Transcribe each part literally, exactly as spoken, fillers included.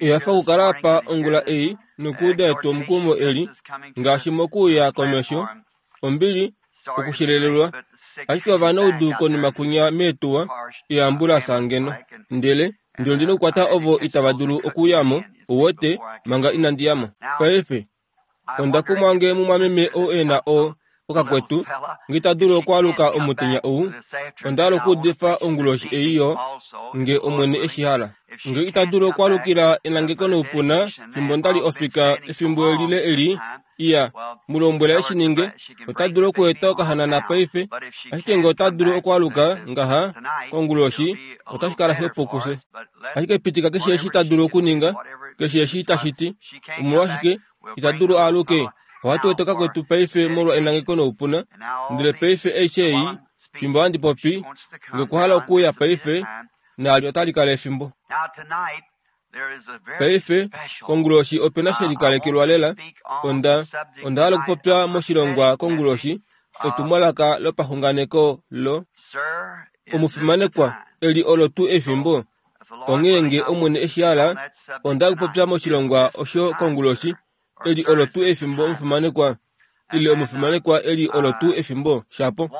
Ehafa okukala apa ongula ei nokuuda etwomukumo eli, ngaashi mokuuya komesho, ombili, okushelelelwa. Ashike ovanaudu konima kunya meetuwa, eeambulasa ngeno. Ndele, ndele ondi nokukwata ovo itava dulu okuuya mo, uwete, manga inandi ya mo. Paife, onda kumwa nge mumwameme ou e na o, okakwetu, nge ita dulu okwaaluka omutenya ou, onda hala okuudifa onguloshi ei yo, nge Omwene e shi hala. Nge ita dulu okwaalukila enangeko noupuna fimbo nda li ofika efimbo lile eli, iya, mu lombwela e shi ninge, ota dulu okueta okahanana paife, ashike nge ota dulu okwaaluka ngaha konguloshi, otashi kala xwepo kufye. Ashike pitika keshe eshi ta dulu okuninga, keshe eshi tashi ti, omolwashike ita dulu aaluke? Ohatu eta okakwetu paife molwa enangeko noupuna, ndele paife aishe ei, fimbo handi popi, nge okwa hala okuuya paife, naali otali kala efimbo. Paife, konguloshi ope na she likalekelwa lela. Onda, onda hala okupopya moshilongwa konguloshi, etumwalaka lopaxunganeko lo Omufimanekwa, eli olo tuu efimbo? Onghee nge Omwene e shi hala, onda hala okupopya moshilongwa osho konguloshi, eli olo tuu efimbo omufimanekwa, ile omufimanekwa eli olo tuu efimbo, shapo.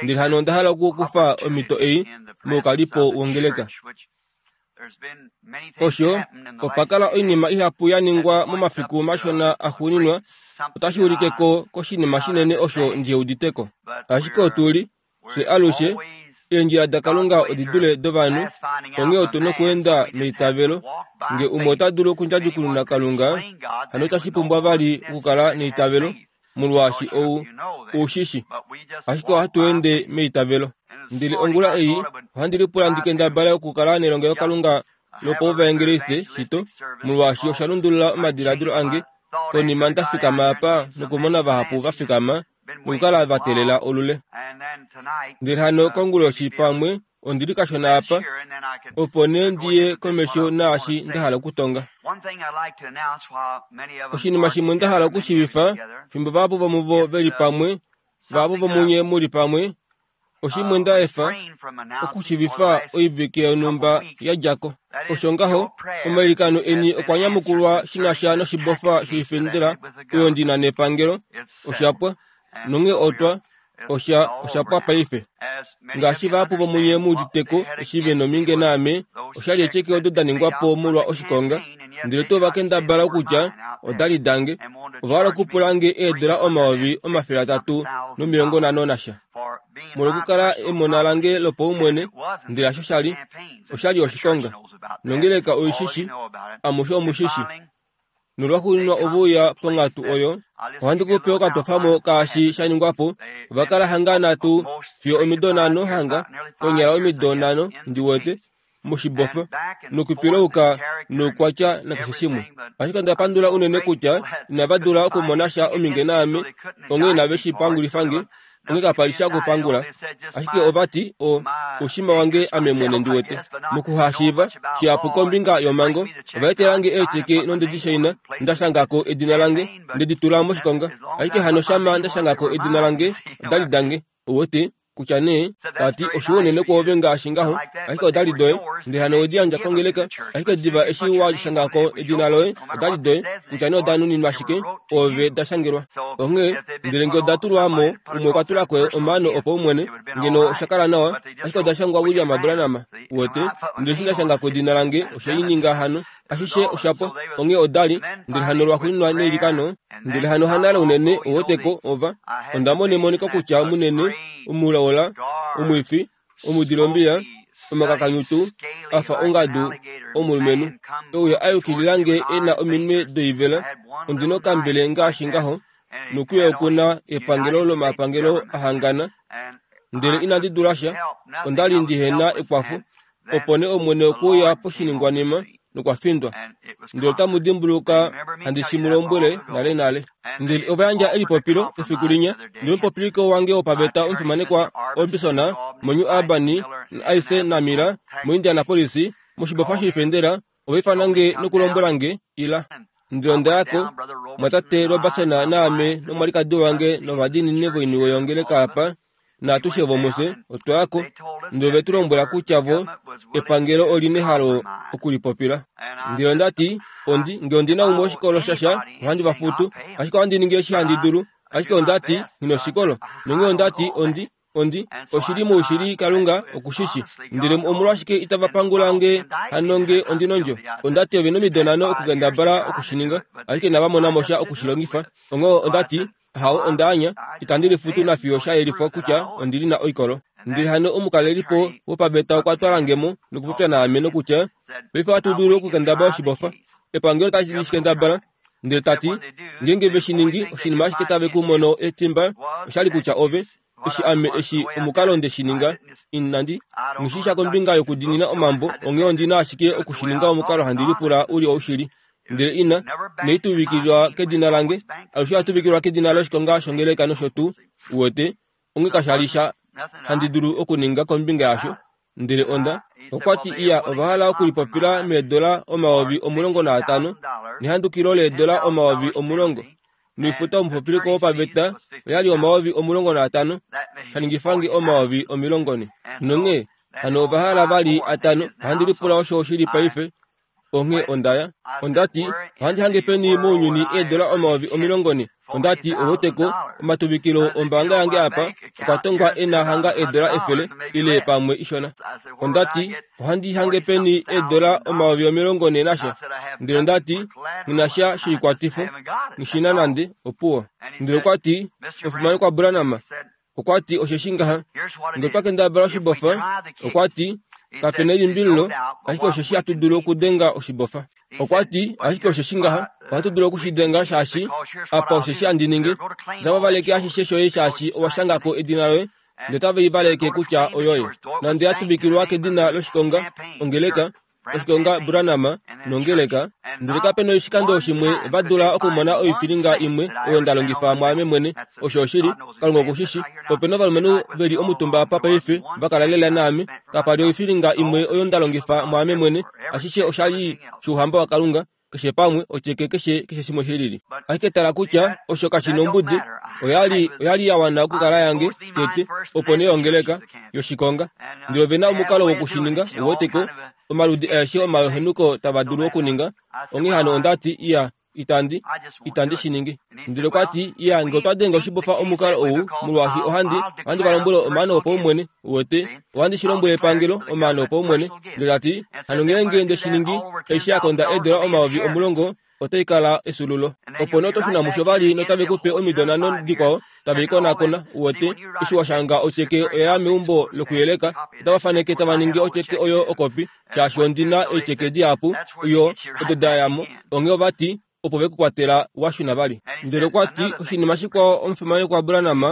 Ndele hano onda hala okukufa omhito ei moukalipo wongeleka. Osho, opa kala oinima ihapu ya ningwa momafiku mashona axuuninwa, otashi ulike ko koshinima shinene osho ndihe udite ko. Ashike otu li, fye alushe, eendjila daKalunga odi dule dovanhu, onghee otu nokweenda meitavelo. Nge umwe ota dulu okundjadjukununa Kalunga, hano itashi pumbwa vali okukala neitavelo, molwaashi ou, ou shi shi. Ashike ohatu ende meitavelo. Ndele ongula ei, ohandi lipula ndi kendabale okukala nelongelokalunga lopauvaengeliste shito, molwaashi osha lundulula omadiladilo ange konima nda fikama apa nokumona vahapu va fikama nokukala va teelela olule. Ndele hano konguloshi pamwe ondi li kashona apa, opo nee ndi ye komesho naashi nda hala okutonga. Oshinima shimwe nda hala okushiivifa, fimbo vahapu vomuvo ve li pamwe, vahapu vomunye mu li pamwe, oshimwe nda efa okushiivifa oivike yonhumba ya dja ko. Osho ngaho, omailikano eni okwa nyamukulwa shi na sha noshibofa shoifendela oyo ndi na nepangelo. Osha pwa. Nonghee otwa, osha, osha pwa paife. Ngaashi vahapu vomunye mu udite ko eshi ve nominge naame, oshali eceke odo da ningwa po molwa oshikonga, ndele tuu va kendabala okutya oda li dange. Ova hala okupula nge eedola omayovi omafele atatu nomilongo nhano nasha molwokukala emona lange lopaumwene, ndele hasho sha li. Osha li oshikonga. Nongeleka oi shi shi. Amushe omu shi shi. Nolwaxuuninwa ove uya ponghatu oyo. Ohandi ku pe okatofamo kaashi sha ningwa po. Ova kala hanga nhatu fiyo omido nhano hanga, konyala omido nhano, ndi wete, moshibofa, nokupilauka noukwatya nakeshe shimwe. Ashike onda pandula unene kutya inava dula okumona sha ominge naame, onghee inave shi pangulifa nge. Onghee kapa li sha okupangula. Ashike ova ti, O, oushima wange ame mwene ndi wete. Mokuhashiiva shihapu kombinga yomhango, ova etela nge eecheke nonde di shaina, nda shanga ko edina lange, nde di tula moshikonga. Ashike hano shama nda shanga ko edina lange, oda li dange. Uwete? Kutya nee, ta ti, oshiwa unene kwoove ngaashi ngaho, ashike oda li doye, ndele hano we di yandja kongeleka, ashike diva eshi wa shanga ko edina loye, oda li doye, kutya nee oda nuninwa shike, oove da shangelwa. Onghee, ndele nge oda tulwa mo, umwe okwa tula ko omaano opaumwene, ngeno osha kala nawa, ashike oda shangwa William Branham, uwete, ndele eshi nda shanga ko edina lange, oshe i ninga hano. Ashishe osha pwa. Onghee oda li, ndele hano lwaxuuninwa neilikano, ndele hano hanale unene, uwete ko, ova, onda mona emoniko kutya munene, omulaula, omwifi, omudilombiya, omakakanyutu, a fa ongadu, omulumenhu, e uya a yukilila nge e na ominwe doivela, ondi nokambele ngaashi ngaho, nokuye oku na epangelo lomapangelo a hangana, ndele inandi dula sha, onda li ndi he na ekwafo, Opo nee Omwene okwe uya poshiningwanima nokwa findwa. Ndele otamu dimbuluka handi shi mu lombwele nalenale. Ndele ova yandja elipopilo efiku linya, ndele omupopiliko wange wopaveta omufimanekwa Robison moNew Albany naIce naMiller moIndianapolis moshibofa shoifendela ova ifana nge nokulombwela nge, Ila. Ndele onda ya ko, mwatate Roberson naame nomwalikadi wange novadiinini voiniwe yongeleka apa, Naatushe vomufye otwa yako ndele ve tu lombwela kutya vo epangelo oli nehalo okulipopila. Ndele onda ti, ondi nge ondi na umwe oshikolo shasha ohandi va futu, ashike ohandi ningi eshi handi dulu, ashike onda ti nghi oshikolo. Nonghee onda ti ondi ondi oshili moushili Kalunga okushishi. Ndele omolwashike itava pangula nge hano nge ondi nondjo? Onda ti ove nomido nhano okukendabala okushininga, ashike inava mona mo sha okushilongifa. Onghee onda ti hao onda anya, itandi lifutu nafiyo sha yelifwa kutya ondili na oikolo. Ndele hano omukalelipo wopaveta okwa twala nge mo nokupopya naame nokutya paife ohatu dulu okukendabala oshibofa. Epangelo otashi shikendabala. Ndele tati ngeenge ve shi ningi oshinima ashike tave ku mono etimba oshali kutya ove eshi ame eshi omukalo nde shi ninga inandi ngishisha kombinga yokudinina omambo onghee ondina ashike okushininga omukalo handi lipula uli oushili. Ndele ina neituvikilwa kedina lange alushe atuvikilwa kedina loshikonga shongeleka nosho tuu uwete onge kashali sha handi dulu okuninga kombinga yasho. Ndele onda okwa ti iya ova hala okulipopila meedola omayovi omulongo naatano nehandukilo leedola omayovi omulongo noifuta omupopiliko wopaveta oyali omayovi omulongo naatano shaningifange omayovi omilongo ne. Nonghee hano ova hala vali atano ohandi lipula osho oshili paife. Onghee ondaya onda ti ohandi hange peni mounyuni eedola omayovi omilongo ne. Onda ti oweteko omatuvikilo ombaanga yange apa okwa tongwa ena hanga eedola efele ile pamwe ishona. Onda ti ohandi hange peni eedola omayovi omilongo ne nasha. Ndele onda ti nginasha shoikwatifo ngishina nande opuwo. Ndele okwa ti omufimanekwa Branham okwa ti osheshi ngaha nge otwa kendabala oshibofa okwa ti kapena elimbililo ashike osheshi hatu dulu okudenga oshibofa. Okwa ti ashike osheshi ngaha ohatu dulu okushidenga shaashi apa osheshi handi ningi otava valeke ashishe shoye shaashi owa shangako edina loye ndele otave i valeke kutya oyoye. Nande ya tuvikilwa kedina loshikonga ongeleka oshikonga Branham nongeleka. Ndele kapena oshikando shimwe va dula okumona oifilinga imwe oyo nda longifa mwaame mwene. Osho oshili Kalunga okushishi. Opena ovalumenhu veli omutumba apa paife va kala lela naame. Kapali oifilinga imwe oyo nda longifa mwaame mwene. Ashishe oshali shouhamba waKalunga keshe pamwe ocheke keshe keshe shimwe shilili. Ashike tala kutya osho kashi nombudi oyali oyali ya wana okukala yange tete opo nee ongeleka yoshikonga. Ndele ove na omukalo wokushininga uweteko omaludi aeshe omahenuko tava dulu okuninga. Onghee hano onda ti iya itandi itandi shiningi. Ndele okwa ti iya nge otwa denga oshibofa omukalo ou molwaashi ohandi ohandi va lombwele omaano opaumwene uwete ohandi shi lombwele epangelo omaano opaumwene. Ndele tati hano ngeenge nde shiningi eshi ya konda eedola omayovi omulongo otai kala esululo. Opo nee oto shuna musho vali notave kupe omido nhano dikwao tave ikonakona uwete eshi wa shanga ocheke oya meumbo lokuyeleka otava faneke tava ningi ocheke oyo okopi shaashi ondina eecheke dihapu yo odo dayamo. Onghee ovati opo ve kukwatela washuna vali. Ndele okwa ti oshinima shikwao omufimanekwa Branham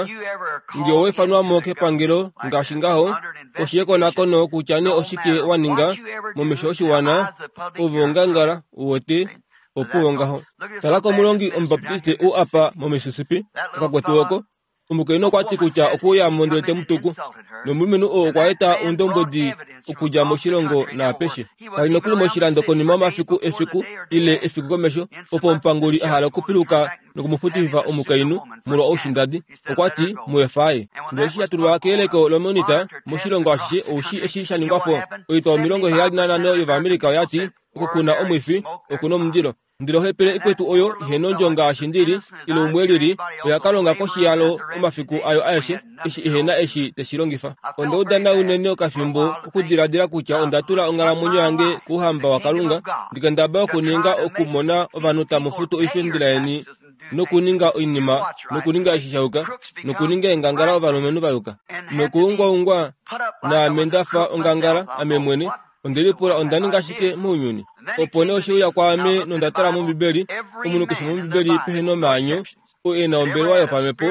nge owefanwamo kepangelo ngaashi ngaho koshi yekonakono kutya nee oshike wa ninga momesho oshiwana ove ongangala uwete opuwo ngaho. Tala komulongi omubaptiste u apa moMississippi okakwetu oko omukainhu okwa ti kutya okuuyamo ndele temutuku nomulumenhu oo okwa eta oundombwedi okudja moshilongo naapeshe. Kali nokuli moshilando konima yomafiku efiku ile efiku komesho opo omupanguli a hala okupiluka nokumufutifa omukainhu molwa oushindadi. Okwa ti muefaye. Ndele eshi sha tulwa keyeleko lomonita moshilongo ashishe oushi eshi sha ningwapo oitwa omilongo heyali nanhano yOvaamerica oya ti okukuna omwifi okuna omundilo. Ndele ohepele ikwetu oyo ihenondjo ngaashi ndili ile umwe lili oya kalonga koshiyalo omafiku ayo aeshe eshi ihena eshi teshi longifa. Onda udana unene okafimbo okudiladila kutya onda tula onghalamwenyo yange kouhamba waKalunga ndikendaba okuninga okumona ovanhu tamu futu oifendela yeni nokuninga oinima nokuninga eshi sha yuka nokuninga eengangala ovalumenhu va yuka nokuungwaungwa naame ndafa ongangala ame mwene. Onde lipula onda ninga shike mounyuni. Opo nee oshe uya kwaame nonda tala mOmbibeli omunhu keshe mOmbibeli pehe nomaanyo oo e na ombelewa yopamhepo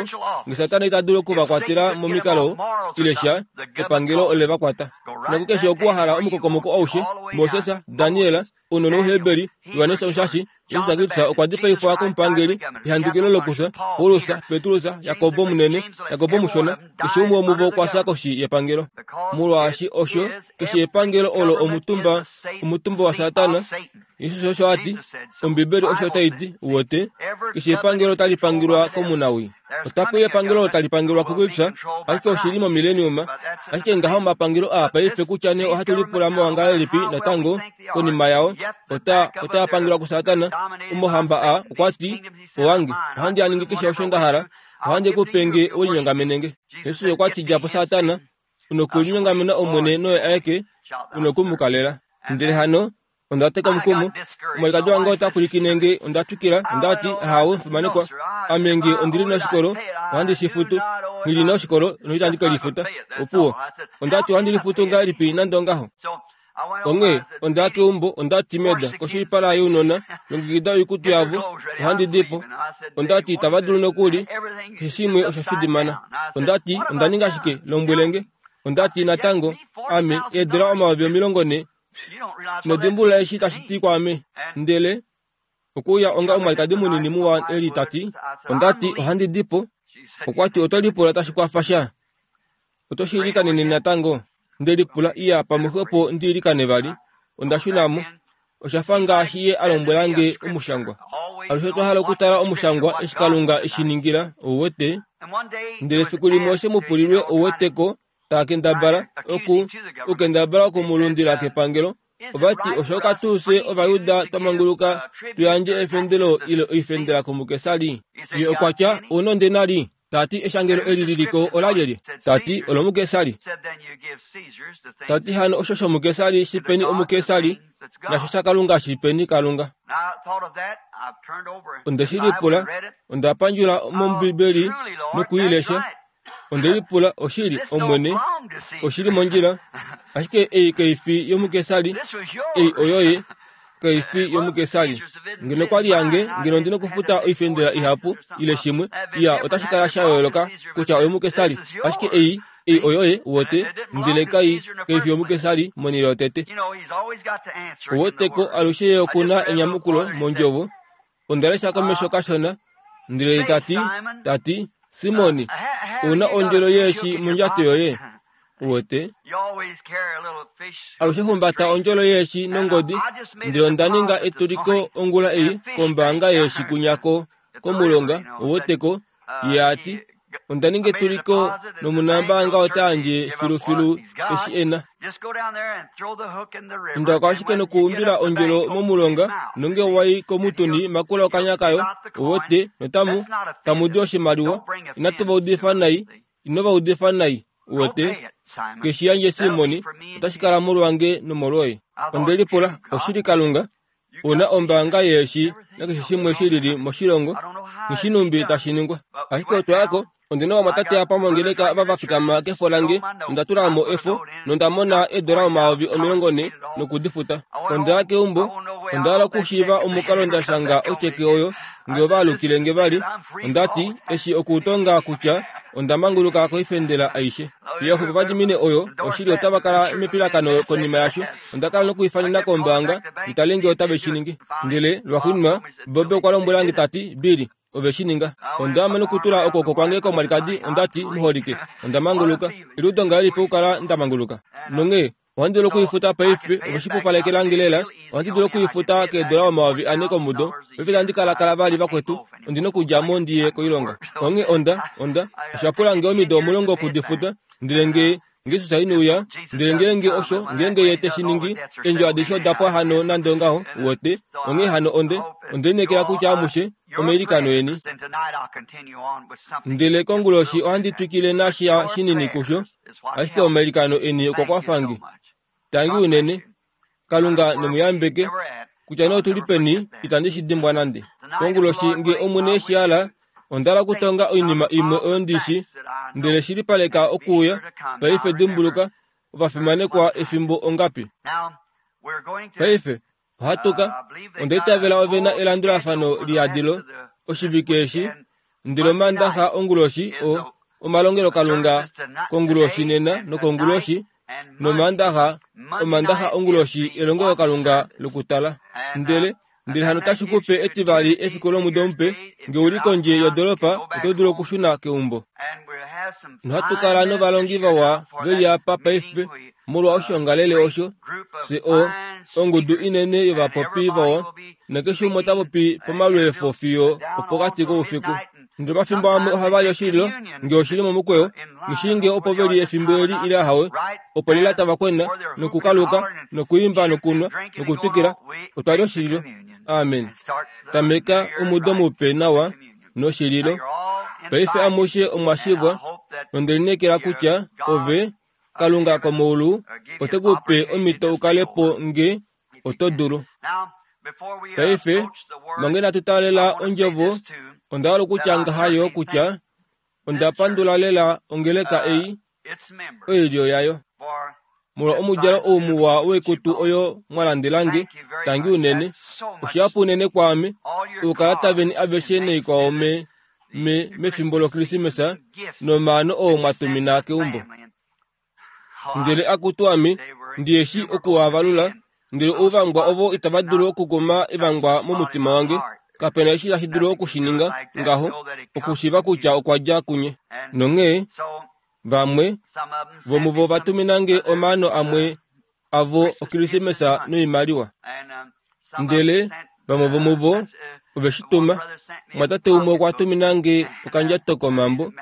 nge Satana ita dulu okuvakwatela momikalo ile sha epangelo ole va kwata. Shina kukeshe oku wa hala omukokomoko aushe Moses, Daniel, ounona Ouheberi, Johannes Omushashi, Jesus Kristus okwa dipaifwa komupangeli ehandukilo lokufya Paulus, Petrus, Jakobo munene, Jakobo mushona, keshe umwe womuvo okwa fya koshi yepangelo. Molwaashi osho keshe epangelo olo omutumba omutumba waSatana. Jesus osho a ti, Ombibeli osho tai ti uwete Keshe epangelo tali pangelwa komunawii. Otapu epangelo tali pangelwa kuKristus, ashike oshili momileniuma. Ashike ngaho omapangelo aa paife kutya nee ohatu lipula mowangahelipi natango konima yao, ota otaa pangelwa kuSatana. Omohamba a okwa ti, owange, ohandi a ningi keshe osho nda hala, ohandi ku pe nge ulinyongamenenge. Jesus okwa ti dja po Satana, unokulinyongamena Omwene noye aeke, unokumukalela. Ndele hano onda teka omukumo, omwalikadi wange ota pwilikine nge, onda twikila, onda ti, ahawe, mfimanekwa, ame nge ondili noshikolo, ohandi shi futu, nghi na oshikolo noitandi ke lifuta. Opuwo, onda ti ohandi lifutu ngahelipi nande ongaho. Onghee onda ya keumbo, onda ti meda koshoipala younona, longekida oikutu yavo, ohandi di po. Onda ti itava dulu nokuli, keshe shimwe osha fidimana. Onda ti onda ninga shike, lombwele nge. Onda ti natango, ame eedula omayovi omilongo ne, nodimbulula eshi tashi ti kwaame. Ndele okuuya onga omwalikadi munini muwa eli ta ti, onda ti ohandi di po. Okwa ti oto lipula tashi kwafa sha, oto shi ilikanene natango. Nde lipula iya pamwe opo ndi ilikane vali. Onda shuna mo. Osha fa ngaashi ye a lombwela nge omushangwa. Alushe otwa hala okutala omushangwa eshi Kalunga eshi ningila, ouwete. Ndele fiku limwe oshe mu pulilwe ouweteko taa kendabala oku okendabala okumulundila kepangelo. Ovati osho katuuse Ovayuda twa manguluka tu yandje efendelo ile oifendela komukesari. Ye okwa tya ouna ondenari. Tati eshangelo eli liliko ola lyelye? Tati olomukesari. Tati hano osho shomukesari shipeni omukesari, nasho shaKalunga shipeni Kalunga. Onde shi lipula, onda pandjula mOmbibeli nokuilesha. Onde lipula oshili Omwene, oshili mondjila, ashike ei kaifi yomukesari, ei oyoye kaifi yomukesari. Ngeno kwali yange, ngeno ndina okufuta oifendela ihapu ile shimwe, iya otashi kala sha yooloka kutya oyomukesari, ashike ei ei oyoye wote, ndele kai kaifi yomukesari monhele yotete. Oweteko alushe ye okuna enyamukulo mondjovo. Onda lesha komesho kashona, ndele tati tati Simoni, una ondjolo yeeshi mondjato yoye. Uwete alushe humbata ondjolo yeeshi nongodi, ndele onda ninga etuliko ongula ei kombaanga yeeshi kunyako komulonga. Uweteko ye ati onda ninga etuliko nomunambaanga ota yandje filufilu eshi ena. Onda ashike nokuumbila ondjolo momulonga nonge wai komutuni makula okanya kayo. Uwete notamu tamu di oshimaliwa. Inatu va udifa nai, ino va udifa nai. Uwete keshi yandje Simoni, otashi kala molwange nomolwoye. Onde lipula oshili Kalunga, una ombaanga yeeshi nakeshe shimwe shilili moshilongo, nishinumbi tashi ningwa. Ashike otwa yako, ondina vamwatate apa mongeleka va vafikama kefo lange, onda tula mo efo nonda mona eedola omayovi omilongo ne nokudifuta. Onda ya keumbo, onda hala okushiiva omukalo nda shanga otyeke oyo nge ovaalukile nge vali. Onda ti eshi okutonga kutya onda manguluka koifendela aishe. Ye opo vadimine oyo oshili otava kala mepilakano konima yasho. Onda kala nokuifanena kombaanga itale nge otave shi ningi. Ndele lwaxuuninwa Bobe okwa lombwela nge tati, Billy, ove shi ninga. Onda ama nokutula okwooko kwange komwalikadi, onda ti, muholike, onda manguluka. Eliudo ngahelipi okukala nda manguluka? Nonghee ohandi dulu okuifuta paife, ove shi pupalekelange lela. Ohandi dulu okuifuta keedola omayovi ane komudo. Paife itandi kalakala vali vakwetu, ondina okudja mo ndiye koilonga. Onghee onda onda osha pula nge omido omulongo okudifuta, ndele nge Jesus inouya, ndele ngeenge osho, ngeenge ye te shi ningi, eendjo adishe oda pwa hano nande ongaho. Uwete, onghee hano onde onde lineekela kutya amushe omailikano eni. Ndele konguloshi ohandi twikile nasha shinini kusho, ashike omailikano eni okwa kwafa nge. Tangi unene, Kalunga nemuyambeke, kutya nee otuli peni, itandi shi dimbwa nande. Konguloshi nge Omwene eshi hala, onda hala okutonga oinima imwe oyo ndishi, ndele shilipaleka okuuya. Paife dimbuluka, ovafimanekwa efimbo ongapi? Paife ohatuka, onda itavela ove na elandulafano liyadilo oshivike eshi, ndele Omandaxa onguloshi o omalongelokalunga konguloshi nena nokonguloshi, nOmandaxa Omandaxa onguloshi elongelokalunga lokutala. Ndele ndele hano tashi kupe etivali efiku lomudo mupe, nge uli kondje yodolopa oto dulu okushuna keumbo. Nohatu kala novalongi vawa veli apa paife molwa oshiongalele osho, se o ongudu inene yovapopi vawa, Nakeshe umwe ota popi pomalweefo fiyo opokati koufiku. Ndele omafimbo amwe ohava li oshililo, ngee oshili momukweyo, nghi ngee opo veli efimbo eli ile ahawe, opo lela tava kwena, nokukaluka, nokuimba nokunwa, nokutwikila. Otwa li oshililo. Amen. Tameka omudo mupe nawa noshililo. Paife amushe omwa shivwa, nonde lineekela kutya ove, Kalunga komeulu, ote ku pe omhito u kale po nge oto dulu. Paife, manga inatu taalela ondjovo, onda hala okutya ngaha yo kutya onda pandula lela ongeleka ei, oilyo yayo. Molwa omudjalo ou muwa woikutu oyo mwa landelange, tangi unene. Oshihapu unene kwaame, oukalata veni aveshe noikwao me, me, mefimbo loKrismesa, nomaano oo mwa tumina keumbo. Ndele akutu ame, ndi eshi okuavalula, ndele ouvangwa ovo itava dulu okukuma evangwa momutima wange. Kapena eshi tashi dulu oku shi ninga ngaho, okushiiva kutya okwa dja kunye. Nonghee, vamwe vomuvo va tuminange omaano amwe avo oKrismesa noimaliwa. Ndele vamwe vomuvo ove shi tuma. Mwatate umwe okwa tuminange okandjato komambo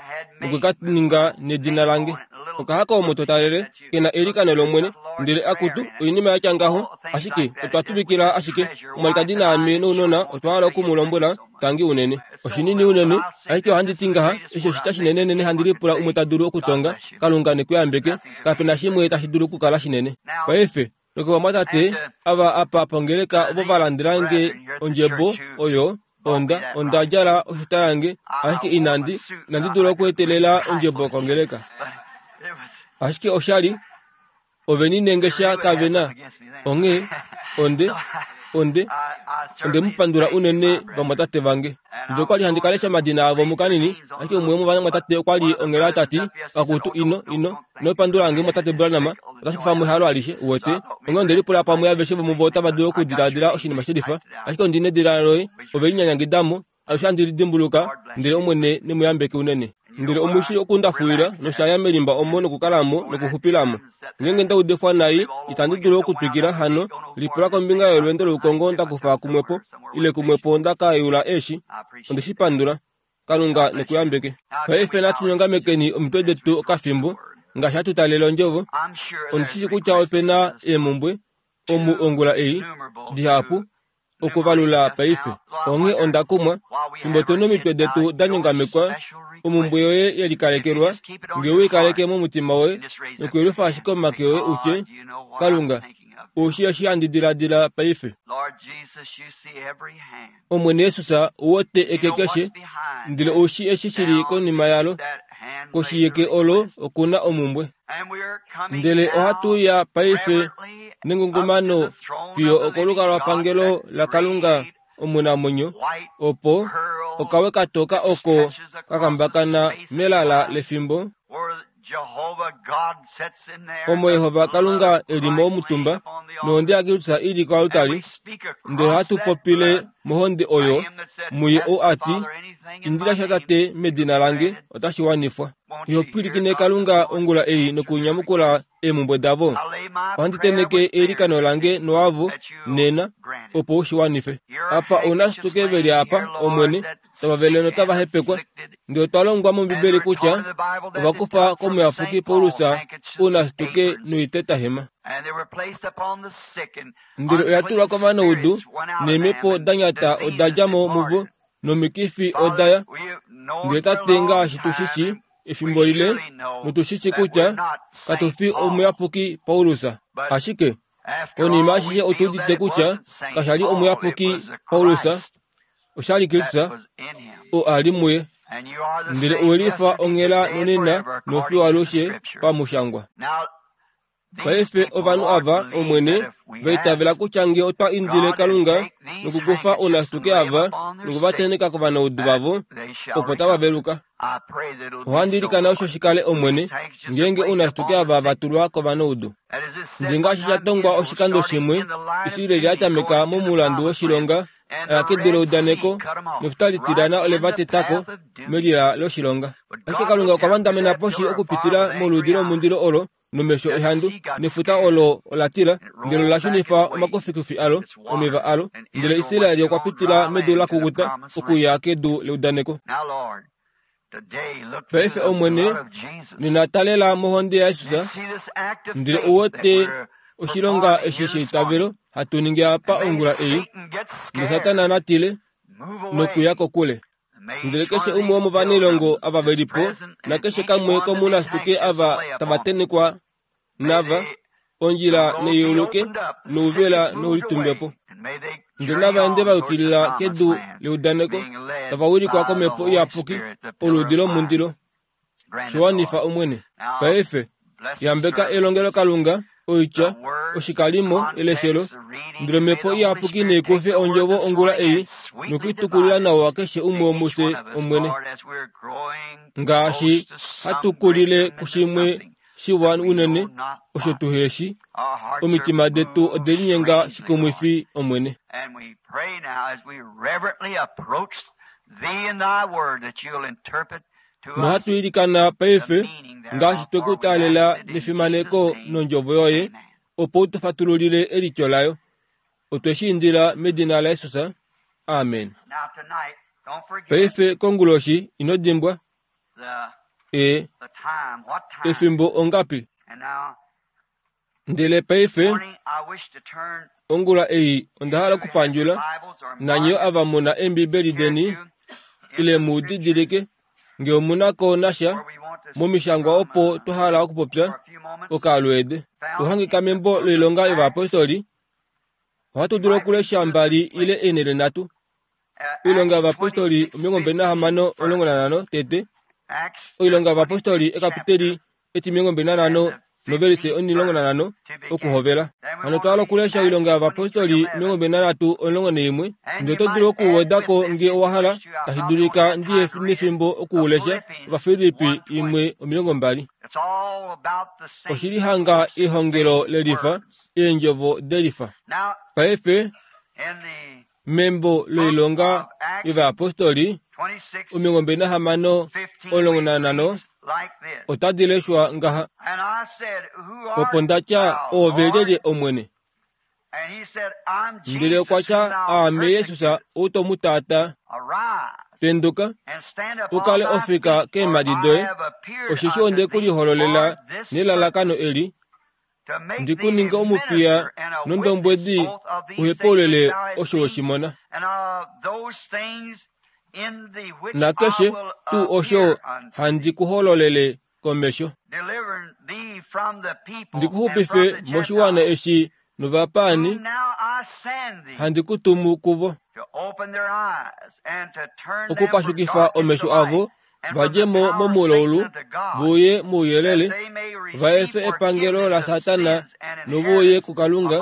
nokwe ka ninga nedina lange. Okahaka omo to talele, ke na eilikano lOmwene, ndele akutu oinima ya tya ngaho, ashike otwa tuvikila ashike. Omwalikadi naame nounona otwa hala oku mu lombwela tangi unene. Oshinini unene, ashike ohandi ti ngaha, eshi oshitya shinenenene handi lipula umwe ta dulu okutonga, Kalunga ne ku yambeke, kape na shimwe tashi dulu okukala shinene. Paife, nokovamwatate ava apa pongeleka ovo va landelange ondjebo oyo, onda onda djala oshuta yange, ashike inandi inandi dula okuetelela ondjebo kongeleka. Ashike oshali ove ninengesha kave na. Onghee onde onde onde mu pandula unene vamwatate vange. Ndele okwali handi kalesha omadina avo mukanini, ashike umwe womovamwatate okwa li onghela ta ti, akutu ino ino ino pandula nge mwatate Branham, otashi kufa mo ehalo alishe, uwete. Onghee onde lipula pamwe aveshe vomuvo otava dulu okudiladila oshinima shelifa, ashike ondi nedila loye, ove linyanyangidamo, alushe handi lidimbuluka, ndele Omwene ne mu yambeke unene. Ndele omushi okundafuwila noshaya melimba omo nokukalamo nokuxupilamo. Ngeenge nda udifwa nai, itandi dulu okutwikila hano, lipula kombinga yolweendo loukongo nda kufa kumwepo, ile kumwepo nda ka yula eeshi. Onde shi pandula. Kalunga ne ku yambeke. Paife natu nyongamekeni omitwe detu okafimbo, ngaashi hatu talele ondjovo. Ondi shi shii kutya ope na eemumbwe omu ongula ei, dihapu, okuvalula paife. Onghee onda kumwa, fimbo tu nomitwe detu da nyongamekwa, omumbwe yoye ye likalekelwa, nge u i kaleke momutima woye, nokuyelufa ashike omake oye u tye, Kalunga, ou shii eshi handi diladila paife. Omwene Jesus, ou wete eke keshe, ndele ou shii eshi shi li konima yalo. Koshi yeke olo oku na omumbwe. Ndele ohatu uya paife nengungumano fiyo okolukalwapangelo laKalunga omunamwenyo, opo okawe katoka oko ka kambakana melala lefimbo, omo Yehova Kalunga e li mo omutumba, nohonde yaKristus i li koaltari, ndele ohatu popile mohonde oyo, muye ou a ti, Indila sha Tate medina lange, otashi wanifwa. Iho pwilikine Kalunga ongula ei nokunyamukula eemumbwe davo. Ohandi tenheke eilikano lange noavo nena, opo u shi wanife. Apa ounashituke ve li apa, Omwene, tava vele notava hepekwa. Ndele otwa longwa mOmbibeli kutya ova kufa komuyapuki Paulus ounashituke noitetahema. Ndele oya tulwa kovanaudu, neemhepo da nyata oda dja mo muvo, nomikifi oda ya. Ndele Tate, ngaashi tu shi shii efimbo lile, notu shi shii kutya katu fi omuyapuki Paulus. Ashike konima ashishe otu udite kutya kasha li omuyapuki Paulus, osha li Kristus oo a li muye. Ndele owe lifa onghela nonena nofiyo alushe pamushangwa. Paife ovanhu ava, Omwene, va itavela kutya nge otwa indile Kalunga nokukufa ounashituke ava noku va tenheka kovanaudu vavo, opo tava veluka. Ohandi ilikana osho shi kale, Omwene, ngeenge ounashituke ava va tulwa kovanaudu. Ndele ngaashi sha tongwa oshikando shimwe, Israel ya tameka momulandu woshilonga, oya kedu leudaneko, nefuta litilyana ole va teta ko melila loshilonga. Ashike Kalunga okwa vandamena poshi okupitila moludi lomundilo olo, nomesho ehandu nefuta olo ola tila ndele ola shunifa omakufikufi alo omeva alo ndele Israeli okwa pitila medu la kukuta okuya kedu leudaneko. Paife Omwene, nena talela mohonde yaJesus ndele uwete oshilonga eshi sheitavelo hatu ningi apa ongula ei ndele Satana natile nokuya kokule. Ndele keshe umwe womovanailongo ava veli po nakeshe kamwe komunasituke ava tava tenekwa nava ondjila neiuluke nouvela noulitumbepo. Ndele nava ende va yukilila kedu leudaneko tava wilikwa komhepo iyapuki oludi lomundilo. Shiwanifa Omwene. Paife yambeka elongelokalunga oitya oshikalimo eleshelo ndele omhepo iyapuki neikufe ondjovo ongula ei nokuitukulila nawa keshe umwe womufye Omwene ngaashi hatukulile kushimwe shiwa unene osho tuheshi omitima detu ode linyenga shikumwifi Omwene. Nohatu ilikana paife ngaashi twekutaalela nefimaneko nondjovo yoye opo u tu fatululile elityo layo. Otwe shi indila medina laJesus. Amen. Paife konguloshi ino dimbwa e efimbo ongapi. Ndele paife ongula ei onda hala okupandjula nanyo ava muna Embibeli deni ile mu didilike nge omunako nasha momishangwa opo twa hala okupopya okalweede. Tuhangika membo loilonga yovayapostoli. Ohatu dulu okulesha mbali ile eenele nhatu. Oilonga yovayapostoli omilongo mbali nahamano omulongo nanhano tete. Oilonga yovayapostoli ekapiteli etimilongo mbali nanhano novelise omulongo nanhano okuhovela. Hano twa hala okulesha oilonga yovayapostoli omilongo mbali nanhatu omulongo naimwe. Ndele oto dulu okuwedako nge owa hala tashi dulika ndiye nefimbo okuulesha Ovafilippi imwe omilongo mbali. Oshili hanga ehongelo lelifa eendjovo delifa. Paife membo loilonga yovayapostoli omilongo mbali nahamano omulongo nanhano otadi leshwa ngaha. Opo nda tya oove lyelye Omwene? Ndele okwa tya aame Jesus ou to mu taata. Penduka ukale ofika keemhadi doye, osheshi onde ku lihololela nelalakano eli ndi ku ninge omupiya nondombwedi uhepaulule osho we shi mona. Nakeshe tuu osho handi ku hololele komesho. Ndi ku xupife moshiwana eshi novapaani handi ku tumu kuvo. Okupashukifa omesho avo vadje mo momulaulu vuye mouyelele, va efe epangelo laSatana novuye kuKalunga,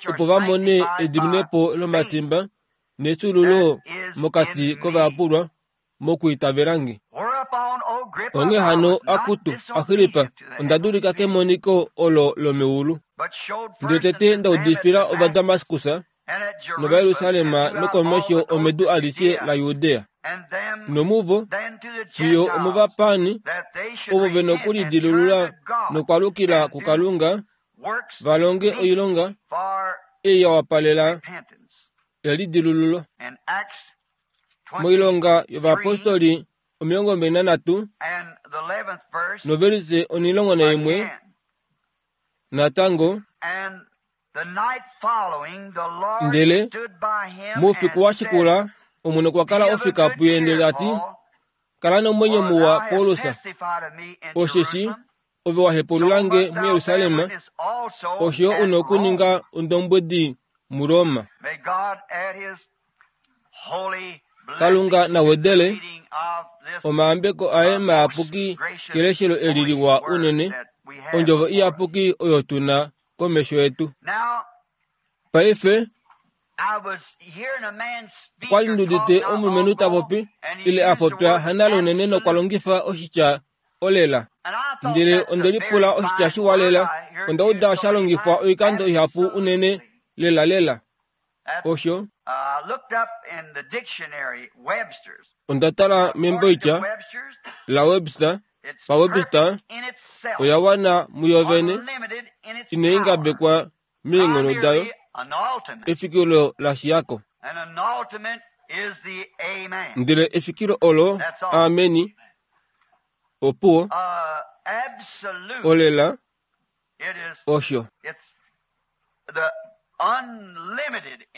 opo va mone ediminepo lomatimba nefyuululo mokati kovayapulwa mokwiitavelange. Onghee hano akutu Agrippa, onda dulika kemoniko olo lomeulu. Ndele tete nda udifila Ovadamaskus nOvajerusalem nokomesho omedu alishe laJudea. Nomuvo fiyo omovapaani ovo ve nokulidilulula nokwalukila kuKalunga va longe oilonga ei ya wapalela elidilululo. Moilonga yovayapostoli omilongo mbali nanhatu novelise omulongo naimwe natango. Ndele moufiku wa shikula Omwene okwa kala ofika puye ndele ati, kala nomwenyo muwa Paulus, osheshi ove wa hepululange muJerusalem, osho yo una okuninga ondombwedi muRoma. Kalunga na wedele omayambeko aye mayapuki keleshelo eli liwa unene, ondjovo iyapuki oyo tuna komesho yetu. Paife okwali ndudite omulumenhu ta popi ile a popya hanale unene nokwa longifa oshitya olela. Ndele onde lipula oshitya shiwa lela, onda uda sha longifwa oikando ihapu unene lela lela. Osho onda tala memboitya la Webster PaWebster oya wana muyo vene, inai ngabekwa meenghono dayo, efikilo la shiyako. Ndele efikilo olo ameni opuwo olela osho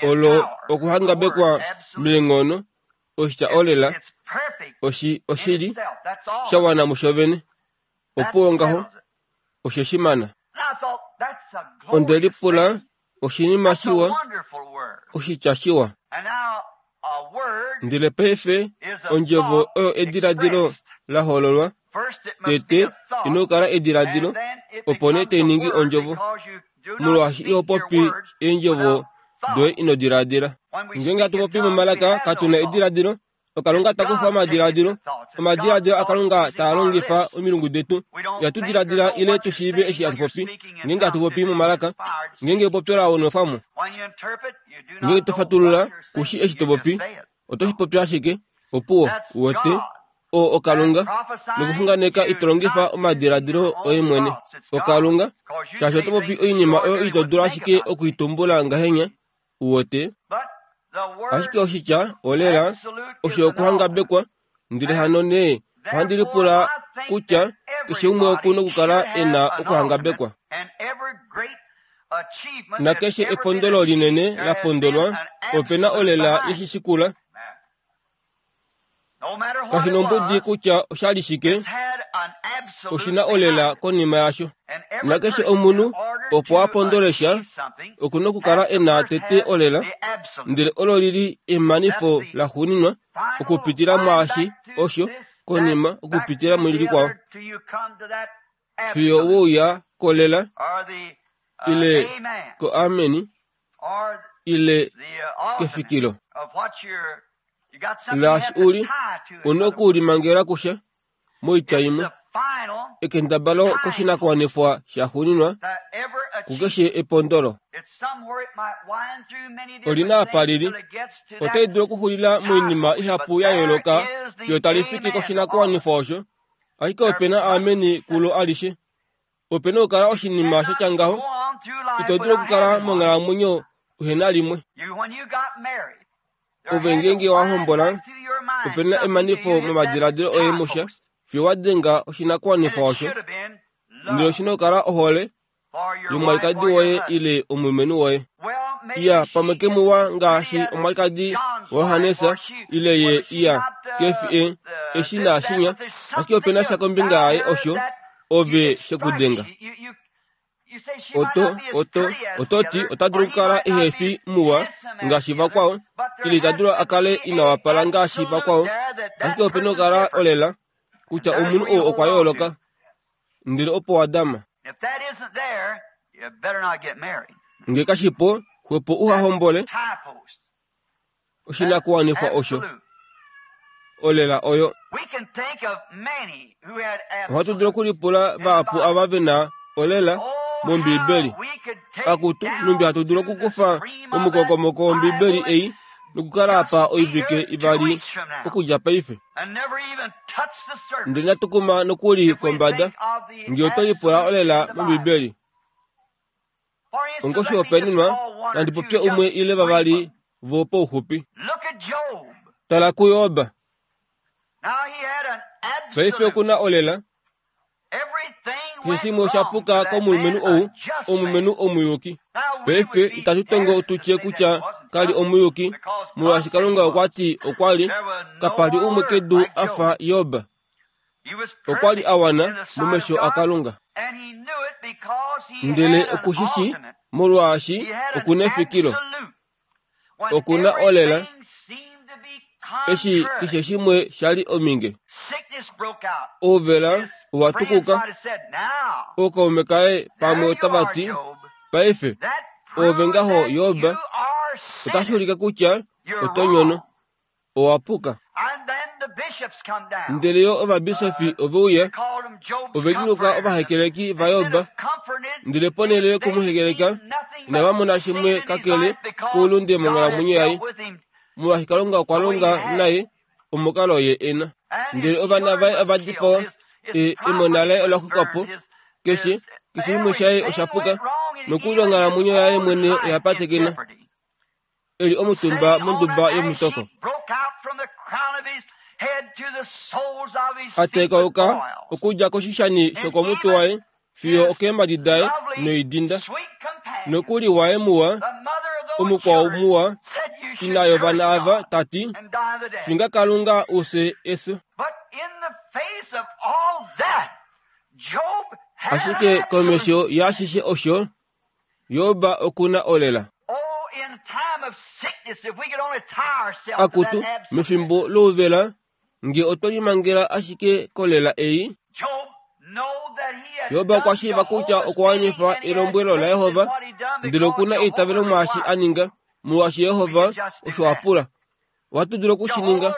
olo okuhangabekwa meenghono oshitya olela oshi oshili shawana musho vene opuwo ngaho oshe shimana. Onde lipula oshinima shiwa oshitya shiwa. Ndele paife ondjovo oyo ediladilo la hololwa tete ino kala ediladilo opo nee tai ningi ondjovo molwaashi iho popi eendjovo doye ino diladila. Ngeenge hatu popi momalaka katuna ediladilo okalunga takufa omadiladilo omadiladilo akalunga taa longifa omilungu detu. Ihatu diladila ile tushiive eshi hatu popi ngeenge hatu popi momalaka ngeenge epopyo la nwefwamo. Ngeenge tofatulula kushi eshi to popi oto shi popi ashike opuwo uwete oo okalunga nokuxunganeka ito longifa omadiladilo oye mwene okalunga shaashi oto popi oinima oyo ito dulu ashike okuitumbula ngahenya uwete. Ashike oshitya olela osho okuhangabekwa ndele hano nee ohandi lipula kutya keshe umwe oku nokukala e na okuhangabekwa. Nakeshe epondolo linene la pondolwa ope na olela yeshishikula. Kashi nombudi kutya oshali shike oshina olela konima yasho. Nakeshe omunhu opo a pondole sha oku nokukala e na tete olela ndele olo lili emanifo laxuuninwa okupitila mwaashi osho konima okupitila mulikwao fiyo wouya kolela ile ko ameni ile kefikilo laashi uli una okulimangela kusha moitya imwe ekendabalo koshinakuwanifwa shaxuuninwa kukeshe epondolo. Olina apa lili otai dulu okuxulila moinima ihapu ya yooloka fiyo talifiki koshinakuwanifwa osho ashike opena ameni kulo alishe. Opena okukala oshinima shatya ngaho ito dulu okukala monghalamwenyo uhena limwe. Ove ngeenge wahombola opena emanifo momadiladilo oye musha fiyo wadenga oshinakuwanifwa osho ndele oshina okukala ohole yomwalikadi woye ile omulumenhu woye. Iya pamwe kemuwa ngaashi omwalikadi waJohannes ile ye iya kefi e eshi naashinya ashike opena sha kombinga yaye osho ove shekudenga. Oto oto ototi ota dulu okukala ehe fi muwa ngaashi vakwao ile ita dulu akale ina wapala ngaashi vakwao ashike opena okukala olela kutya omunhu oo okwa yooloka ndele opo wadama. Nge kashipo xwepo uhahombole oshinakuwanifwa osho olela oyo. Ohatu dulu okulipula vahapu ava vena olela mOmbiibeli. Akutu numbi hatu dulu okukufa omukokomoko wOmbiibeli ei nokukala apa oivike ivali okudja paife. Ndele natukuma nokuli kombada nge oto lipula olela mOmbiibeli. Ongoshihopaenenwa nandi popye umwe ile vavali vo pauxupi. Tala kuJob. Paife okuna olela. Keshe shimwe osha puka komulumenhu ou, omulumenhu omuyuki. Paife itatu tongo tutye kutya kali omuyuki, molwaashi Kalunga okwa ti okwa li kapali umwe kedu a fa Job. Okwa li a wana momesho aKalunga. Ndele okushishi molwaashi okuna efikilo. Okuna olela eshi keshe shimwe shali ominge. Ouvela owa tukuka. Ookaume kaye pamwe otava ti paife ove ngaho Job otashi ulike kutya oto nyono owa puka. Ndele yo ovabisofi ove uya ove liluka ovahekeleki vaJob ndele ponhele yokumuhekeleka inava mona shimwe kakele koulunde monghalamwenyo yaye molwaashi Kalunga okwa longa naye omukalo ye ena. Ndele ovana vaye ova dipawa Emona laye ola xwikwa po, keshe keshe shimwe shaye osha puka, nokuli onghalamwenyo yaye mwene oya patekena, eli omutumba monduba yomutoko. Atekauka okudja koshishani shokomutwe waye fiyo okeemhadi daye noidinda. Nokuli waye muwa, omukwao muwa, ina yovana ava tati, finga Kalunga use efyo. Ashike komesho yaashishe osho, Job okuna olela. Akutu, mefimbo louvela, nge otwa limangela ashike kolela ei. Job okwa shiiva kutya okwa wanifa elombwelo laJehova, ndele okuna eitavelo mwaashi a ninga, molwaashi Jehova osho a pula. Ohatu dulu okushininga.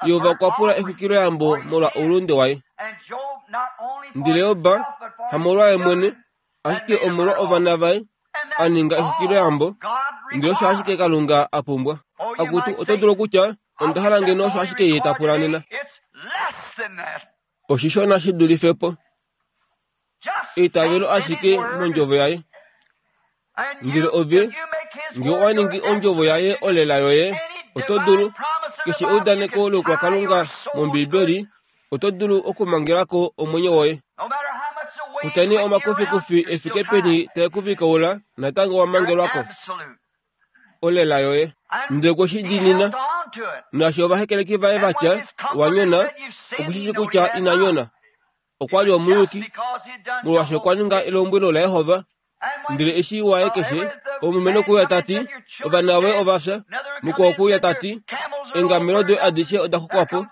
Jehova okwa pula exwikiloyambo molwa oulunde waye. Ndele Job hamolwaye mwene, ashike omolwa ovana vaye, a ninga exwikiloyambo, ndele osho ashike Kalunga a pumbwa. Akutu, oto dulu okutya, onda hala ngeno osho ashike ye ta pula nena. Oshishona shi dulife po. Eitavelo ashike mondjovo yaye. Ndele ove, nge owa ningi ondjovo yaye olela yoye, oto dulu, keshe eudaneko loukwakalunga mOmbiibeli, oto dulu okumangelako omwenyo woye. Kutya nee omakufikufi efike peni tae ku vikaula, natango wa mangelwako. Olela yoye. Ndele okwe shi diinina. Naashi ovahekeleki vaye vatya, wa nyona, okushishi kutya ina nyona. Okwa li omuyuki, molwaashi okwa ninga elombwelo laJehova. Ndele eshi waye keshe, omulumenhu okuuya tati, ovana voye ova fya, mukwao okuuya tati, eengamelo doye adishe oda xwikwa po,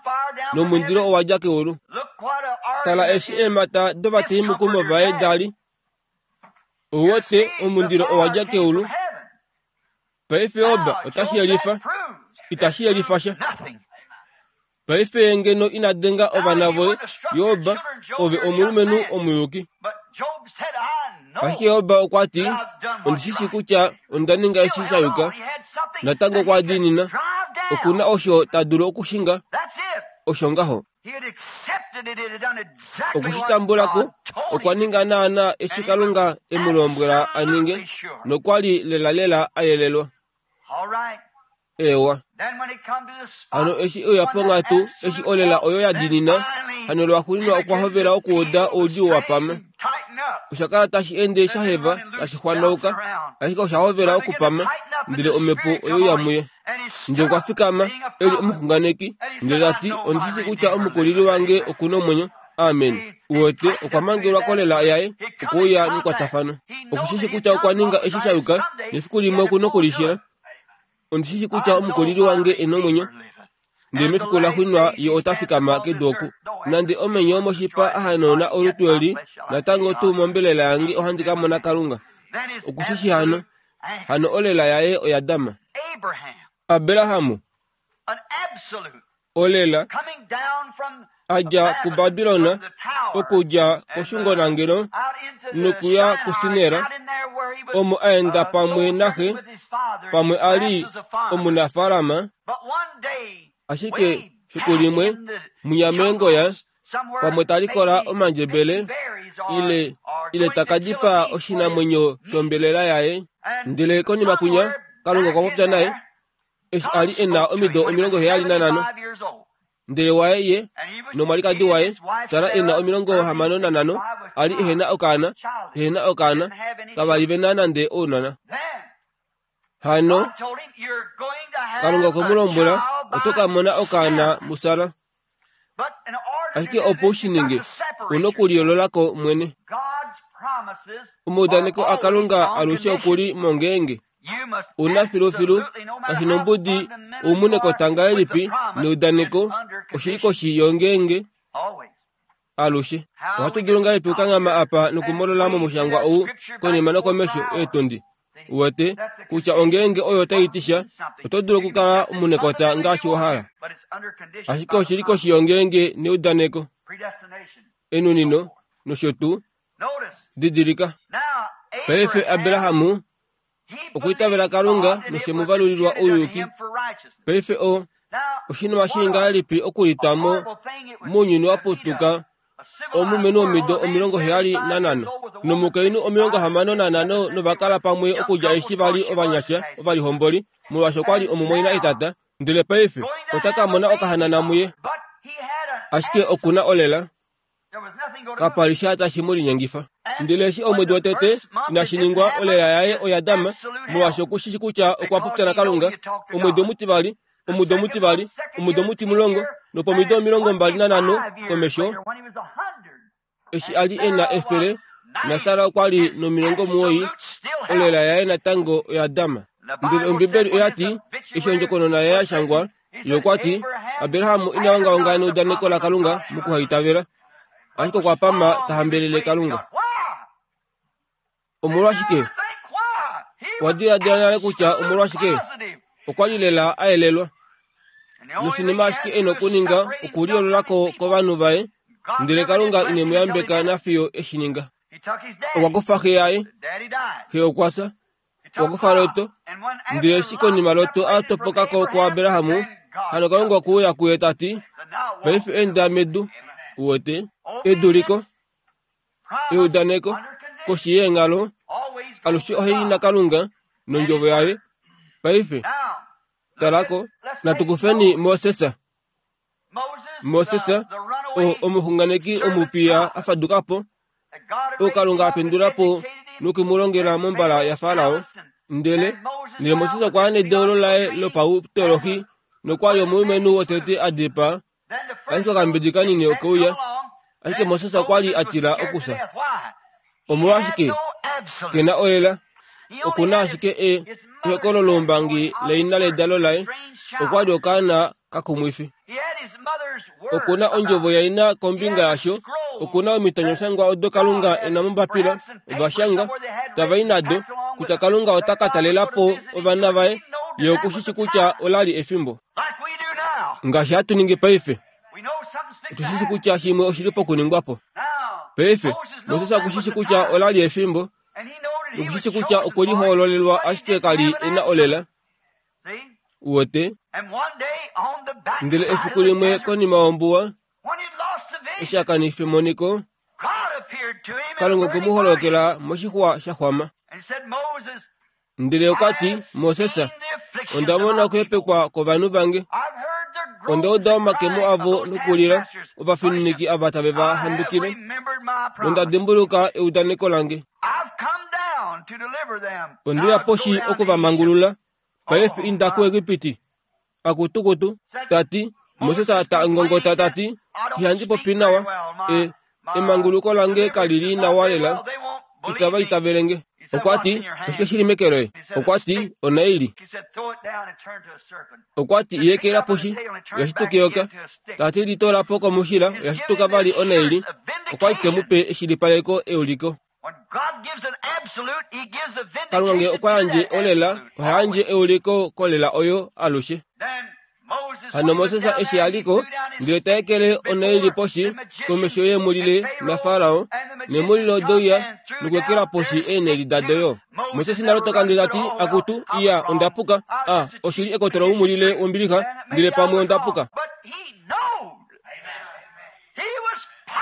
nomundilo owa dja keulu. Tala eshi eemhata dovateimukumo vaye da li. Ouwete, omundilo owa dja keulu. Paife Job otashi yelifa, itashi yelifa sha. Paife ngeno ina denga ovana voye, Job, ove omulumenhu omuyuki. Ashike Job okwa ti, ondishi kutya onda ninga eshi sha yuka, natango okwa diinina. Okuna osho ta dulu okushinga, osho ngaho. Okushitambulako, okwa ninga naana eshi Kalunga e mu lombwela a ninge, nokwa li lelalela a yelelwa. Ewa. Hano eshi euya ponghatu, eshi olela oyo ya diinina, hano lwaxuuninwa okwa hovela okuuda oudjuu wa pama. Osha kala tashi ende sha heva, tashi xwanauka, ashike osha hovela okupama, ndele omhepo oyeuya muye. Ndele okwa fikama, e li omuxunganeki, ndele ta ti, ondishi kutya omukulili wange okuna omwenyo. Amen. Uwete, okwa mangelwa kolela yaye, okuuya mekwatafano. Okushishi kutya okwa ninga eshi sha yuka, nefiku limwe okuna okulishila. Ondishi kutya omukulili wange e na omwenyo, ndele mefiku laxuuninwa ye ota fikama kedu oku. Nande omenyo omoshipa a hanauna olutu eli, natango tuu mombelela yange ohandi ka mona Kalunga. Okushishi hano, hano olela yaye oya dama. Abraham, olela, a dja kuBabilon, okudja koshungonangelo nokuya kuSinera, omo a enda pamwe naxe, pamwe a li omunafaalama. Ashike fiku limwe, munyamengoya, pamwe ta likola omandjebele, ile, ile ta ka dipaa oshinamwenyo shombelela yaye. Ndele konima kunya, Kalunga okwa popya naye, eshi a li e na omido omilongo heyali nanhano. Ndele waye ye nomwalikadi waye, Sara e na omilongo hamano nanhano, a li ehena okaana, ehena okaana, kava li ve na nande ounona. Hano, Kalunga okwe mu lombwela, oto ka mona okaana muSara. Ashike opo u shi ninge, una okuliyoololako mwene. Omaudaneko aKalunga alushe oku li mongeenge. Una filufilu, kashi nombudi oumune kotanga elipi neudaneko, oshili koshi yongeenge alushe. Ohatu dulu ngahelipi okukanghama apa nokumolola momushangwa ou konima nokomesho eetundi? Uwete kutya ongeenge oyo tai ti sha, oto dulu okukala omunekota ngaashi wa hala. Ashike oshili koshi yongeenge neudaneko, enunino, nosho tuu. Didilika. Paife Abraham okwa itavela Kalunga noshe mu valulilwa ouyuki. Paife o oshinima shii ngahelipi okulitwa mo mounyuni wa putuka Omulumenhu womido omilongo heyali nanhano nomukainhu omilongo hamano nanhano novakala pamwe okudja eshi vali ovanyasha ovalihomboli, molwaashi okwali omumwaina etata, ndele paife ota ka mona okahanana muye. Ashike okuna olela, kapa li sha tashi mu linyengifa. Ndele eshi omwedi wotete inashi ningwa, olela yaye oya dama, molwaashi okushishi kutya okwa popya naKalunga. Omwedi omutivali, omudo omutivali, omudo omutimulongo, nopomido omilongo mbali nanhano komesho, eshi a li e na efele, naSara okwa li nomilongo muwoi, olela yaye natango oya dama. Ndele Ombibeli oya ti, eshi ondjokonona yaye ya shangwa, ye okwa ti, Abraham ina ongaonga neudaneko laKalunga mokuhaitavela, ashike okwa pama ta hambelele Kalunga. Omolwashike? Owa diladila nale kutya omolwashike? Okwa li lela a yelelwa. Noshinima ashike e na okuninga okuliyoolola ko kovanhu vaye, ndele Kalunga ine mu yambeka nafiyo e shi ninga. Okwa kufa xe yaye, xe okwa fya. Okwa kufa Lot, ndele eshi konima Lot a topoka ko kuAbraham, hano Kalunga okwe uya kuye ta ti, paife enda medu, uwete, eduliko, eudaneko, koshi yeenghalo, alushe ohai naKalunga nondjovo yaye. Paife, talako, natu kufeni Moses. Moses, o omuxunganeki omupiya a faduka po, oo Kalunga a pendula po noku mu longela mombala yaFarao. Ndele, ndele Moses okwa ya nedeulo laye lopautolohi nokwa li omulumenhu wotete a dipaa, ashike okambidi kanini okeuya, ashike Moses okwa li a tila okufya. Omolwashike? Ke na olela, oku na ashike e ehokolo loumbangi leina ledalo laye, okwa li okaana kakumwifi. Oku na ondjovo yaina kombinga yasho, oku na omitonyoshangwa odo Kalunga e na mombapila, ovashanga, tava i nado, kutya Kalunga ota ka talela po ovana vaye, ye okushishi kutya ola li efimbo. Ngaashi hatu ningi paife, otushishi kutya shimwe oshili pokuningwa po. Paife, Moses okushishi kutya ola li efimbo, nokushishi kutya okwe lihoololelwa ashike ka li e na olela. Uwete? Ndele efiku limwe konima yombuwa, eshi a kanifa emoniko, Kalunga okwe mu holokela moshixwa sha xwama. Ndele okwa ti, Moses, onda mona okuhepekwa kwovanhu vange. Onda uda omakemo avo nokulila, ovafininiki ava tave va handukile, nonda dimbuluka eudaneko lange. Onde uya poshi oku va mangulula, paife inda kuEgipiti. Akutukutu, ta ti, Moses ta ngongota ta ti, ihandi popi nawa, e, emanguluko lange kali li nawa lela, itava itavele nge. Okwa ti, oshike shili meke loye? Okwa ti, onaili. Okwa ti, yekela poshi, oya shituka eyoka. Ta ti, litoola po komushila, oya shituka vali onaili. Okwa li te mu pe eshilipaleko euliko. Kalunga nge okwa yandje olela, oha yandje euliko kolela oyo alushe. Hano Moses eshi a liko, ndele ta ekele onaili poshi komesho yeemulile naFarao, neemulile odeuya nokuekela poshi eenaili dado yo. Moses nalotoka ndele ta ti, akutu, iya, onda puka. A, oshili ekoto loumulile wombilixa, ndele pamwe onda puka.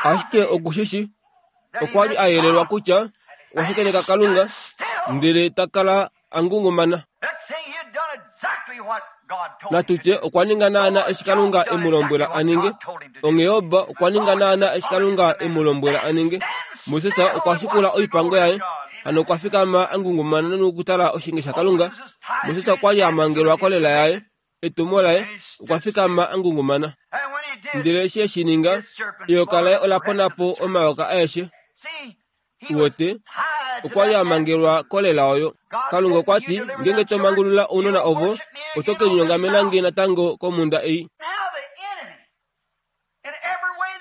Ashike okushishi, okwa li a yelelwa kutya okwa shakeneka Kalunga, ndele ta kala a ngungumana. Natu tye okwa ninga naana eshi Kalunga e mu lombwela a ninge. Onghee Job okwa ninga naana eshi Kalunga e mu lombwela a ninge. Moses okwa shikula oipango yaye, hano okwa fikama a ngungumana nokutala oshinge shaKalunga. Moses okwa li a mangelwa kolela yaye, etumo laye, okwa fikama a ngungumana. Ndele eshi e shi ninga, eyoka laye ola pona po omayoka aeshe. Uwete, okwa li a mangelwa kolela oyo. Kalunga okwa ti, ngeenge to mangulula ounona ovo, oto ke linyongamena nge natango komhunda ei.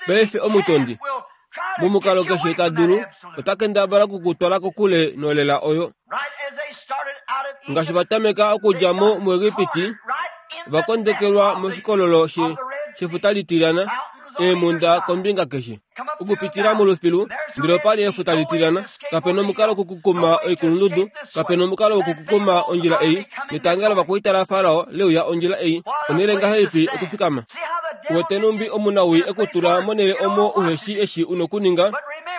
Paife omutondi, momukalo keshe ta dulu, ota kendabala okukutwala kokule nolela oyo. Ngaashi va tameka okudja mo muEgipiti, va kondekelwa moshikololo she shefuta litilyana, eemhunda kombinga keshe. Okupitila molufilu, ndele opa li efuta litilyana, kape nomukalo wokukukuma oikulundudu, kape nomukalo wokukukuma ondjila ei, netanga lovakwaita laFarao leuya ondjila ei, onhele ngahelipi okufikama? Wete numbi omunawii ekutula monhele omo uheshi eshi u nokuninga,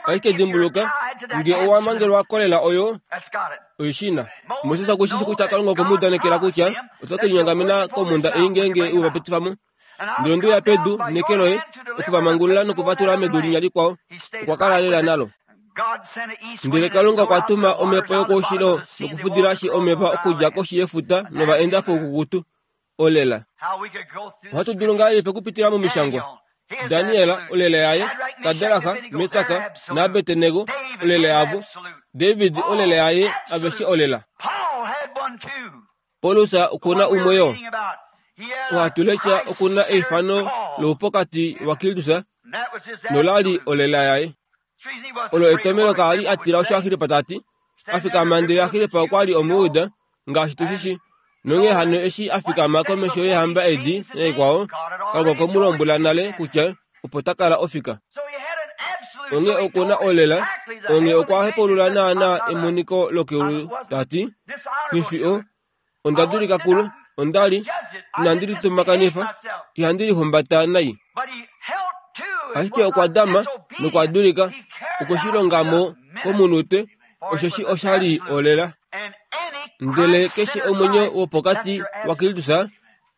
ashike dimbuluka, nge owa mangelwa kolela oyo, oishina. Moses okushishi kutya Kalunga okwe mu udanekela kutya oto ke linyongamena komhunda ei ngeenge u va pitifa mo. Ndele onde uya pedu neke loye okuvamangulula nokuvatula medu linya likwao. Okwa kala lela nalo. Ndele Kalunga okwa tuma omhepo yokoushilo nokufudilashi omeva okudja koshi yefuta nova enda poukukutu. Olela. Ohatu dulu ngahelipi okupitila momishangwa? Daniel, olela yaye, Sadraka, Mesaka naAbednego, olela yavo, David, olela yaye, aveshe olela. Paulus okuna umwe yo. Ohatu lesha okuna eifano loupokati waKristus nolali olela yaye. Olo etomelo kaali atila osho Agripa tati. Afikama ndele Agripa okwa li Omujuda, ngaashi tushishi. Nonghee hano eshi afikama komesho yeehamba edi naikwao, Kalunga okwe mu lombwela nale kutya opo ta kala ofika. Onghee okuna olela, onghee okwa hepaulula naana emoniko lokeulu tati, Nghifi o, onda dulika kulo, onda li, inandi litumakanifa, ihandi lihumbata nai. Ashike okwa dama nokwa dulika, okwe shi longa mo komunute, osheshi osha li olela. Ndele keshe omwenyo wopokati waKristus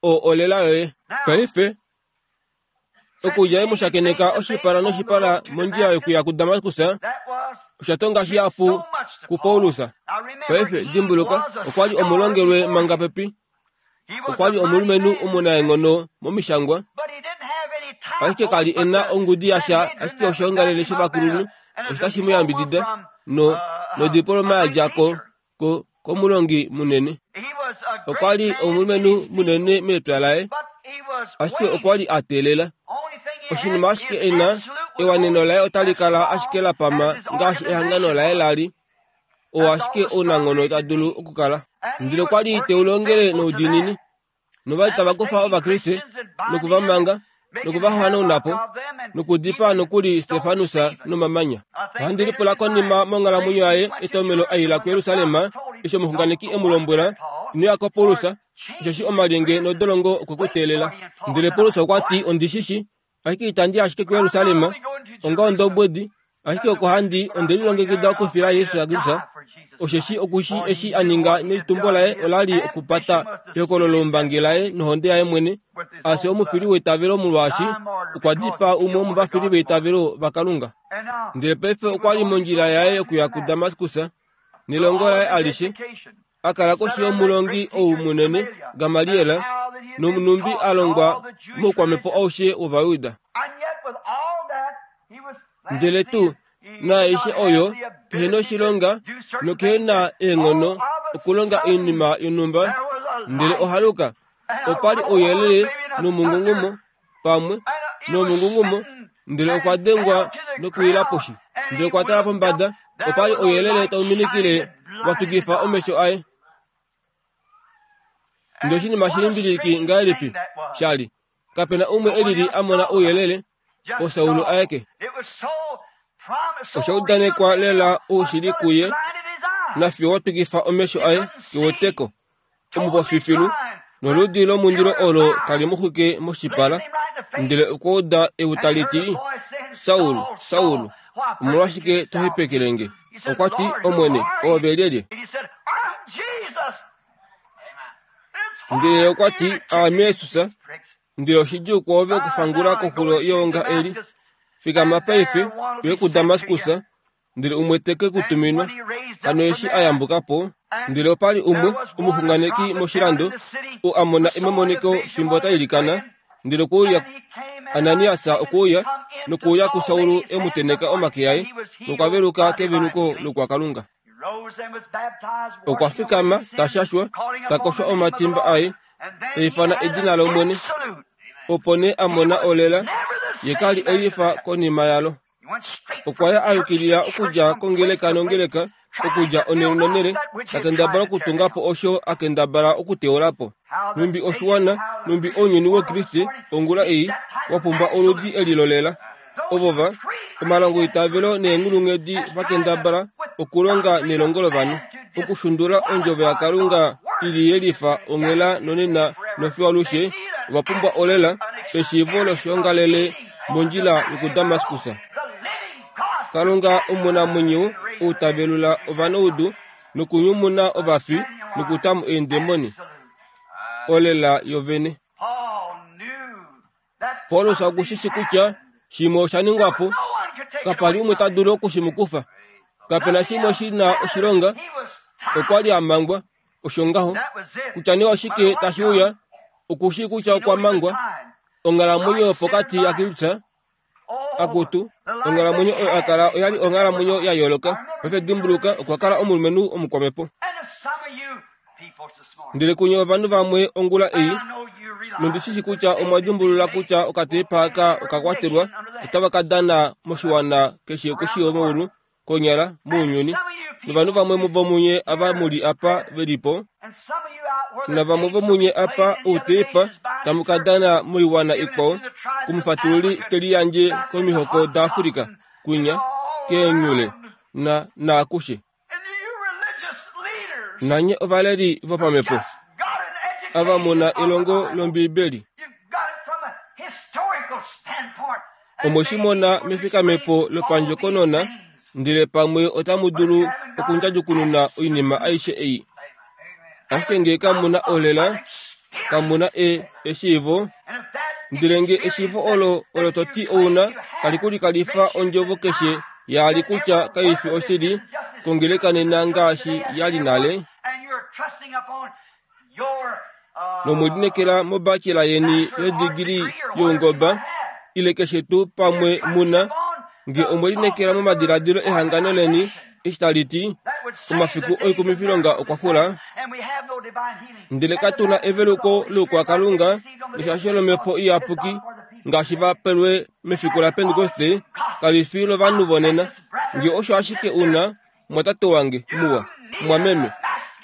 oo olela yoye. Paife, okudja e mu shakeneka oshipala noshipala mondjila yokuya kuDamaskus, osha tonga shihapu kuPaulus. Paife, dimbuluka, okwa li omulongelwe manga pepi. Okwa li omulumenhu omunaenghono momishangwa, ashike ka li e na ongudi yasha, ashike oshoongalele shovakulunhu osho tashi mu yambidida no nodiploma ya dja ko ko komulongi munene. Okwa li omulumenhu munene mepya laye, ashike okwa li a teelela. Oshinima ashike e na, ewaneno laye otali kala ashike la pama ngaashi ehangano laye la li, oo ashike ounanghono ta dulu okukala. Ndele okwa li te u longele noudiinini, novali tava kufa Ovakriste nokuvamanga nokuvahanauna po nokudipaa nokuli Stefanus nomamanya. Ohandi lipula konima monghalamwenyo yaye etomelo a ila kuJerusalem eshi omuxunganeki e mu lombwela, ino ya koPaulus, osheshi omalyenge nodolongo okwe ku teelela. Ndele Paulus okwa ti, ondi shi shi, ashike itandi ashike kuJerusalem onga ondobwedi, ashike oko handi onde lilongekida okufila Jesus Kristus, osheshi okushi eshi a ninga nelitumbo laye ola li okupata ehokololo lombangi laye nohonde yaye mwene, a fye omufili weitavelo molwaashi okwa dipaa umwe womovafili veitavelo vaKalunga. Ndele paife okwa li mondjila yaye yokuya kuDamaskus nelongo laye alishe, a kala koshi yomulongi ou munene Gamaliel, nomunumbi a longwa moukwamhepo aushe wOvayuda. Ndele tuu naaishe oyo ehe noshilonga nokehe na eenghono okulonga oinima yonhumba, ndele ohaluka opa li ouyelele nomungungumo pamwe nomungungumo, ndele okwa dengwa nokuwila poshi. Ndele okwa tala pombada, opa li ouyelele tau minikile wa tukifa omesho aye. Ndele oshinima shilimbiliki ngahelipi sha li, kapena umwe elili a mona ouyelele, oSaul aeke. Osha udanekwa lela oushili kuye, nafiyo wa tukifa omesho aye keweteko, omupofifilu, noludi lomundilo olo tali mu xwike moshipala. Ndele okwa uda eu tali ti, Saul, Saul, omolwashike to hepekele nge? Okwa ti, Omwene, oove lyelye? Ndele okwa ti, Aame Jesus. Ndele oshidjuu kwoove okufangula koxulo yeonga eli. Fikama paife, uye kuDamaskus, ndele umwe te ke ku tuminwa. Hano eshi a yambuka po, ndele opa li umwe omuxunganeki moshilando, oo a mona emoniko fimbo ta ilikana, ndele okwe uya Ananias okwe uya nokuuya kuSaul e mu tenheka omake aye, nokwa veluka keveluko lokwaKalunga. Okwa fikama, ta shashwa, ta koshwa omatimba aye, ta ifana edina lOmwene. Opo nee a mona olela, ye ka li e lifa konima yalo. Okwa ya a yukilila okudja kongeleka nongeleka, okudja onhele nonhele, ta kendabala okutunga po osho a kendabala okuteula po. Numbi oshiwana, numbi ounyuni wOukriste ongula ei, wa pumbwa oludi eli lolela. Ovo va, omalongo eitavelo neenghulunghedi va kendabala okulonga nelongo lovanhu, okushundula ondjovo yaKalunga i li yelifa onghela nonena nofiyo alushe, ova pumbwa olela, Eshiivo loshiongalele mondjila yokuDamaskus. Kalunga omunamwenyo ou ta velula ovanaudu nokunyumuna ovafi nokutamo eendemoni. Olela yovene. Paulus okushishi kutya shimwe osha ningwa po. Kapa li umwe ta dulu okushimukufa. Kapena shimwe shi na oshilonga. Okwa li a mangwa osho ngaho. Kutya nee oshike tashi uya, okushi kutya okwa mangwa. Onghalamwenyo yopokati yaKristus akutu. Onghalamwenyo oyo a kala oya li onghalamwenyo ya yooloka. Paife dimbuluka, okwa kala omulumenhu omukwamepo. Ndele kunye ovanhu vamwe ongula ei, nondishishi kutya omwa dimbulula kutya okatepa aka okakwatelwa otava ka dana moshiwana keshe koshi yomeulu konyala mounyuni. Novanhu vamwe vomunye ava muli apa velipo, navamwe vomunye apa outepa tamu ka dana moiwana ikwao kumufatululi teliyandje komihoko daAfrika kwinya keenyule na naakushe. Nanye ovaleli vopamepo ava muna elongo lOmbiibeli. Omweshimona mefikamepo lopandjokonona, ndele pamwe otamu dulu okundjadjukununa oinima aishe ei. Ashike ngee kamuna olela, kamuna e eshiivo, ndele nge eshiivo olo olo to ti ouna tali kulikalifa ondjovo keshe yaali kutya kaifi oshili kongeleka nena ngaashi yali nale, nomwelinekela mobachelor yeni yodigili youngoba ile keshe tuu pamwe muna, nge omwelinekela momadiladilo ehangano leni eshi tali ti omafiku oikumifilonga okwa xula, ndele katuna eveluko loukwakalunga neshasho lomhepo iyapuki ngaashi va pelwe mefiku laPentekoste, kali fi lovanhu vonena. Nge osho ashike una, mwatate wange muwa, mwameme,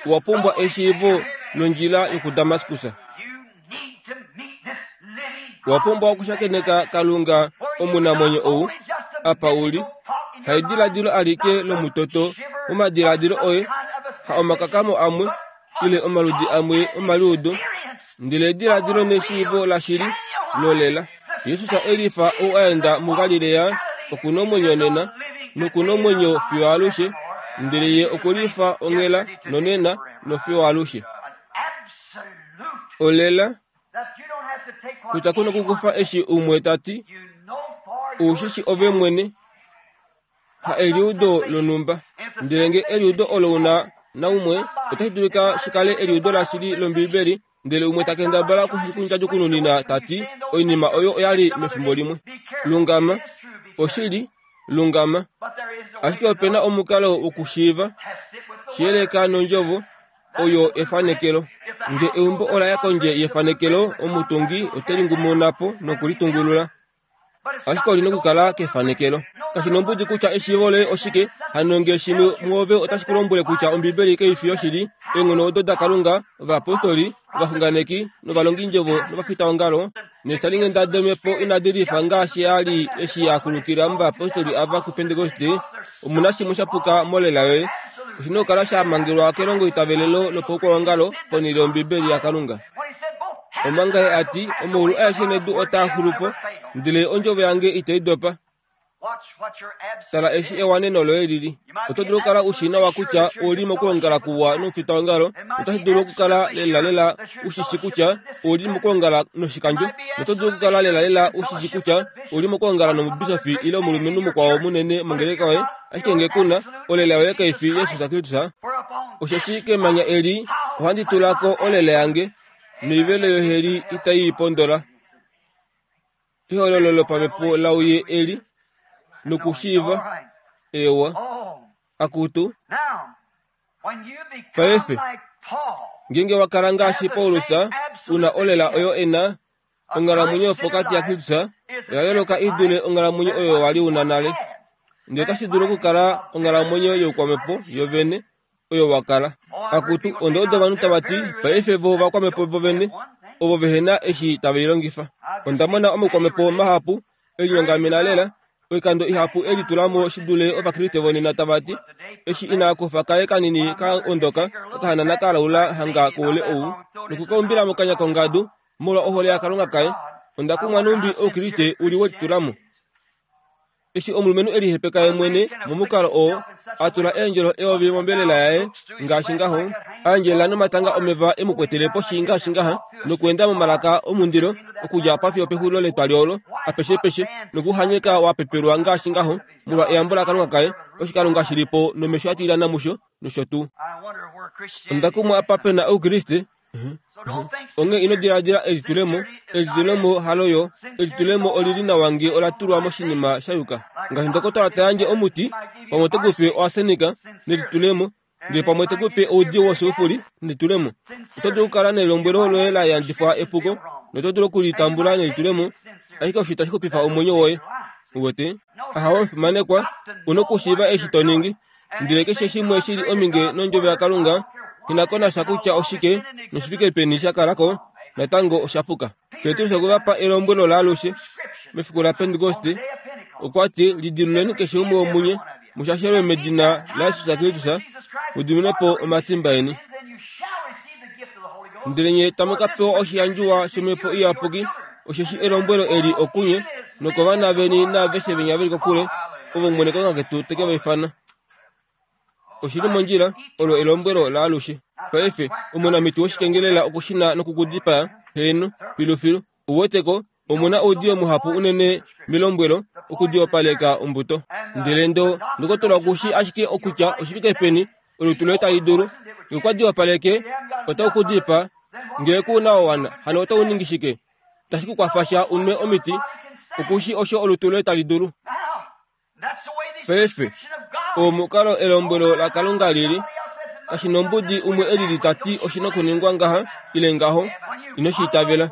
owa pumbwa eshiivo londjila yokuDamaskus. Owa pumbwa okushakeneka Kalunga omunamwenyo ou apa uli, haidiladilo alike lomutoto momadiladilo oye, ha omakakamo amwe ile omaludi amwe omaliudo, ndele ediladilo neshiivo lashili lolela. Jesus elifa ou aenda muGalilea okuna omwenyo nena nokuna omwenyo fiyo alushe, ndele ye okulifa onghela nonena nofiyo alushe. Olela kutya kuna okukufa eshi umwe ta ti, oushishi ove mwene, ha eliudo lonhumba. Ndele nge eliudo olo una naumwe, otashi dulika shikale eliudo lashili lOmbiibeli, ndele umwe ta kendabala okushikundjadjukununina ta ti oinima oyo oyali mefimbo limwe. Lungama, oshili, lungama. Ashike opena omukalo wokushiiva, shiyeleka nondjovo, oyo efanekelo. Nge eumbo ola ya kondje yefanekelo, omutungi ote lingumuna po nokulitungulula. Ashike oli nokukala kefanekelo. Kashi nombudi kutya eshiivo loye oshike, hano nge shimwe mwoove otashi ku lombwele kutya Ombiibeli kaifi yoshili, eenghono odo daKalunga, ovayapostoli, ovaxunganeki, novalongindjovo novafitaongalo, neeshalinghenda domhepo inadi lifa ngaashi ya li eshi ya kulukila movayapostoli ava kuPentekoste, omuna shimwe shapuka molela yoye. Oshina okukala sha mangelwa kelongoitavelelo lopaukwaongalo ponhele yOmbiibeli yaKalunga. Omanga ye a ti, omaulu aeshe nedu otaa xulu po, ndele ondjovo yange itai dopa. Tala eshi ewaneno loye lili. Oto dulu okukala u shi nawa kutya ouli mokwoongala kuwa nomufitaongalo, notashi dulu okukala lelalela u shi shi kutya ouli mokwoongala noshikandjo, noto dulu okukala lelalela u shi shi kutya ouli mokwoongala nomubisofi ile omulumenhu mukwao munene mongeleka yoye, ashike nge kuna, olela yoye kaifi Jesus Kristus. Osheshi kemanya eli ohandi tula ko olela yange, noivelo yoheli itai i pondola. Ehololo lopamhepo lauye eli nokushiiva ewa akutu. Paife ngeenge wa kala ngaashi Paulus, una olela oyo ena, onghalamwenyo yopokati yaKristus oya yooloka i dule onghalamwenyo oyo wali una nale. Ndele otashi dulu okukala onghalamwenyo youkwamhepo yovene oyo wa kala. Akutu, onda uda ovanhu tava ti, paife vo ovakwamhepo vovene, ovo vehena eshi tave i longifa. Onda mona omaukwamhepo mahapu elinyongamena lela, oikando ihapu e litula mo shi dule Ovakriste vonena tava ti, eshi ina kufa kaye kanini ka ondoka okahanana ka laula hanga koule ou, nokukaumbila mokanya kongadu molwa ohole yaKalunga kaye, Onda kumwa numbi oukriste uli welitulamo. Eshi omulumenhu elihepeka ye mwene momukalo oo a tula eendjelo eyovi mombelela yaye ngaashi ngaho, a endjelela nomatanga omeva e mu kwetele poshi ngaashi ngaha, nokuenda momalaka omundilo okudja apa fiyo pexulilo letwali olo apeshepeshe, nokuhanyeka wa pepelwa ngaashi ngaho molwa eyambo laKalunga kaye, oshikalunga shi li po nomesho a tilyana musho nosho tuu. Onda kumwa apa pe na oukriste. Onghee ino diladila elitulemo, elitulemo haloyo, elitulemo olili nawa ngee ola tulwa moshinima sha yuka. Ngaashi ndokotola ta yandje omuti, pamwe ote kupe oarsenika nelitulemo, ndele pamwe te kupe oudiyo wosulfuri nelitulemo. Oto dulu okukala nelombwelo loye la yandifwa epuko, noto dulu okulitambula nelitulemo, ashike osho itashi xupifa omwenyo woye. Uwete? Ahawe omufimanekwa, u na okushiiva eshi to ningi, ndele keshe shimwe shi li ominge nondjovo yaKalunga, nghi na ko nasha kutya oshike noshifike peni sha kala ko, natango osha puka. Petrus okwe va pa elombwelo laalushe mefiku laPentekoste, okwa ti lidiluleni keshe umwe womunye mushashelwe medina laJesus Kristus mu diminwe po omatimba eni. Ndele nye tamu ka pewa oshiyandjiwa shOmhepo Iyapuki, osheshi elombwelo eli okunye nokovana veni naaveshe venya veli kokule, ovo Omwene Kalunga ketu te ke va ifana. Oshili mondjila, olo elombwelo laalushe. Paife, omunamiti woshikengelela okushina nokukudipaa, heeno, filufilu. Uweteko, omuna oudiyo muhapu unene melombwelo okudiopaleka ombuto. Ndele ndo ndokotola okushi ashike okutya oshifike peni olutu loye tali dulu. Ngee okwa diopaleke, otau ku dipaa. Ngee ku na wa wana, hano otau ningi shike? Tashi ku kwafa sha unwe omiti, okushi osho olutu loye tali dulu. Paife, omukalo elombwelo laKalunga lili, kashi nombudi umwe elili ta ti oshi nokuningwa ngaha ile ngaho, ino shi itavela.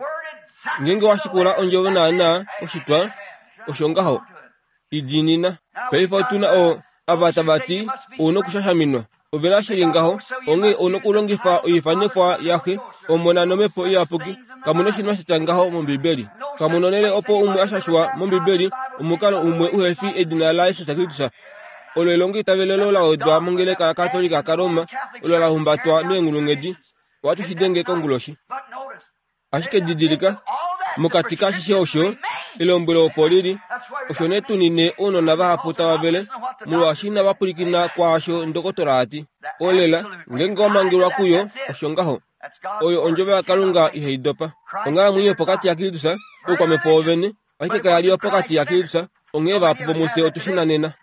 Ngeenge wa shikula ondjovo naanaa koshitwa, osho ngaho, i diinina. Paife otu na oo ava tava ti ou nokushashaminwa. Ove na shili ngaho, onghee ou nokulongifa oifanifwa yaxe, Omona nOmhepo Iyapuki. Kamu na oshinima sha tya ngaho mOmbibeli. Kamu nonhele opo umwe a shashwa mOmbibeli omukalo umwe uhe fi edina laJesus Kristus. Olo elongoitavelelo la wedwa mongeleka yaKatolika kaRoma, olo la humbatwa meenghulunghedi. Ohatu shi denge konguloshi. Ashike didilika, mokati kaashishe osho, elombwelo opo lili, osho nee tu nine ounona vahapu tava vele, molwaashi inava pwilikina kwaasho ndokotola a ti. Olela, ngeenge wa mangelwa kuyo, osho ngaho. Oyo ondjovo yaKalunga ihai dopa. Onghalamwenyo yopokati yaKristus, oukwamhepo wovene, ashike kaya li yopokati yaKristus, onghee vahapu vomufye otu shi nanena.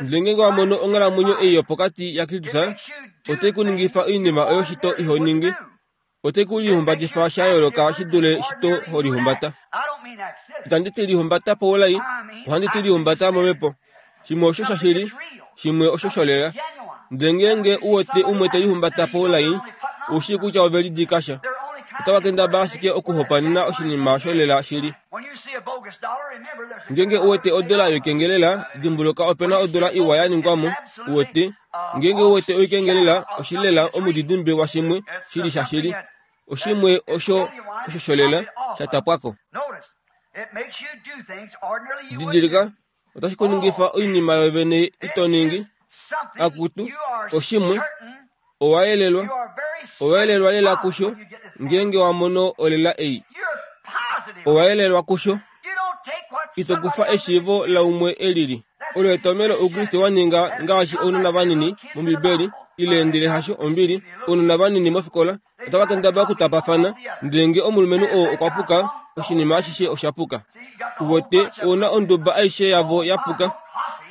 Ndele ngeenge wa mono onghalamwenyo ei yopokati yaKristus, otai ku ningifa oinima oyo shito iho ningi. Otai ku lihumbatifa sha yooloka shi dule shito ho lihumbata. Itandi ti lihumbata paulai, ohandi ti lihumbata momhepo. Shimwe osho shashili, shimwe osho sholela. Ndele ngeenge u wete umwe te lihumbata paulai, ou shii kutya ove lidika sha. Otava kendabala ashike okuhopaenena oshinima sholela shili. Ngeenge u wete odola yoikengelela, dimbuluka ope na odola iwa ya ningwa mo. U wete, ngeenge u wete oikengelela, oshilela omudidimbe washimwe shili shashili. Oshimwe osho osho sholela sha tapwako. Didilika, otashi ku ningifa oinima yovene ito ningi. Akutu, oshimwe, owa yelelwa, owa yelelwa lela kusho, ngeenge wa mono olela ei. Owa yelelwa kusho. Ito kufa eshiivo laumwe elili. Olo etomhelo Oukriste wa ninga ngaashi ounona vanini mOmbibeli, ile ndele hasho ombili, ounona vanini mofikola, otava kendabala okutapafana, ndele ngee omulumenhu oo okwa puka, oshinima ashishe osha puka. Uwete, ouna onduba aishe yavo ya puka.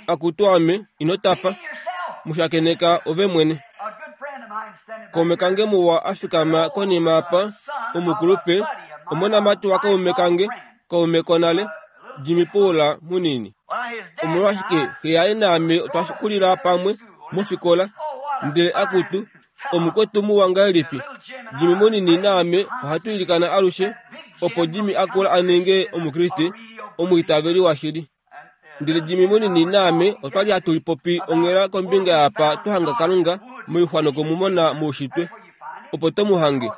Akutu ame, ino tapa. Mushakeneka ove mwene. Kaume kange muwa a fikama konima apa, omukulupe, omonamati wakaume kange, kaume konale, Jimmy Paul munini. Omolwashike xe yaye naame otwa kulila pamwe mofikola, ndele akutu, omukwetu muwa ngahelipi. Jimmy munini naame ohatu ilikana alushe opo Jimmy a kula a ninge Omukriste, omwiitaveli washili. Ndele Jimmy munini naame otwali hatu lipopi onghela kombinga yaapa twa hanga Kalunga moixwa nokumumona moushitwe, opo to mu hange,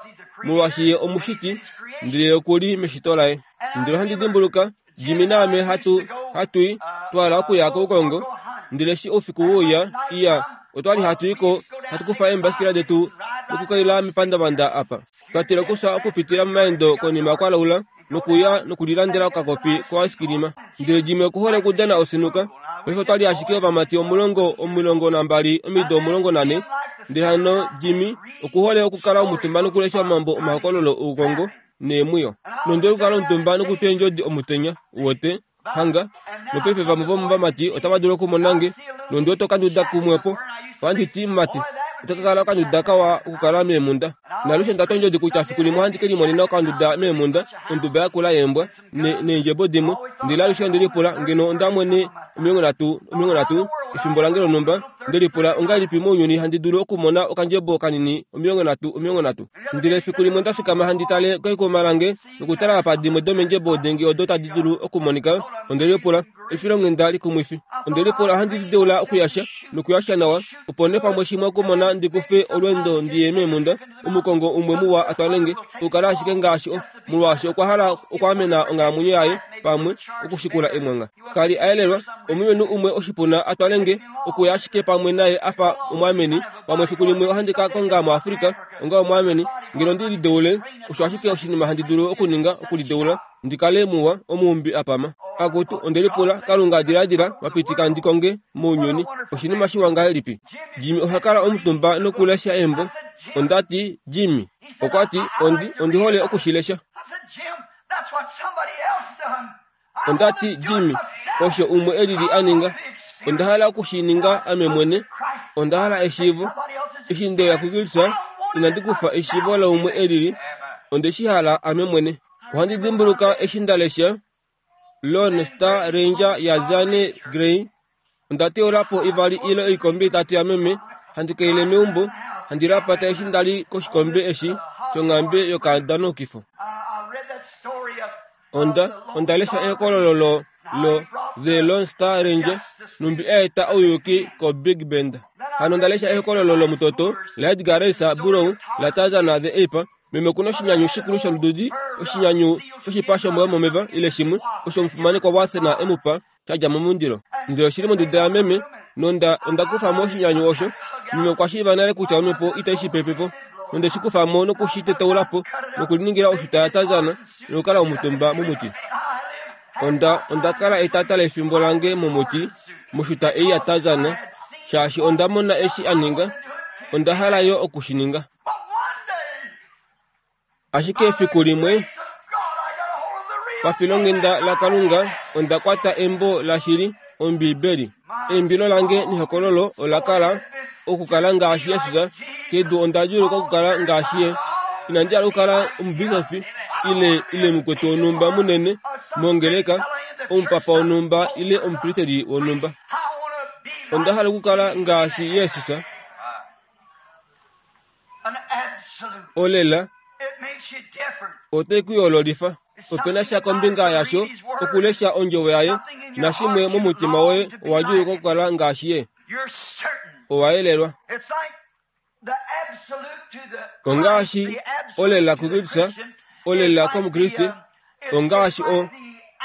molwaashi ye omushiti, ndele oku li meshito laye. Ndele ohandi dimbuluka Jimmy naame hatu hatu i twa hala okuya koukongo, ndele eshi oufiku wouya, iya, otwali hatu i ko hatu kufa eembasikela detu nokukaila mepandavanda apa. Twa tila okufya okupitila momaendo konima kwalaula, Nokuya nokulilandela okakopi koaiskilima. Ndele Jimmy okuhole okudana osinuka. Paife otwali ashike ovamati omulongo omilongo nambali omido omulongo nane. Ndele hano Jimmy okuhole okukala omutumba nokulesha omambo omahokololo oukongo neemwiyo. Nonde okukala omutumba nokutwa eendjodi omutenya, uwete, hanga. Nopaife vamwe vomovamati otava dulu okumona nge, nonde oto kanduda kumwepo. Ohandi ti, mumati, ota ka kala okanduda kawa okukala meemunda. Nalushe nda twa kutya fiku limwe ohandi ke limonena okanduda meemunda, onduba yakula yeembwa, neendjebo dimwe. Ndele alushe onde lipula ngeno onda mwene omilongo nhatu omilongo nhatu efimbo lange lonhumba, nde lipula ongahelipi mounyuni handi dulu okumona okandjebo kanini omilongo nhatu omilongo nhatu. Ndele efiku limwe nda fikama handi tale kekuma lange nokutala apa dimwe domendjebo denge odo tadi dulu okumonika. Onde lipula efilonghenda likumwifi. Onde lipula ohandi lideula okuyasha nokuyasha nawa, opo nee pamwe shimwe okumona ndi kufe olweendo ndiye meemunda. Omukongo umwe muwa atwalenge okukala ashike ngaashi o, molwaashi okwa hala okwaamena onghalamwenyo yaye pamwe okushikula emwanga. Kali a yelelwa, omulumenhu umwe oshipuna atwalenge okuya ashike pamwe naye afa omwaameni. Pamwe efiku limwe ohandi ka konga muAfrika onga omwaameni. Ngeno ndi lideule, osho ashike oshinima handi dulu okuninga okulideula ndi kale muwa, omuumbi apama. Akutu, onde lipula, Kalunga diladila wapitika ndi konge mounyuni oshinima shiwa ngahelipi. Jimmy oha kala omutumba nokulesha embo. Onda ti, Jimmy, okwa ti, ondi, ondi hole okushilesha. Onda ti, Jimmy, osho umwe elili a ninga. Onda hala okushininga ame mwene. Onda hala eshiivo. Eshi ndeya kuKristus, inandi kufa eshiivo laumwe elili. Onde shi hala ame mwene. Ohandi dimbuluka eshi nda lesha Lone Star Ranger ya Zane Grey. Onda teula po ivali ile oikombe itatu yameme, handi kaile meumbo, handi lapata eshi ndali koshikombe eshi shonghambe yokadanokifo. Onda onda lesha ehokololo lo lo The Lone Star Ranger, numbi a eta ouyuki ko Big Bend. Hano onda lesha ehokololo lomutoto la Edgar Rice Burroughs la Tarzan the Ape. Meme okuna oshinyanyu shikulu sholududi, oshinyanyu shoshipa shombwa yomomeva ile shimwe osho omufimanekwa Watson emupa sha dja momundilo. Ndele oshili monduda yameme, nonda onda kufa mo oshinyanyu osho. Meme okwa shiiva nale kutya omhepo itai shi pepe po. Nonde shi kufa mo nokushi tetaula po, nokuliningila oshuta yaTarzan nokukala omutumba momuti. Onda onda kala etata lefimbo lange momuti moshuta ei yaTarzan, shaashi onda mona eshi a ninga. Onda hala yo oku shi ninga. Ashike efiku limwe, pafilonghenda laKalunga, onda kwata embo lashili, Ombibeli. Eimbilo lange nehokololo ola kala okukala ngaashi Jesus. Kedu onda djuluka okukala ngaashi ye. Inandi hala okukala omubisofi ile ile mukwetu wonhumba munene mongeleka, omupapa wonhumba ile omupristeli wonhumba. Onda hala okukala ngaashi Jesus. Olela ote ku yoololifa. Opena sha kombinga yasho okulesha ondjovo yaye, nashimwe momutima woye owa djuluka okukala ngaashi ye. Owa yelelwa. Ongaashi olela kuKristus, olela kOmukriste, ongaashi o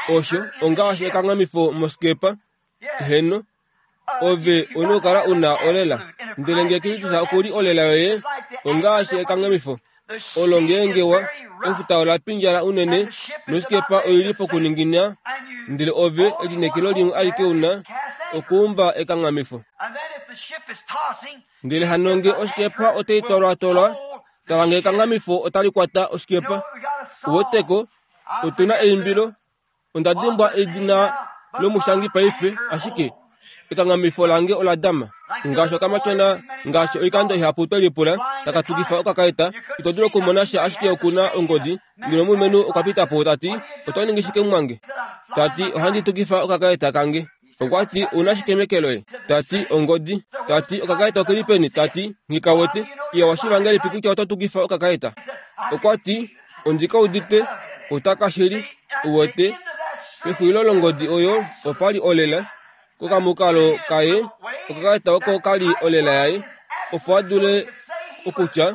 osho, ongaashi ekanghamifo moskepa. Heno, ove una okukala una olela. Ndele nge Kristus okuli olela yoye, ongaashi ekanghamifo olo ngeenge wa efuta ola pindjala unene noskepa oili pokuningina, ndele ove elinekelo limwe alike una okuumba ekanghamifo. Ndele hano nge oskepa otai twalwatwalwa, tala nge ekanghamifo otali kwata oskepa. Uweteko, otuna eimbilo. Onda dimbwa edina lomushangi paife, ashike ekanghamifo lange ola dama. Ngaashi okamatyona, ngaashi oikando ihapu twe lipula, taka tukifa okakaeta, ito dulu okumona sha ashike okuna ongodi. Ndele omulumenhu okwa pita po tati, oto ningi shike mumwange? Tati, ohandi tukifa okakaeta kange. Okwa ti, una shike meke loye? Tati, ongodi. Tati, okakaeta okeli peni? Tati, nghika wete. Iya washiiva ngahelipi kutya oto tukifa okakaeta? Okwa ti, ondi ka udite, otaka shili, uwete. Pexulilo longodi oyo opali olela. Kokamukalo kaye, okakaeta oko kali olela yaye, opo a dule okutya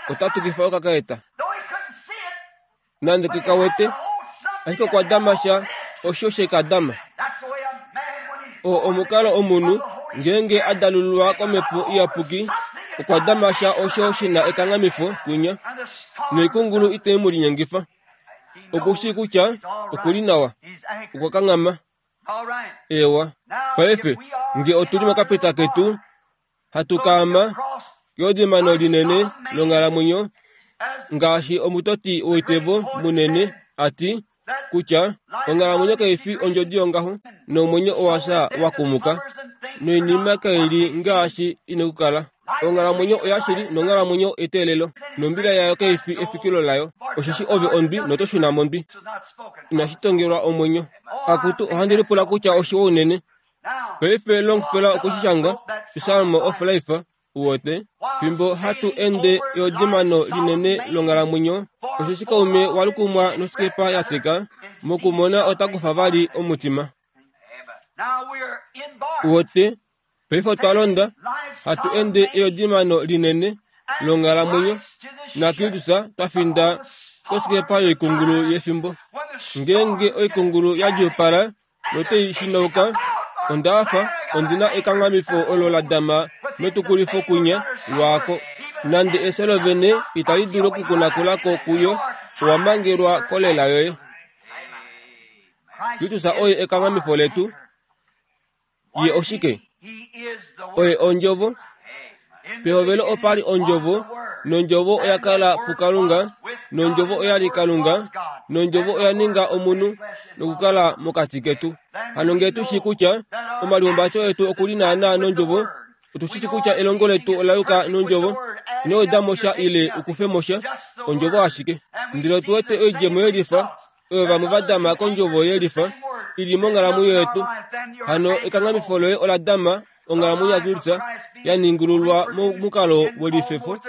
ota tukifa okakaeta. Nande ke ka wete, ashike okwa dama sha osho she ka dama. O omukalo omunhu ngeenge a dalululwa komhepo iyapuki, okwa dama sha osho shi na ekanghamifo kwinya, noikungulu itai mu linyengifa. Okushi kutya okuli nawa. Okwa kanghama. Ewa. Paife, nge otuli mokapeta ketu, hatu kaama keodimano linene longhalamwenyo, ngaashi omutoti woitevo munene ati kutya onghalamwenyo kaifi ondjodi yongaho, nomwenyo owasha wakumuka, noinima kaili ngaashi ina okukala. Onghalamwenyo oyashili nonghalamwenyo eteelelo, nombila yayo kaifi efikilo layo, osheshi ove ondwi noto shuna mondwi. Inashi tongelwa omwenyo. Akutu, ohandi lipula kutya oshiwa unene. Paife Longfellow okushishanga Psalm of Life uwote, fimbo hatu ende eodimano linene longhalamwenyo, osheshi kaume walukumwa nosikepa ya teka, mokumona otakufa vali omutima. Uwote, paife otwa londa, hatu ende eodimano linene longhalamwenyo, naKristus twa finda kosikepa yoikungulu yefimbo. Ngeenge oikungulu ya djuupala notei shinauka, onda fa ondina ekanghamifo olo la dama metukulifo kunya lwaako. Nande efyo lovene itali dulu okukunakulako kuyo, owa mangelwa kolela yoye. Kristus oye ekanghamifo letu. Ye oshike? Oye ondjovo. Pehovelo opali ondjovo, nondjovo oya kala puKalunga, nondjovo oya li Kalunga, nondjovo oya ninga omunhu nokukala mokati ketu. Hano ngee tu shii kutya omalihumbato etu okuli naanaa nondjovo, otu shi kutya elongo letu ola yuka nondjovo, ino weda mo sha ile ukufe mo sha, ondjovo ashike. Ndele otu wete oidjemo yelifa, oyo vamwe va dama kondjovo yelifa, ili monghalamwenyo yetu. Hano ekanghamifo loye ola dama onghalamwenyo yaKristus ya ningululwa momukalo welifefo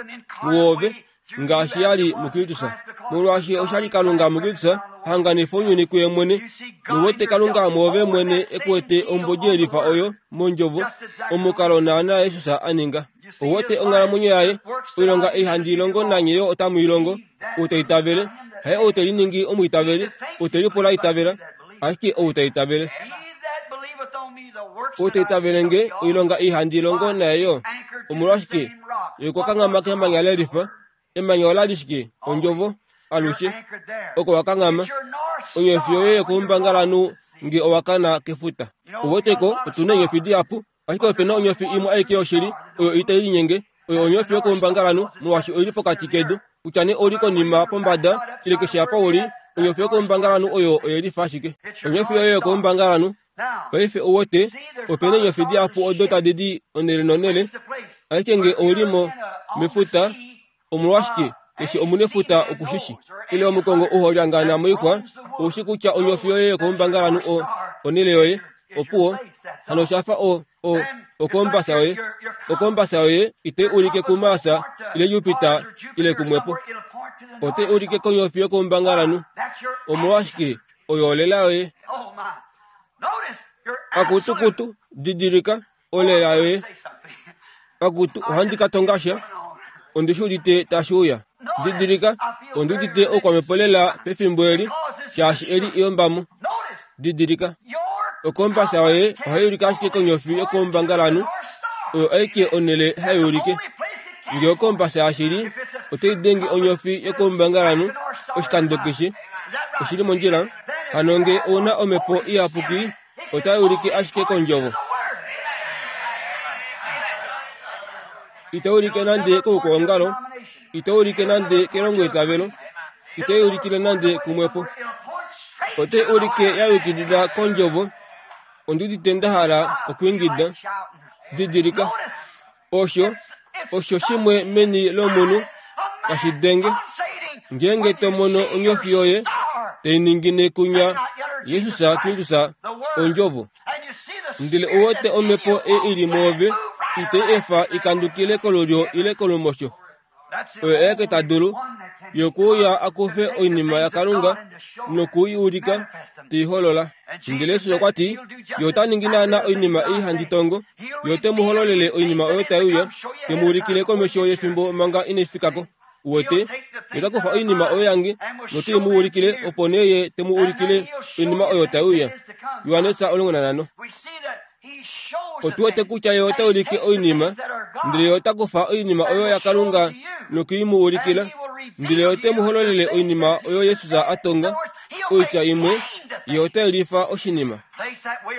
muove, ngaashi ya li muKristus. Molwaashi osha li Kalunga muKristus hanganifa ounyuni kuye mwene, nowote Kalunga mwoove mwene ekuwete ombodi yelifa oyo mondjovo, omukalo naana Jesus a ninga. Owote onghalamwenyo yaye, oilonga ei handi ilongo nanye yo otamu ilongo, ou ta itavele, haye ou te liningi omwiitaveli, ou te lipula itavela, ashike ou ta itavele. Ou ta itavele nge, oilonga ei handi ilongo naye yo. Omolwashike? Ye okwa kanghama kemanya lelifa. Emanya ola li shike? Ondjovo. Alushe. Oko wa kanghama. Onyofi yoye yokoumbangalanhu nge owa kana kefuta. Uweteko, otuna eenyofi dihapu, ashike opena onyofi imwe aike yoshili, oyo itai linyenge, oyo onyofi yokoumbangalanhu, molwaashi oili pokati kedu. Kutya nee ouli konima pombada, ile keshe apa uli, onyofi yokoumbangalanhu oyo oyelifa ashike. Onyofi yoye yokoumbangalanhu. Paife uwete, opena eenyofi dihapu odo tadi di onele nonele, ashike nge ouli mo mefuta, omolwashike keshe omunefuta okushishi. Ile omukongo uholyangana moixwa, oushi kutya onyofi yoye yokoumbangalanhu o onele yoye, opuwo, hano oshafa o, o, okombasa yoye. Okombasa yoye itai ulike kuMars ile Jupiter ile kumwepo. Otai ulike konyofi yokoumbangalanhu. Omolwashike oyo olela yoye. Akutukutu, didilika, olela yoye. Akutu, ohandi ka tonga sha. Ondi shi udite tashi uya. Didilika, ondi udite oukwamhepo lela pefimbo eli, shaashi eli eyombamo. Didilika, okombasa yoye ohai ulike ashike konyofi yokoumbangalanhu, oyo aike onele hai ulike. Nge okombasa yashili otai denge onyofi yokoumbangalanhu oshikando keshe, oshili mondjila. Hano nge ouna omhepo iyapuki, otai ulike ashike kondjovo. Itai ulike nande koukwaongalo, itai ulike nande kelongo etavelo, itai ulikile nande kumwepo. Otai ulike ya yukilila kondjovo. Ondi udite nda hala okwiingida. Didilika, osho, osho shimwe meni lomunhu tashi denge. Ngeenge to mono onyofi yoye tai ningine kunya Jesus Kristus ondjovo, ndele uwete omhepo ei ili mwoove itai efa ikandukile kolulyo ile kolumosho. Oyo aeke ta dulu yokuuya akufe oinima yaKalunga noku i ulika tei holola. Ndele Jesus okwa ti, ye ota ningi naana oinima ei handi tongo, ye ote mu hololele oinima oyo tai uya, te mu ulikile komesho yefimbo manga inai fikako. Uwete, ye ota kufa oinima oyo yange notei mu ulikile, opo nee ye te mu ulikile oinima oyo tai uya. Johannes omulongo nanhano. Otu wete kutya ye ota ulike oinima, ndele ye ota kufa oinima oyo yaKalunga noku i mu ulikila, Ndele ote mu hololele oinima oyo Yesus a tonga, oitya imwe, ye ota yelifa oshinima.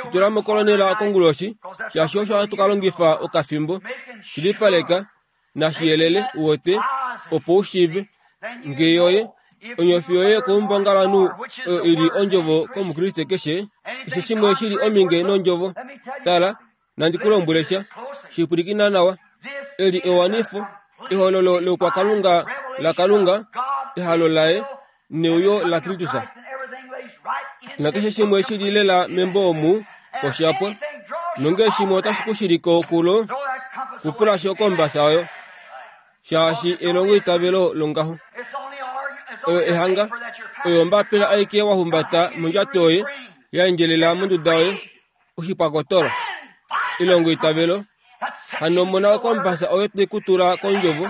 Shitula mokolonela konguloshi, shaashi osho hatu ka longifa okafimbo, shilipaleka, nashiyelele uwete, opo u shiive. Nge yoye, onyofi yoye koumbangalanhu oyo ili ondjovo komukriste keshe, keshe shimwe shili ominge nondjovo. Tala, nandi ku lombwele sha, shipwilikina nawa. Eli ewanifo, ehololo loukwakalunga laKalunga, ehalo laye, neuyo laKristus. Nakeshe shimwe shili lela membo omu, oshapwa. Nonge shimwe otashi ku shiliko kulo, kupula sho kombasa oyo. Shaashi elongo itavelo longaho. Oyo ehanga, oyo ombapila aike wa humbata mondjato yoye, ya endjelela monduda yoye, oshipwakotola. Elongo itavelo, hano mona okombasa oyo te ku tula kondjovo.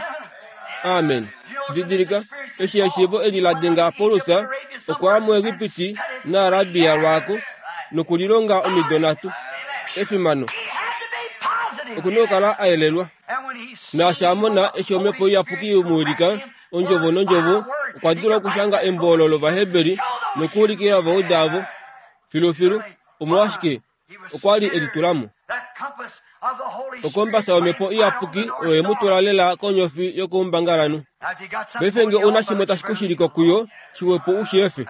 Amen. Didilika, eshi eshiivo eli la denga Paulus, okwa ya muEgipiti naArabia lwaako, nokulilonga omido nhatu. Efimano. Okuna okukala a yelelwa. Naashi a mona eshi omhepo iyapuki imuwilika, ondjovo nondjovo, okwa dula okushanga embo olo lOvaheberi nokuulikila ovauda avo. Filufilu, omolwashike okwa li e litula mo. Okombasa yomhepo iyapuki oyo ye mu tula lela konyofi yokoumbangalanhu. Paife nge una shimwe tashi ku shiliko kuyo, shiwepo u shi efe.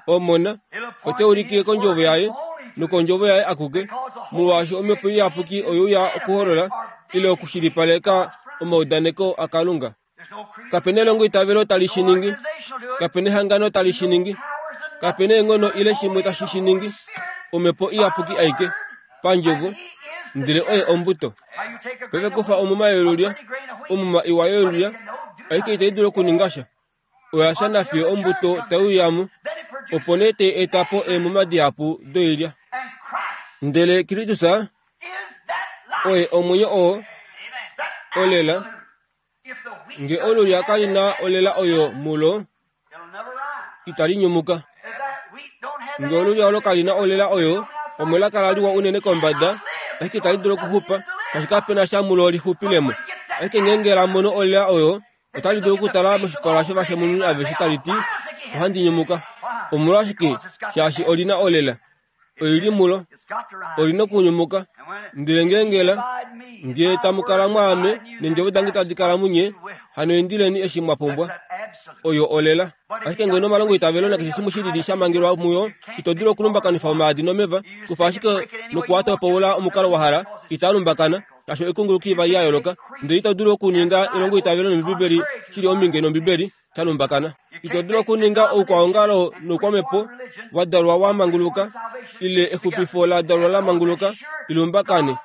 Omona, ote ulikile kondjovo yaye, nokondjovo yaye akuke, molwaashi omhepo iyapuki oye uya okuholola, ile okushilipaleka omaudaneko aKalunga. Kapena elongo itavelo tali shi ningi, kapena ehangano tali shi ningi, kapena eenghono ile shimwe tashi shi ningi, omhepo iyapuki aike, pandjovo, ndele oye ombuto. Paife kufa omuma yolulya, omuma iwa yolulya, aike itai dulu okuninga sha. Oya fya nafiyo ombuto tai uyamo, opo nee tai eta po eemuma dihapu doilya. Ndele Kristus oye omwenyo oo olela. Nge olulya kali na olela oyo mulo, itali nyumuka. Nge olulya olo kali na olela oyo, pamwe la kala liwa unene kombada, ashike itali dulu okuxupa, shaashi kapena sha mulo lixupilemo. Ashike ngeenge la mono olela oyo, otali dulu okutala moshipala shovashemununi aveshe tali ti, ohandi nyumuka. Omolwashike? Shaashi oli na olela. Oili mulo. Oli na okunyumuka. Ndele ngeenge la, nge tamu kala mwaame, neendjovo dange tadi kala munye, hano indileni eshi mwa pumbwa. Oyo olela. Ashike ngeno omalongo itavelo nakeshe shimwe shilili sha mangelwa muyo, ito dulu okulumbakanifa omaadi nomeva, kufa ashike nokuwatopoula omukalo wa hala, itaa lumbakana, shaashi oikunguluki ivali ya yooloka. Ndele ito dulu okuninga elongo itavelo nOmbibeli shili ominge nOmbibeli sha lumbakana. Ito dulu okuninga oukwaongalo noukwamhepo wa dalwa wa manguluka, ile exupifo la dalwa la manguluka, ilumbakane.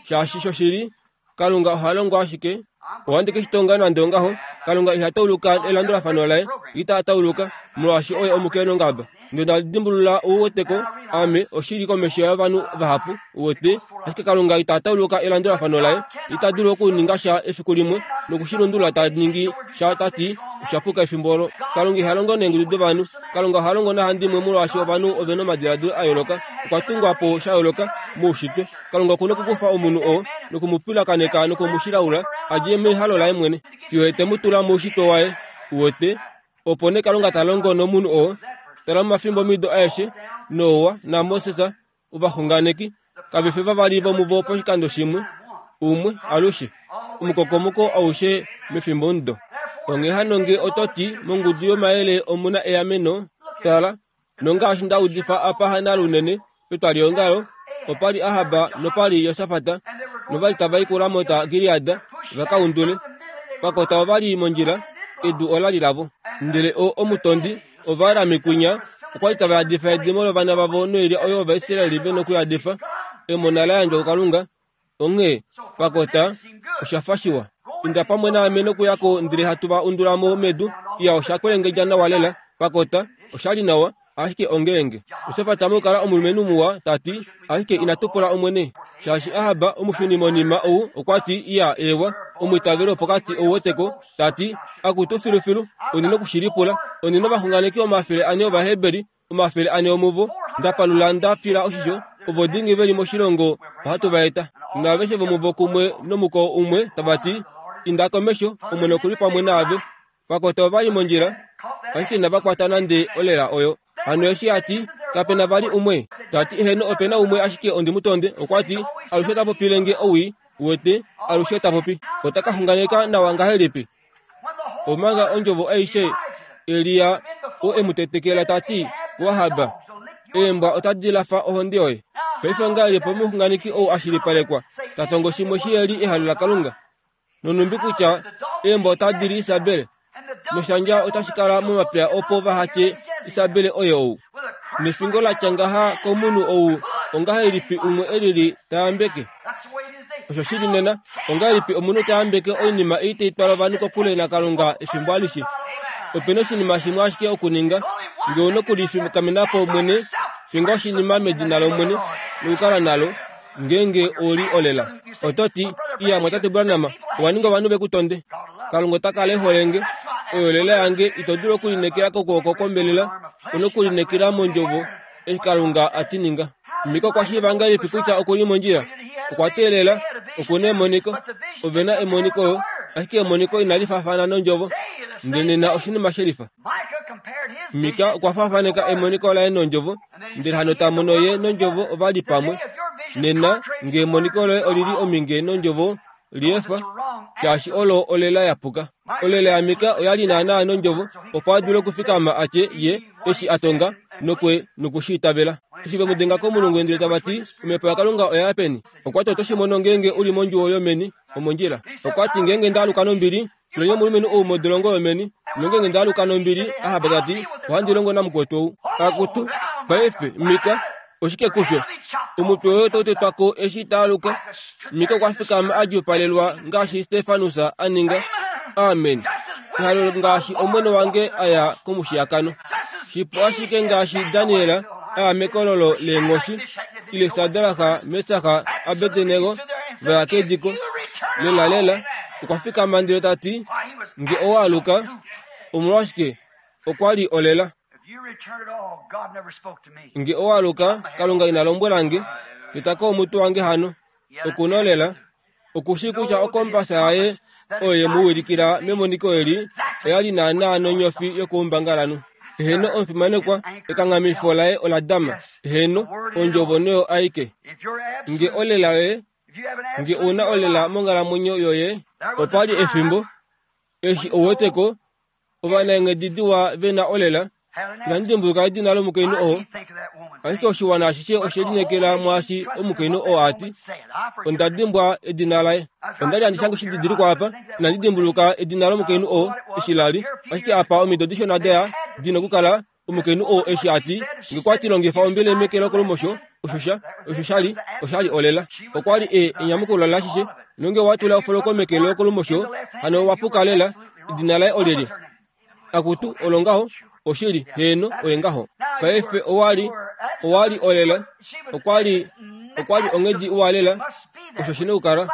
Shaashi shoshili, Kalunga oha longo ashike. Ohandi ke shi tonga nande ongaho, Kalunga iha tauluka elandulafano laye, ita tauluka, molwaashi oye omukenongaba. Ndele nda dimbulula ouweteko, ame, oshili komesho yovanhu vahapu, uwete, ashike Kalunga ita tauluka elandulafano laye, ita dulu okuninga sha efiku limwe, nokushilundulula ta ningi sha ta ti, osha puka efimbo olo. Kalunga iha longo neengudu dovanhu. Kalunga oha longo nahandimwe molwaashi ovanhu ove na omadiladilo a yooloka, okwa tungwa po sha yooloka moushitwe. Kalunga okuna okukufa omunhu oo nokumupwilakaneka nokumushilaula a dje mehalo laye mwene, fiyo ye te mu tula moushitwe waye, uwete. Opo nee Kalunga ta longo nomunhu oo. Tala momafimbo omido aeshe, Noa naMoses, ovaxunganeki, kave fi vavali vomuvo poshikando shimwe, umwe alushe, omukokomoko aushe mefimbomudo. Onghee hano nge oto ti, mongudu yomayele omu na eameno, tala, nongaashi nda udifa apa hanale unene, petwaliongalo, opa li Ahab nopa li Josafat, novali tava i kuRamot Gilead va ka undule. Pakota ova li mondjila, edu ola li lavo. Ndele o omutondi, Ovaarami kwinya, okwa li tava yadifa edimo lovana vavo noilya oyo Ovaisraeli ve nokuyadifa, emona la yandjwa kuKalunga. Onghee, pakota, osha fa shiwa. Inda pamwe naame nokuya ko ndele hatu va undula mo medu. Iya, osha kwelengedja nawa lela. Pakota, osha li nawa, ashike ongeenge. Josafat mokukala omulumenhu muwa, ta ti, ashike inatu pula Omwene. Shaashi Ahab, omushunimonima ou, okwa ti, iya, eewa, omwiitaveli wopokati ou weteko, ta ti, akutu filufilu, ondi nokushilipula. Ondi novaxunganeki omafele ane Ovaheberi, omafele ane omuvo, nda palula nda fila oshisho, ovo dingi ve li moshilongo ohatu va eta. Naaveshe vomuvo kumwe nomukoo umwe tava ti, inda komesho, Omwene oku li pamwe naave. Vakwata ova li mondjila, ashike inava kwata nande olela oyo. Hano eshi a ti, kapena vali umwe. Ta ti eheno opena umwe ashike ondi mu tonde. Okwa ti, alushe ota popile nge owii, uwete, alushe ta popi. Ota ka xunganeka nawa ngahelipi? Omanga ondjovo aishe Elia o e mu tetekela ta ti kuAhab, eembwa otadi lafa ohonde yoye. Paife ongahelipi omuxunganeki ou a shilipalekwa ta tongo shimwe shiheli ehalo laKalunga? Nonumbi kutya eembwa otadi li Isabel, noshandja otashi kala momapya opo vaha tye Isabel oye ou. Nefingo la tya ngaha komunhu ou ongahelipi umwe elili ta yambeke? Osho shili nena, ongahelipi omunhu ta yambeke oinima ei tai twala ovanhu kokule naKalunga efimbo alishe? Opena oshinima shimwe ashike okuninga, nge ouna okulifikamenapo mwene, finga oshinima medina lOmwene nokukala nalo, ngeenge oli olela. Oto ti, iya mwatate Branham, owa ninga ovanhu ve ku tonde. Kalunga ota kala e hole nge. Oyo olela yange ito dulu okulinekela kokwooko kwombelela, ouna okulinekela mondjovo eshi Kalunga a ti ninga. Mika okwa shiiva ngahelipi kutya okuli mondjila? Okwa teelela, okuna emoniko. Ove na emoniko yo, ashike emoniko inali faafana nondjovo. Ndele nena oshinima shelifa. Mika okwa faafaneka emoniko laye nondjovo, ndele hano ta mono ye nondjovo ova li pamwe. Nena, nge emoniko loye olili ominge nondjovo, liefa, shaashi olo olela yapuka. Olela yaMika oya li naanaa nondjovo, opo a dule okufikama a tye ye eshi a tonga nokwe nokushi itavela. Eshi ve mu denga komulungu ndele tava ti, omhepo yaKalunga oya ya peni? Okwa ti oto shi mono ngeenge u li mondjuwo yomeni, omondjila. Okwa ti ngeenge nda aluka nombili, tuleni omulumenhu ou modolongo yomeni. Nongeenge nda aluka nombili, Ahab ta ti, ohandi longo namukwetu ou. Akutu, paife, Mika, oshike kusho? Omutwe woye otau tetwa ko eshi ta aluka. Mika okwa fikama a djupalelwa ngaashi Stefanus a ninga. Amen. Ehalo ngaashi omwene wange a ya komushiyakano. Shipu ashike ngaashi Daniel a ya mekololo leenghoshi, ile Sadraka, Mesaka, Abednego va ya kediko. Lela lela, okwa fikama ndele ta ti, nge owa aluka, omolwashike okwa li olela. Nge owa aluka, Kalunga ina lombwela nge, tetako omutwe wange hano. Okuna olela, okushi kutya okompasa yaye oyo ye mu wilikila memoniko eli oya li naanaa nonyofi yokoumbangalanhu. Eheno omufimanekwa, ekanghamifo laye ola dama. Eheno, ondjovo noyo aike. Nge olela yoye, nge ouna olela monghalamwenyo yoye, opa li efimbo, eshi ouweteko, ovanaenghedi diwa ve na olela. Inandi dimbuluka edina lomukainhu oo, ashike oshiwana ashishe oshe linekela mwaashi omukainhu oo a ti. Onda dimbwa edina laye. Onda li handi shange oshididilikwa apa, inandi dimbuluka edina lomukainhu oo eshi la li, ashike apa omido dishona daya di nokukala omukainhu oo eshi a ti, nge kwa ti longifa ombele meke lokolumosho, osho sha, osho sha li, osha li olela. Okwa li e enyamukulo lashishe, nonge wa tula ofoloko meke lokolumosho, hano wa puka lela, edina laye olyelye? Akutu, olo ngaho, oshili, heeno, oye ngaho. Paife owa li, owa li olela, okwa li, okwa li onghedi iwa lela, osho shi na okukala.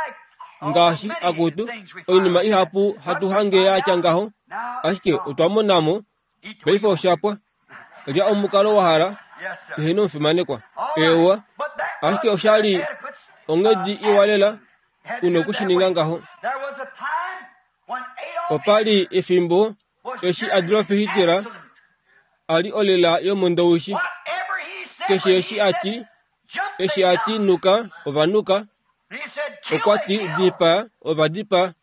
Ngaashi, akutu, oinima ihapu hatu hange ya tya ngaho, ashike otwa mona mo, paife osha pwa. Lya omukalo wa hala, eheno omufimanekwa. Ewa, ashike osha li onghedi iwa lela, una okushininga ngaho. Opa li efimbo eshi Adolf Hitler a li olela yomondoushi. Keshe eshi a ti, eshi a ti nuka, ova nuka. Okwa ti dipaa, ova dipaa.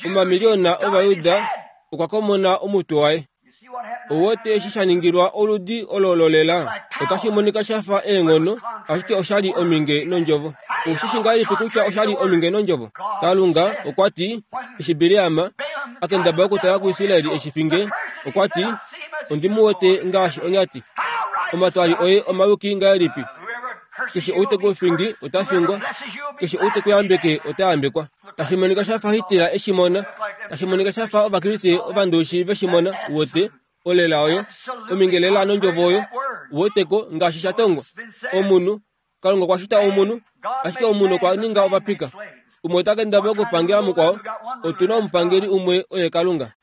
Omamiliyona Ovayuda okwa komona omutwe waye. Ouwete eshi sha ningilwa oludi olo lolela. Otashi monika sha fa eenghono, ashike osha li ominge nondjovo. Oushi ngahelipi kutya osha li ominge nondjovo? Kalunga okwa ti, eshi Bileam a kendabala okutala kuIsraeli eshi finge, okwa ti, ondi mu wete ngaashi onyati. Omatwali oye omayuki ngahelipi? Keshe ou te ku fingi ota fingwa, keshe ou te ku yambeke ota yambekwa. Tashi monika sha fa Hitler eshi mona, tashi monika sha fa Ovakriste ovandoishi veshi mona, uwete, olela oyo, ominge lela nondjovo oyo, uweteko ngaashi sha tongwa. Omunhu, Kalunga okwa shita omunhu, ashike omunhu okwa ninga ovapika. Umwe ota kendabala okupangela mukwao, otu na omupangeli umwe oye Kalunga.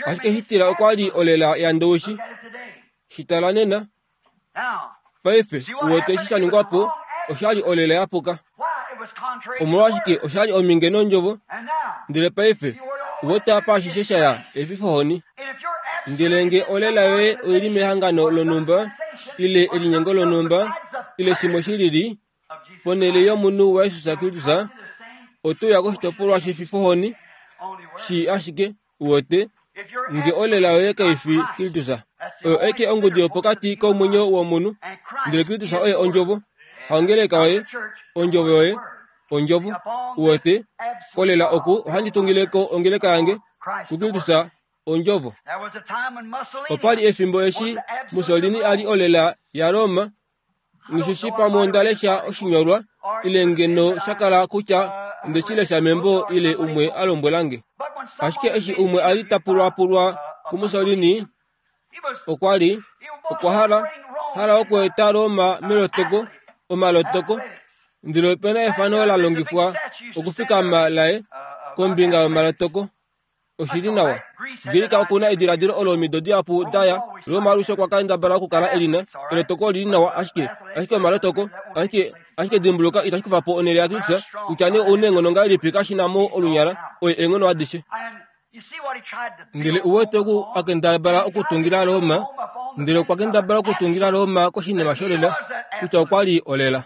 Ashike Hitler okwa li olela yandoishi. Shitala nena. Paife, uwete eshi sha ningwa po, osha li olela yapuka. Omolwashike osha li ominge nondjovo, ndele paife, Uwete apa ashishe shaya efifohoni. Ndele nge olela yoye oili mehangano lonhumba ile elinyengo lonhumba ile shimwe shilili ponhele yomunhu waJesus Kristus, otoya koshitopolwa shefifohoni shi ashike uwete nge olela yoye kaifi Kristus. Oyo eke ongudi yopokati komwenyo womunhu, ndele Kristus oye ondjovo. Haongeleka yoye, ondjovo yoye, ondjovo. Uwete kolela oku ohandi tungileko ongeleka yange kuKristus ondjovo. Opali efimbo eshi Mussolini ali olela ya Roma, ngishishi pamwe ondalesha oshinyolwa ile ngeno shakala kutya ndeshilesha membo ile umwe alombwelange. Ashike eshi umwe ali tapulwapulwa kuMussolini, okwa li okwa hala hala okweeta Roma melotoko omalotoko, ndele opena efano la longifwa okufikama laye kombinga yomalotoko. Oshili nawa. Greka okuna ediladilo olo omido dihapu daya Roma alushe okwa kendabala okukala elina elotoko lili nawa, ashike ashike omalotoko ashike ashike dimbuluka itashi kufa po onhele yaKristus kutya nee ouna eenghono ngahelipi kashina mo olunyala oye eenghono adishe. Ndele uwete oku akendabala okutungila Roma, ndele okwa kendabala okutungila Roma koshinima sholela kutya okwa li olela.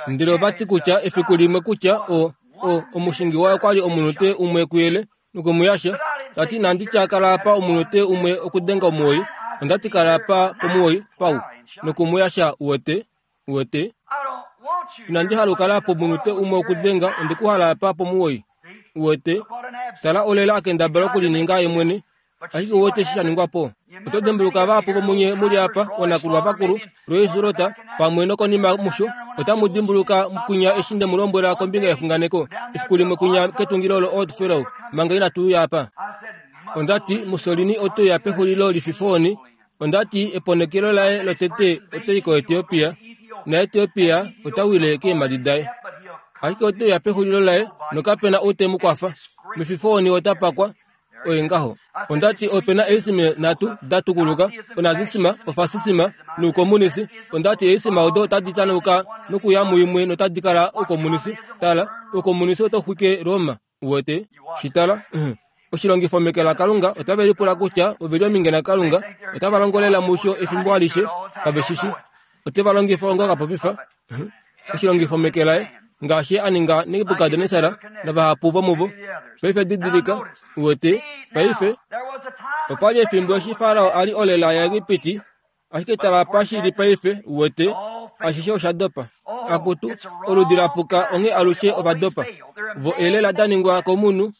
Ndele ovati kutya efiku limwe kutya o o omushingi waye okwali omunute umwe kuyele nokumuyasha, tati nandi tyakala apa omunute umwe okudenga omuwoi, ondati kala apa pomuwoi pau nokumuyasha uwete uwete. Inandi hala okukala pomunute umwe okudenga, ondikuhala apa pomuwoi uwete. Tala olela akendabala okulininga ye mwene, ashike uwete eshi shaningwa po. Oto dimbuluka vahapu vomunye muli apa onakulwa vakulu loisulota pamwe nokonima musho otamu dimbuluka kunya eshi nde mu lombwela kombinga yexunganeko efiku limwe kunya ketungilo lo Old Fellow manga inatu uya apa. Ondati Mussolini otoya pexulilo lififoni, ondati eponekelo laye lotete otai koEthiopia, naEthiopia otawile keemhadi daye. Ashike otoya pexulilo laye nokapena ou te mu kwafa. Mefifoni otapakwa oye ngaho. Ondati opena eesime nhatu da tukuluka, onazisima, ofasisima noukomunisi. Ondati eesima odo otadi tanuka nokuya muimwe notadi kala oukomunisi. Tala, oukomunisi otau xwike Roma. Uwete? Shitala, oshilongifo meke laKalunga otave lipula kutya oveli ominge naKalunga, otava longolela musho efimbo alishe, kave shishi. Oteva longifa onga kapopifa. Oshilongifo meke laye ngaashi a ninga Nebukadnesar navahapu vomuvo. Paife didilika, uwete, paife opali efimbo eshi Farao ali olela yaEgipiti, ashike tala pa shili paife, uwete, ashishe osha dopa. Akutu, oludi lapuka onghee alushe ovadopa. Vo elela da ningwa komunhu,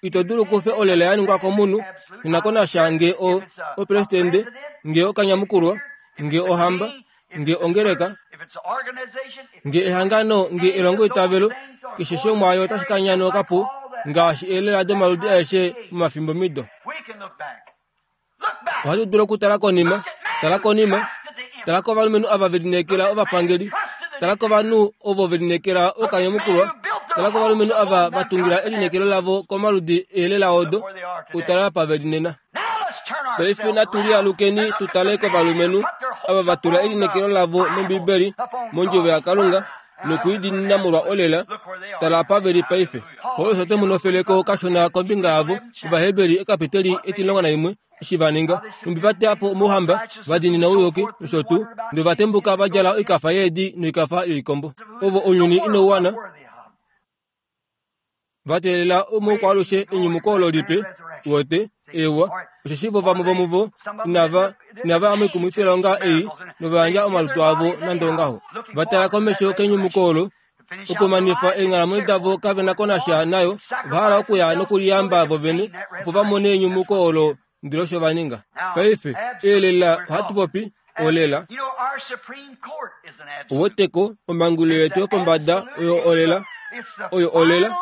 ito dulu kufe olela ya ningwa komunhu, inakonasha nge o opresidente, nge okanyamukulwa, nge ohamba, nge ongeleka, nge ehangano, nge elongo itavelo, keshe shomwaayo otashi ka nyanoka po ngaashi elela domaludi aeshe momafimbo mido. Ohatu dulu okutala konima, tala konima, tala kovalumenhu ava ve lineekela ovapangeli, tala kovanhu ovo ve lineekela okanyamukulwa, tala kovalumenhu ava va tungila elineekelo lavo komaludi eelela odo, utala apa ve li nena. Paife natu lialukeni tu tale kovalumenhu ava va tula elineekelo lavo mOmbibeli, mondjovo yaKalunga, nokuidiinina molwa olela, tala apa ve li paife. Paulus ote mu nofeleko kashona kombinga yavo, Ovaheberi ekapiteli etilongo naimwe, eshi va ninga, nhumbi va teya po omauhamba, va diinina ouyuki, nosho tuu, ndele va tembuka va djala oikafa yeedi noikafa yoikombo. Ovo ounyuni inau wana, va teelela omoukwaalushe enyumuko olo lipe, uwete, ewa, osheshi vo vamwe vomuvo inava inava ya moikumwifilonga ei nova yandja omalutu avo nande ongaho. Va tala komesho kenyumuko olo, okumanifa eenghalamwenyo davo kave na ko nasha nayo, ova hala okuya nokuliyamba vo vene opo va mone enyumuko olo, ndele osho va ninga. Paife, eelela ohatu popi olela. Uweteko, omhangulilo yetu yopombada oyo olela, oyo olela,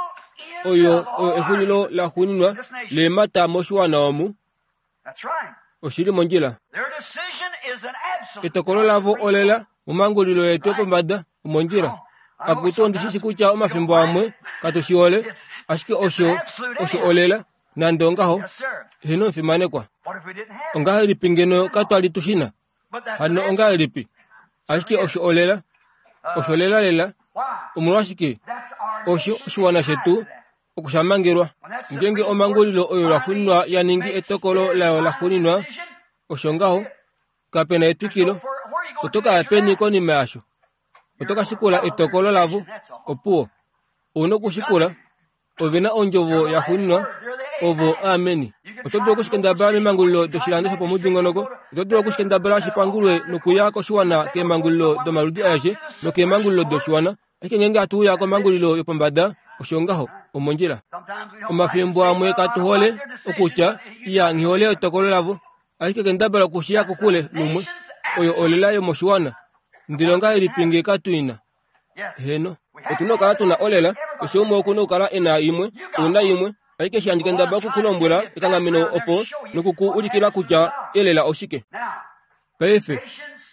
oyo oyo exulilo laxuuninwa leemhata moshiwana omu. Oshili mondjila. Etokolo lavo olela momhangulilo yetu yopombada omondjila. Akutu ondishishi kutya omafimbo amwe katu shihole, ashike osho osho olela nande ongaho. Heno omufimanekwa. Ongahelipi ngeno katwali tushina? Hano ongahelipi? Ashike osho olela, osho lela lela. Omolwashike? Osho oshiwana shetu okushamangelwa. Ngeenge omangulilo oyo laxuuninwa ya ningi etokolo layo laxuuninwa, osho ngaho, kapena etwikilo. Oto ka ya peni konima yasho? Oto ka shikula etokolo lavo. Opuwo, ouna okushikula. Ove na ondjovo yaxuuninwa, ovo ameni. Oto dulu okushikendabala memangulilo doshilando shopomudingonoko. Oto dulu okushikendabala shipangulwe nokuya koshiwana keemangulilo domaludi aeshe nokeemangulilo doshiwana. Ashike ngeenge hatu uya komangulilo yopombada, osho ngaho, omondjila. Omafimbo amwe katu hole okutya, iya, nghi hole etokolo lavo. Ashike kendabala okushiya kokule lumwe. Oyo olela yomoshiwana. Ndele ongahelipi nge katu ina? Heno. Otuna okukala tuna olela, keshe umwe okuna okukala e na imwe, ouna imwe. Ashike eshi handi kendabala okukulombwela ekanghameno opo nokuku ulikila kutya elela oshike. Paife,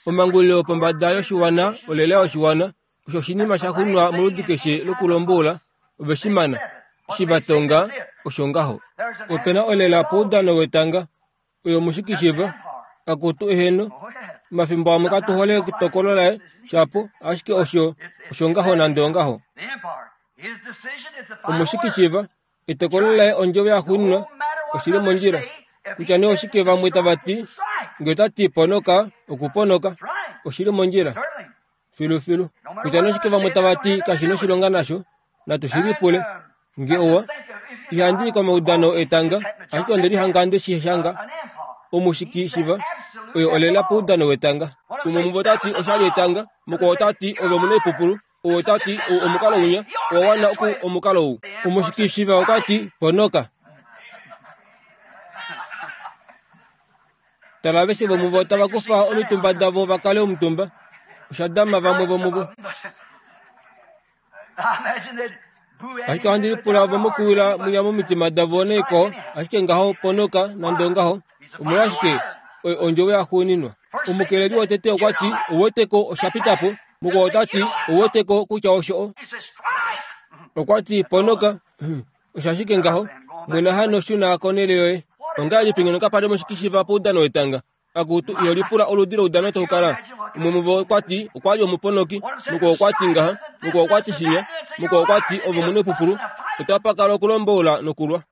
omangulilo yopombada yoshiwana olela yoshiwana, osho oshinima sha xunwa moludi keshe lokulombola, ove shi mana. Eshi va tonga, osho ngaho. Opena olela poudano wetanga, oyo mushikishiva, akutu eheno. Omafimbo amwe katu hole etokolo laye, shapo, ashike osho, osho ngaho nande ongaho. Omushikishiva, etokolo laye ondjovo yaxuuninwa, oshili mondjila. Kutya nee oshike vamwe tava ti, nge ota ti ponoka, okuponoka, oshili mondjila. Filufilu. Kutya nee oshike vamwe tava ti kashi noshilonga nasho, natu shi lipule. Nge owa, ihandi i komaudano etanga, ashike onde lihanga nde shi shanga. Omushikishiva, oyo olela poudano wetanga. Umwe muvo ota ti oshali etanga, mukwao ota ti ove omunaipupulu, ou ota ti ou omukalo unya, owa wana oku omukalo ou. Omushikishiva okwa ti ponoka. Tala aveshe vomuvo tava kufa omitumba davo va kale omutumba. Osha dama vamwe vomuvo. Ashike ohandi lipula ove mokuwila mwinya momitima davo naikwao, ashike ngaho ponoka nande ongaho. Omolwashike oyo ondjovo yaxuuninwa. Omukeleli wotete okwa ti, ouweteko osha pita po. Mukwao ota ti, ouweteko kutya osho o. Okwa ti, ponoka. Osho ashike ngaho. Mwena hano shuna konhele yoye. Ongahelipi ngeno kapa li omushikishiva poudano wetanga? Akutu, iho lipula oludi loudano tau kala. Umwe muvo okwa ti, okwa li omuponoki. Mukwao okwa ti ngaha. Mukwao okwa ti shinya. Mukwao okwa ti, ove omunaipupulu. Otapa kala okulomboula nokulwa.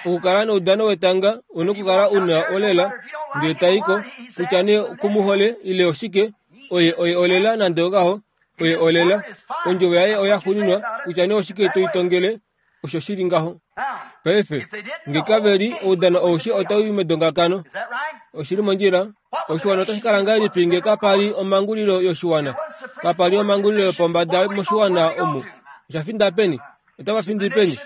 Okukala noudano wetanga, ouna okukala una olela, ndele tai ko, kutya nee kumuhole ile oshike, oye oye olela nande ongaho, oye olela. Ondjovo yaye oya xuuninwa, kutya nee oshike to itongele, osho shili ngaho. Paife, nge kave li, oudano aushe otau i medongakano. Oshili mondjila. Oshiwana otashi kala ngahelipi nge kapa li omangulilo yoshiwana? Kapa li omangulilo yopombada moshiwana omu. Osha finda peni? Otava findi peni?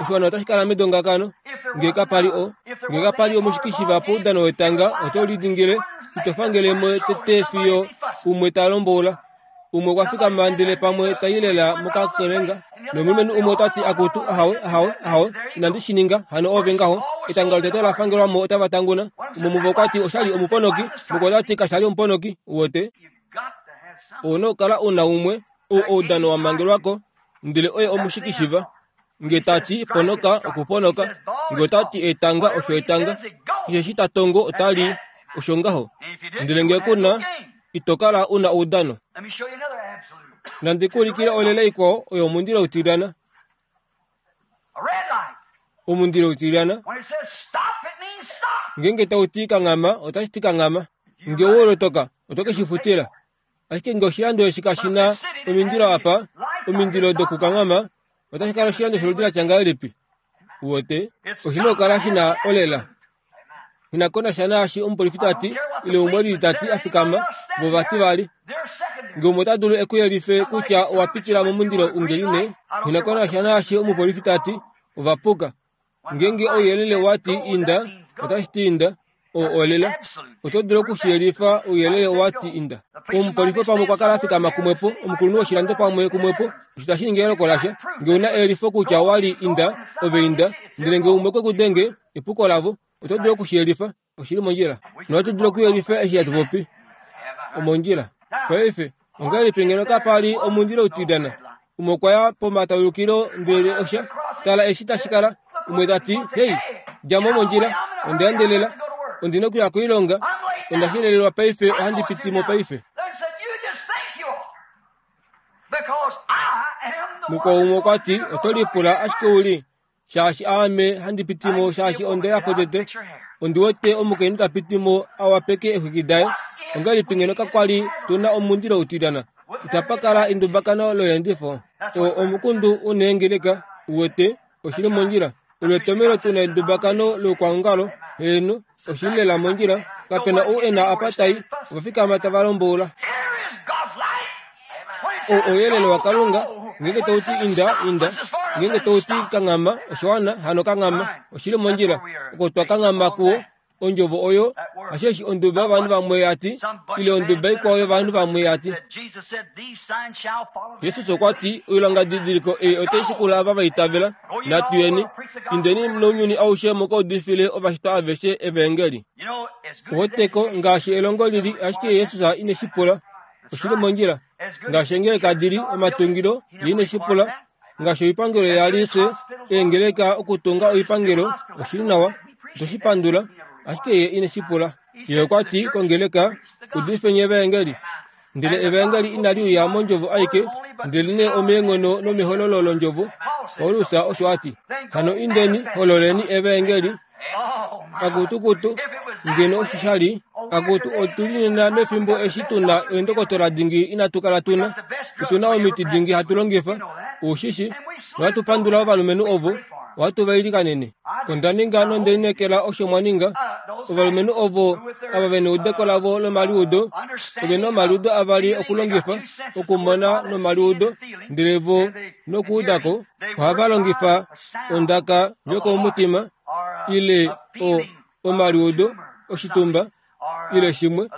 Oshiwana otashi kala medongakano nge kapa li o. Nge kapa li omushikishiva poudano wetanga, oto lidingile, ito fangele mo tete fiyo umwe ta lomboula. Umwe okwa fikama ndele pamwe ta i lela mokakelenga. Nomulumenhu umwe ota ti akutu, ahawe, ahawe, ahawe, inandi shi ninga, hano ove ngaho. Etanga lotete la fangelwa mo otava tanguna. Umwe muvo okwa ti oshali omuponoki, mukwao ota ti kashali omuponoki, uwete. Ouna okukala una umwe, ou oudano wa mangelwako, ndele oye omushikishiva. Nge ta ti ponoka, okuponoka. Nge ota ti etanga, osho etanga. Keshe eshi ta tongo ota li, osho ngaho. Ndele nge ku na, ito kala una oudano. Nandi ku ulikile olela ikwao oyo omundilo utilyana. Omundilo utilyana. Ngeenge tau ti kanghama, otashi ti kanghama. Nge owe lotoka, oto ke shi futila. Ashike nge oshilando eshi kashi na omindilo apa, omindilo dokukanghama, otashi kala oshilando sholudi la tya ngahelipi? Uwete, oshi na okukala shi na olela. Ina ko nasha naashi omupolifi ta ti, ile umwe lili ta ti a fikama, vo vati vali. Nge umwe ota dulu e ku yelife kutya owa pitila momundilo ungeline, ina ko nasha naashi omupolifi ta ti, ova puka. Ngeenge ouyelele wa ti inda, otashi ti inda. O olela. Oto dulu okushiyelifa ouyelele wa ti inda. Omupolifi pamwe okwa kala a fikama kumwepo, omukulunhu woshilando pamwe kumwepo, osho tashi ningi eloko lasha. Nge una eyelifo kutya owa li inda, ove inda. Ndele nge umwe okwe ku denge, epuko lavo. Oto dulu okushiyelifa, oshili mondjila. Nohatu dulu okuyelifa eshi hatu popi. Omondjila. Paife, ongahelipi ngeno kapa li omundilo utilyana? Umwe okwa ya pomataulukilo ndele osha tala eshi tashi kala. Umwe ta ti, hei, dja mo mondjila, onda endelela, ondi na okuya koilonga, onda shelelelwa paife, ohandi piti mo paife. Mukwao umwe okwa ti, oto lipula ashike uli, shaashi aame handi pitimo shaashi onde po tete. Ondi wete omukainhu ta pitimo a wapeke eexwiki daye. Ongahelipi ngeno kakwali tuna omundilo utilyana? Itapa kala endumbakano loyeendifo. Oo omukundu uneengeleka, uwete, oshili mondjila. Olo etomelo tuna endumbakano loukwaongalo, heeno, oshili lela mondjila. Kapena ou e na apa tai, ova fikama tava lomboula. O ouyelele waKalunga, ngeenge tau ti inda, inda. Ngeenge tau ti kanghama, oshiwana, hano kanghama. Oshili mondjila. Oko twa kanghama kuwo, ondjovo oyo, hasheshi onduba yovanhu vamwe ya ti, ile onduba ikwao yovanhu vamwe ya ti. Jesus okwa ti, oilongadidiliko ei otai shikula ava va itavela. Natu yeni, indeni nounyuni aushe muka udifile ovashitwa aveshe evangeli. Oweteko ngaashi elongo lili, ashike Jesus ine shi pula. Oshili mondjila. Ngaashi eengeleka dili, omatungilo, ye ine shi pula. Ngaashi oipangelo yali fye, eengeleka okutunga oipangelo, oshili nawa, oto shi pandula, ashike ye ine shi pula. Ye okwa ti kongeleka, udifeni evangeli. Ndele evangeli inali uya mondjovo aike, ndelenee omeenghono nomehololo londjovo. Paulus osho a ti, hano indeni, hololeni evangeli. Akutukutu, ngeno osho sha li, akutu otuli nena mefimbo eshi tuna eendokotola dingi inatu kala tuna. Otuna omiti dingi hatu longifa, ushishi, nohatu pandula ovalumenhu ovo, ohatu va ilikanene. Onda ninga nonde lineekela osho mwa ninga. Ovalumenhu ovo ava ve neudeko lavo lomaliudo, ove na omaliudo avali okulongifa, okumona nomaliudo, ndele vo nokuudako, ohava longifa ondaka yokomutima, ile o omaliudo oshitumba, ile shimwe,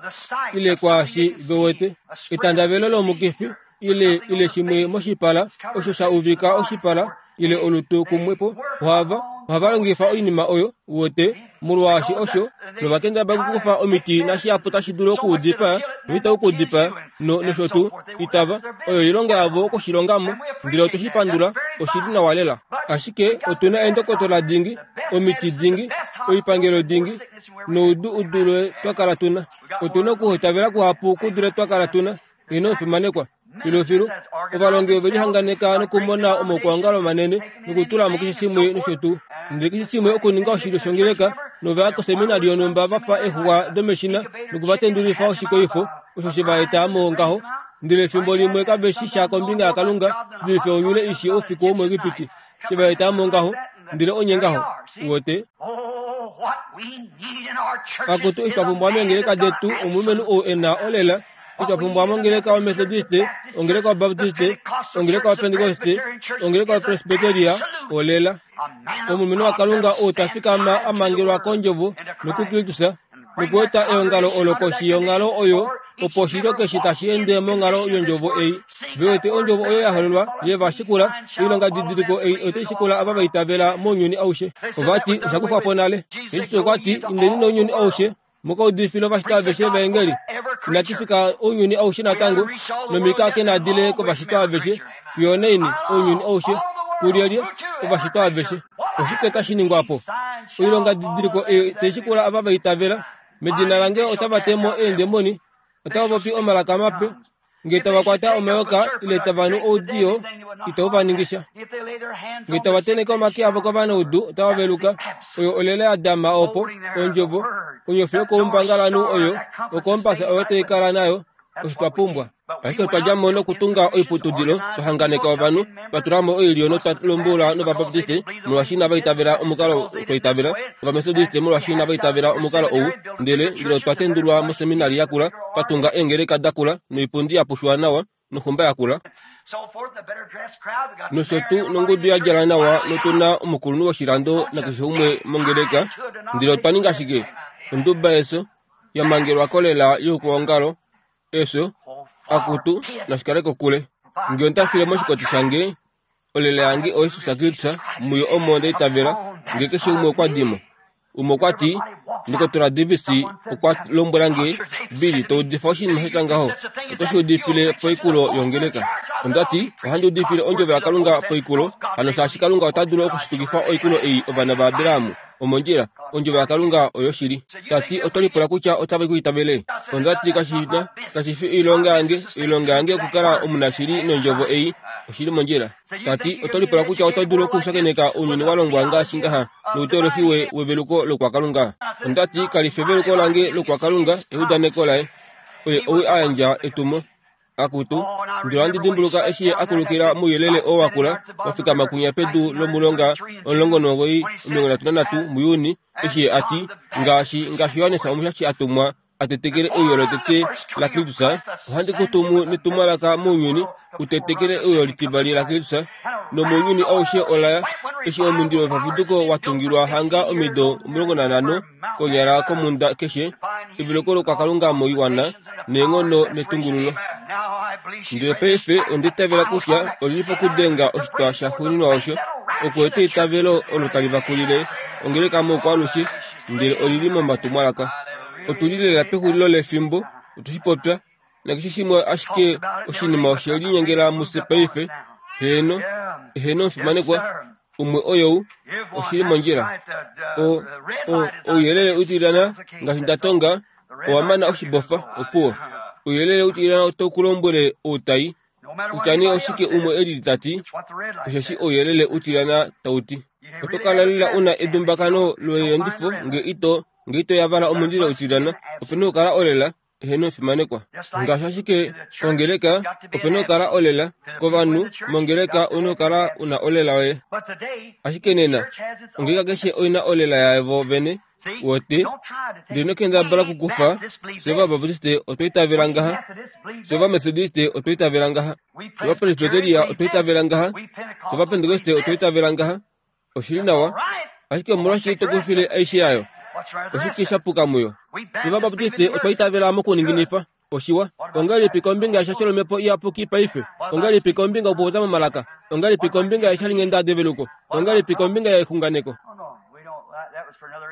ile kwaashi ve wete, etandavelo lomukifi, ile ile shimwe moshipala, osho sha uvika oshipala, ile olutu kumwepo, ohava ohava longifa oinima oyo, uwete, molwaashi osho, novakendabala okukufa omiti nashihapu tashi dulu okuudipaa, noitau kuudipaa, no nosho tuu, itava, oyo oilonga yavo okushilongamo, ndele otwe shi pandula, oshili nawa lela. Ashike otuna eendokotola dingi, omiti dingi, oipangelo dingi, noudu udule twa kala tuna. Otuna okuhitavela kuhapu kudule twa kala tuna. Ino omufimanekwa. Filufilu, ovalongi ove lihanganeka nokumona omaukwaongalo manene nokutula mo keshe shimwe nosho tuu. Ndele keshe shimwe okuninga oshilyo shongeleka, novaya koseminari yonhumba va fa eexuwa domeshina nokuvatendulifa oshikoifo, osho she va eta mo ngaho. Ndele efimbo limwe kave shi sha kombinga yaKalunga shi dulife onyule ishi oufiku womuEgipiti. She va eta mo ngaho, ndele onye ngaho, uwete. Akutu eshi twa pumbwa meengeleka detu omulumenhu ou e na olela. Eshi twa pumbwa mongeleka yoMethodiste, ongeleka yoBaptiste, ongeleka yoPentekoste, ongeleka yoPresbyteria, olela. Omulumenhu waKalunga ou ta fikama a mangelwa kondjovo nokuKristus, nokueta eongalo olo koshi yonghalo oyo, opo oshilyo keshe tashi ende monghalo yondjovo ei. Ve wete ondjovo oyo ya hololwa, ye va shikula, oilonga didiliko ei otai shikula ava va itavela mounyuni aushe. Ova ti, osha kufwa po nale. Jesus okwa ti, indeni nounyuni aushe, muka udifile ovashitwa aveshe evaengeli. Inatu fika ounyuni aushe natango, nomika kenadile kovashitwa aveshe, fiyo onaini ounyuni aushe, kulyelye ovashitwa aveshe. Oshike tashi ningwa po? Oilonga didiliko ei tai shikula ava va itavela, medina lange otava te mo eendemoni, otava popi omalaka mape, ngee tava kwata omayoka ile tava nu oudiyo, itau va ningisha. Ngee tava tenheke omake avo kovanaudu, otava veluka. Oyo olela ya dama opo, ondjovo, onyofi yokoumbangalanhu oyo, okompasa oyo tai kala nayo, osho twa pumbwa. Ashike otwa dja mo nokutunga oiputudilo, twa hanganeka ovanhu, twa tula mo oilyo notwa lombula nOvabaptiste, molwaashi inava itavela omukalo twa itavela, Ovamethodiste molwaashi inava itavela omukalo ou, ndele ndele otwa tendulwa moseminari yakula, twa tunga eengeleka dakula, noipundi ya pushwa nawa, noxumba yakula. Nosho tuu nongudu ya djala nawa notuna omukulunhu woshilando nakeshe umwe mongeleka, ndele otwa ninga shike? Onduba yeso, ya mangelwa kolela youkwaongalo, efyo, akutu, nashikale kokule. Ngee onda file moshikoti shange, olela yange oYesus Kristus, muyo omo nda itavela, ngee keshe umwe okwa dimo. Umwe okwa ti, Ndokotola Davis okwa lombwela nge, Billy, to udifa oshinima sha ngaho, oto shi udifile poikulo yongeleka. Onda ti, ohandi udifile ondjovo yaKalunga poikulo, hano shaashi Kalunga ota dulu okushitukifa oikulo ei ovana vaAbraham. Omondjila, ondjovo yaKalunga oyoshili. Tati oto lipula kutya otave ku itavele. Ondati kashina kashifi oilonga yange, oilonga yange okukala omunashili nondjovo ei oshili mondjila. Tati oto lipula kutya oto dulu okushakeneka ounyuni wa longwa ngaashi ngaha noutolofi we weveluko lokwakalunga. Ondati kalifi eveluko lange lokwakalunga, eudaneko laye. Oye ou a yandja etumo. Akutu, ndele ohandi dimbuluka eshi ye akulukila mouyelele oo wakula wafikama kunya pedu lomulonga omulongo nomugoyi omilongo nhatu nanhatu muJuni, eshi ye ati ngaashi ngaashi Johannes Omushashi a tumwa a tetekele euyo lotete laKristus, ohandi ku tumu netumwalaka mounyuni u tetekele euyo litivali laKristus, nomounyuni aushe olaya eshi omundilo wepapuduko wa tungilwa hanga omido omulongo nanhano konyala komunda keshe, eveluko lokwakalunga moiwana neenghono netungululo. Ndele paife onda itavela kutya olili pokudenga oshitwa shaxuuninwa osho, okueta eitavelo olo tali vakulile ongeleka moukwalushe, ndele olili momatumwalaka. Otuli lela pexulilo lefimbo, otushi popya, nakeshe shimwe ashike oshinima oshe linyengela mufye paife. Heeno, heeno omufimanekwa, umwe oyou, oshili mondjila. O, o, ouyelele utilyana ngaashi nda tonga, owa mana oshibofa, opuwo. Ouyelele utilyana otau ku lombwele outai, kutya nee oshike umwe e lili tati, osheshi ouyelele utilyana tau ti. Oto kala lela una edumbakano loyeendifo nge ito nge ito yavala omundilo utilyana, opena okukala olela, eheno omufimanekwa. Ngaashi ashike kongeleka, opena okukala olela, kovanhu mongeleka ouna okukala una olela yoye. Ashike nena, ongeleka keshe oina olela yavo vene, wote, ndele ino kendabala okukufa, fye Ovabaptiste otwa itavela ngaha, fye Ovamethodiste otwa itavela ngaha, fye Ovapresbyteria otwa itavela ngaha, fye Ovapentekoste otwa itavela ngaha. Oshili nawa, ashike omolwashike ito kufile aishe yayo? Oshike sha puka muyo? Fye Ovabaptiste otwa itavela mokuninginifa. Oshiwa, ongahelipi kombinga yeshasho lomhepo iyapuki paife? Ongahelipi kombinga yokupopya momalaka? Ongahelipi kombinga yeshalinghenda develuko? Ongahelipi kombinga yexunganeko?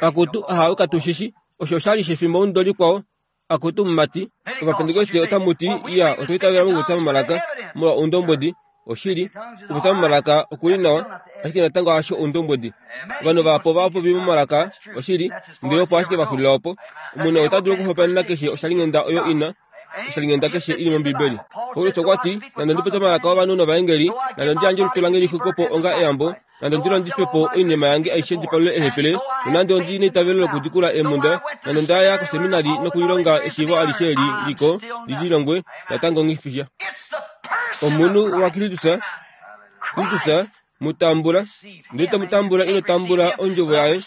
Akutu, ahawe katushishi, osho oshali shefimbo mudo likwao. Akutu mumati, Ovapentekoste otamu ti, iya, otwa itavela mokupopya momalaka molwa oundombwedi. Oshili, okupopya momalaka okuli nawa, ashike natango hasho oundombwedi. Ovanhu vahapu ova popi momalaka, oshili, ndele opo ashike va xulila opo. Omunhu ota dulu okuhopaenena keshe oshalinghenda oyo ina, oshalinghenda keshe ili mOmbibeli. Paulus okwa ti, nande ndi popye omalaka ovanhu novaengeli, nande ndi yandje olutu lange lixwikwe po onga eyambo, nande ndi londife po oinima yange aishe ndi palule eehepele, nonande ondi neitavelo lokudikula eemhunda, nande onda ya koseminari nokulilonga eshiivo alishe eli liko li lilongwe, natango nghifisha. Omunhu waKristus, Kristus mutambula, ndele to mutambula ino tambula ondjovo yaye.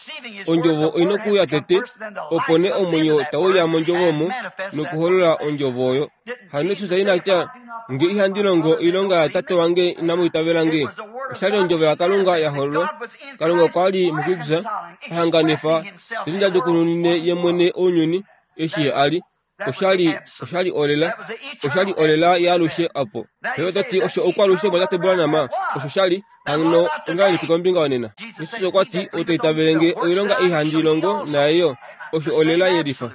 Ondjovo oina okuuya tete, opo nee omwenyo tau uya mondjovo omo nokuholola ondjovo oyo. Hano Jesus ina tya, nge ihandi longo oilonga yatate wange inamu itavela nge. Oshali ondjovo yaKalunga ya hololwa. Kalunga okwa li muKristus a hanganifa teli ye mwene ounyuni eshi ye a li. Oshali oshali olela, oshali olela yaalushe apo. Paife oto ti osho oukwalushe bwatate Branham, osho shali hano ongahelipi kombinga yonena? Jesus okwa ti, ou ta itavele nge oilonga ei handi longo naye osho olela yelifa.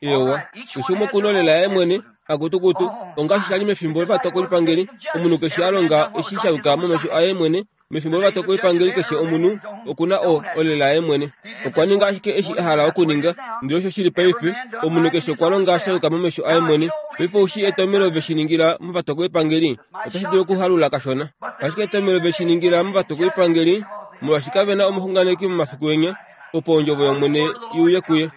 Ewa, keshe umwe okuna olela yaye mwene, akutukutu, ongaashi shali mefimbo lovatokolipangeli, omunhu keshe a longa eshi sha yuka momesho aye mwene. Mefimbo lovatokolipangeli keshe omunhu okuna o olela yaye mwene. Okwa ninga ashike eshi a hala okuninga, ndele osho shili paife, omunhu keshe okwa longa sha yuka momesho aye mwene. Paife oushi etomhelo ve shi ningila movatokolipangeli, otashi dulu okuhalula kashona. Ashike etomhelo ve shi ningila movatokolipangeli, molwaashi kave na omuxunganeki momafiku enya, opo ondjovo yOmwene i uye kuye.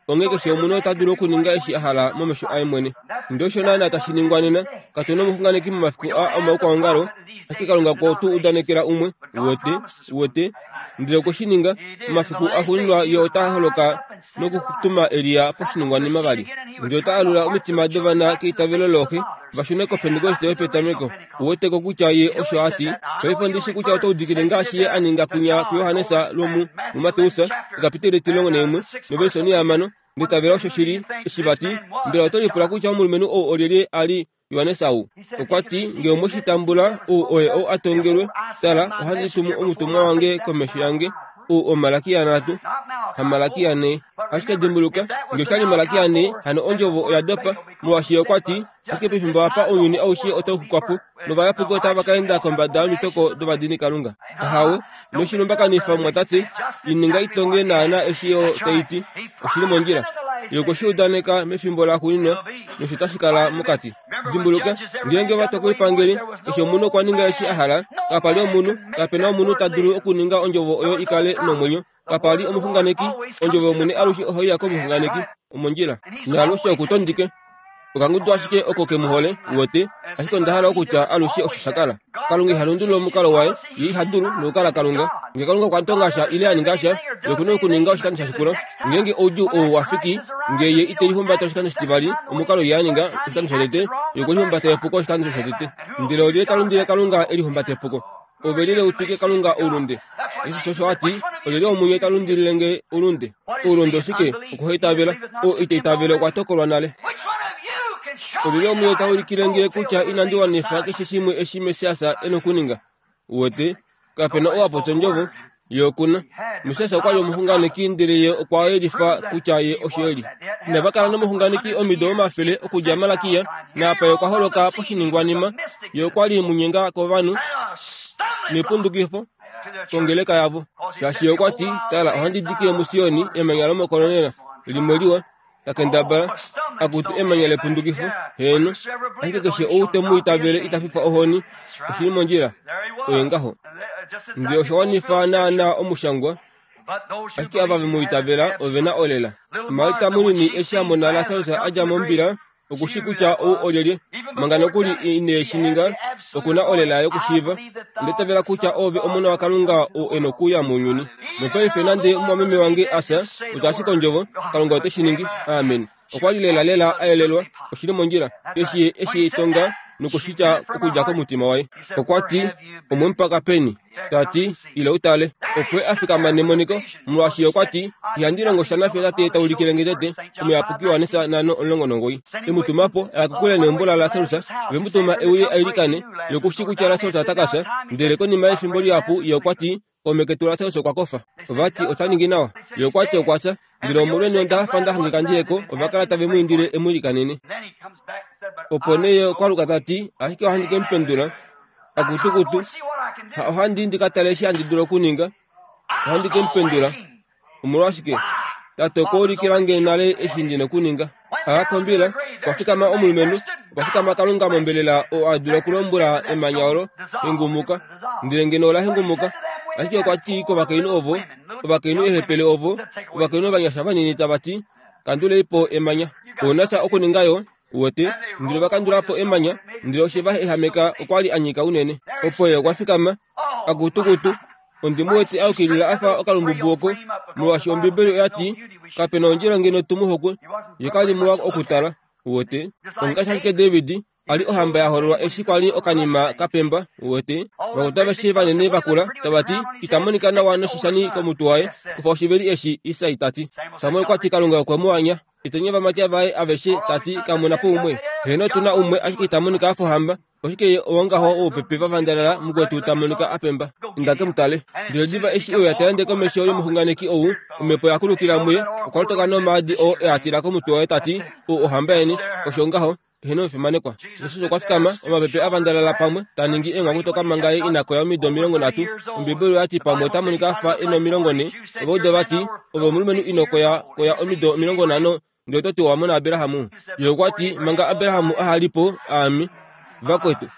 Onghee keshe omunhu ota dulu okuninga eshi a hala momesho aye mwene. Ndele osho naana tashi ningwa nena, katu na omuxunganeki momafiku a omaukwaongalo, ashike Kalunga okwe tu udanekela umwe, uwete, uwete, ndele okwe shi ninga. Momafiku axuuninwa ye ota holoka nokutuma Elia poshiningwanima vali. Ndele ota alula omitima dovana keitavelo looxe, va shune koPentekoste yopetameko. Uweteko kutya ye osho a ti. Paife ondi shi kutya oto udikile ngaashi ye a ninga kunya kuJohannes lwomu muMateus, ekapiteli etilongo naimwe, novelisoni hamano, nditavela osho shili eshi vati. Mbela oto lipula kutya omulumenhu ou olyelye a li Johannes ou? Okwa ti, nge omwe shi tambula, ou oye ou a tongelwe, tala, ohandi tumu omutumwa wange komesho yange, ou oMalakia nhatu, haMalakia nhee. Ashike dimbuluka, ngee oshali Malakia nhee, hano ondjovo oya dopa, molwaashi okwa ti, ashike pefimbo apa ounyuni aushe otau xukwa po, novayapuki otava ka enda kombada yomitoko dovadinikalunga. Ahawe, inoshi lumbakanifa mumwatate, ininga itonge naana eshi yo tai ti, oshili mondjila. Ye okwe shi udaneka mefimbo laxuuninwa, nosho tashi kala mokati. Dimbuluka, ngeenge ovatokolipangeli, eshi omunhu okwa ninga eshi a hala, kapa li omunhu, kape na omunhu ta dulu okuninga ondjovo oyo i kale nomwenyo. Kapa li omuxunganeki, ondjovo yOmwene alushe ohai ya komuxunganeki, omondjila. Naalushe okutondike. Okangudu ashike oko ke mu hole, uwete, ashike onda hala okutya alushe osho sha kala. Kalunga iha lundulula omukalo waye, ye iha dulu nokukala Kalunga. Ngee Kalunga okwa tonga sha ile a ninga sha, ye oku na okuninga oshikando sha shikula. Ngeenge oudjuu ou wa fiki, ngee ye ite lihumbata oshikando shitivali, omukalo ye a ninga oshikando shotete, ye okwe lihumbata epuko oshikando shotete. Ndele olyelye ta lundile Kalunga e lihumbata epuko? Ove lile utwike Kalunga oulunde. Jesus osho a ti, olyelye womunye ta lundilile nge oulunde? Oulunde oshike? Okuhaitavela. Oo ita itavele okwa tokolwa nale. Olyelye womunye ta ulikile nge kutya inandi wanifa keshe shimwe eshi Messias e nokuninga? Uwete, kape na ou a popya ondjovo, ye okuna. Messias okwa li omuxunganeki ndele ye okwa yelifa kutya ye osho e li. Inava kala nomuxunganeki omido omafele okudja Malakia, naapa ye okwa holoka poshiningwanima, ye okwa li munyenga kovanhu nepundukifo kongeleka yavo. Shaashi ye okwa ti, tala ohandi dikile muSioni emanya lomokolonela limwe liwa, ta kendabala akutu emanya lepundukifo, heeno, ashike keshe ou te mu itavele ita fifwa ohoni, oshili mondjila, oye ngaho. Ndele osha wanifa naana omushangwa, ashike ava ve mu itavela ove na olela. Marta munini eshi a mona Lasarus a dja mombila, okushi kutya ou olyelye, manga nokuli ine shi ninga, oku na olela yokushiiva. Onda itavela kutya ove omona waKalunga oo e nokuuya mounyuni. Nopaife nande omumwameme wange a fya, kutya ashike ondjovo, Kalunga ote shi ningi. Amen. Okwa li lela lela a yelelwa, oshili mondjila, eshi eshi tonga nokushitya okudja komutima waye. Okwa ti, omwe mu paka peni? Ta ti, ila utale. Opo a fikama nemoniko, molwaashi okwa ti, ihandi longo sha nafye tate ta ulikile nge tete, omuyapuki waJohannes nhano omulongo nomugoyi. E mu tuma po, a ya kokule neumbo laLasarus, ve mu tuma e uye a ilikane, ye okushi kutya Lasarus ota ka fya, ndele konima yefimbo lihapu ye okwa ti, kaume ketu Lasarus okwa kofa. Ova ti ota ningi nawa. Ye okwa ti okwa fya, ndele omolweni onda hafa nda hangika ndi ye ko, ova kala tave mu indile e mu ilikanene. Opo nee ye okwa luka ta ti, ashike ohandi ke mu pendula. Akutukutu, ha ohandi ndi ka tale eshi handi dulu okuninga, ohandi ke mu pendula. Omolwashike? Tate okwa ulikila nge nale eshi ndi nokuninga. A kombila, okwa fikama omulumenhu, okwa fikama Kalunga mombelela oo a dula okulombwela emanya olo, hengumuka, ndele ngeno ola hengumuka. Ashike okwa ti kovakainhu ovo, ovakainhu ehepele ovo, ovakainhu ovanyasha vanini tava ti, kandulei po emanya. Ouna sha okuninga yo, uwete, ndele va kandula po emanya, ndele oshe va ehameka okwa li a nyika unene. Opo ye okwa fikama, akutukutu, ondi mu wete a yukilila a fa okalumbubu oko, molwaashi Ombibeli oya ti, kape na ondjila ngeno tu mu hokwe, ye ka li muwa okutala, uwete. Ongaashi ashike David a li ohamba ya hololwa eshi kwa li okanima ka pemba, uwete. Vakutu aveshe vanene vakula, tava ti, ita monika nawa noshishani komutwe waye, kufa oshiveli eshi, Isai ta ti. Samuel okwa ti Kalunga okwe mu anya. Eteni ovamati vaye aveshe ta ti kamu na po umwe. Heeno otu na umwe ashike ita monika a fa ohamba. Oshike ye owongaho woupepe va vandalala mukwetu ta monika a pemba. Inda ke mu tale. Ndele diva eshi e uya ta ende komesho yomuxunganeki ou, omhepo ya kulukila muye, okwa lotoka nomaadi oo e a tila komutwe waye ta ti, ou ohamba yeni, osho ngaho, eheno omufimanekwa. Jesus okwa fikama, omapepe a vandalala pamwe, ta ningi eenghwakutoka manga ye ina koya omido omilongo nhatu. Ombibeli oya ti pamwe ota monika a fa e na omilongo nhee. Ovauda va ti, ove omulumenhu ino koya koya omido omilongo nhano, ndele oto ti owa mona Abraham. Ye okwa ti, manga Abraham aha li po, aame. Vakwetu,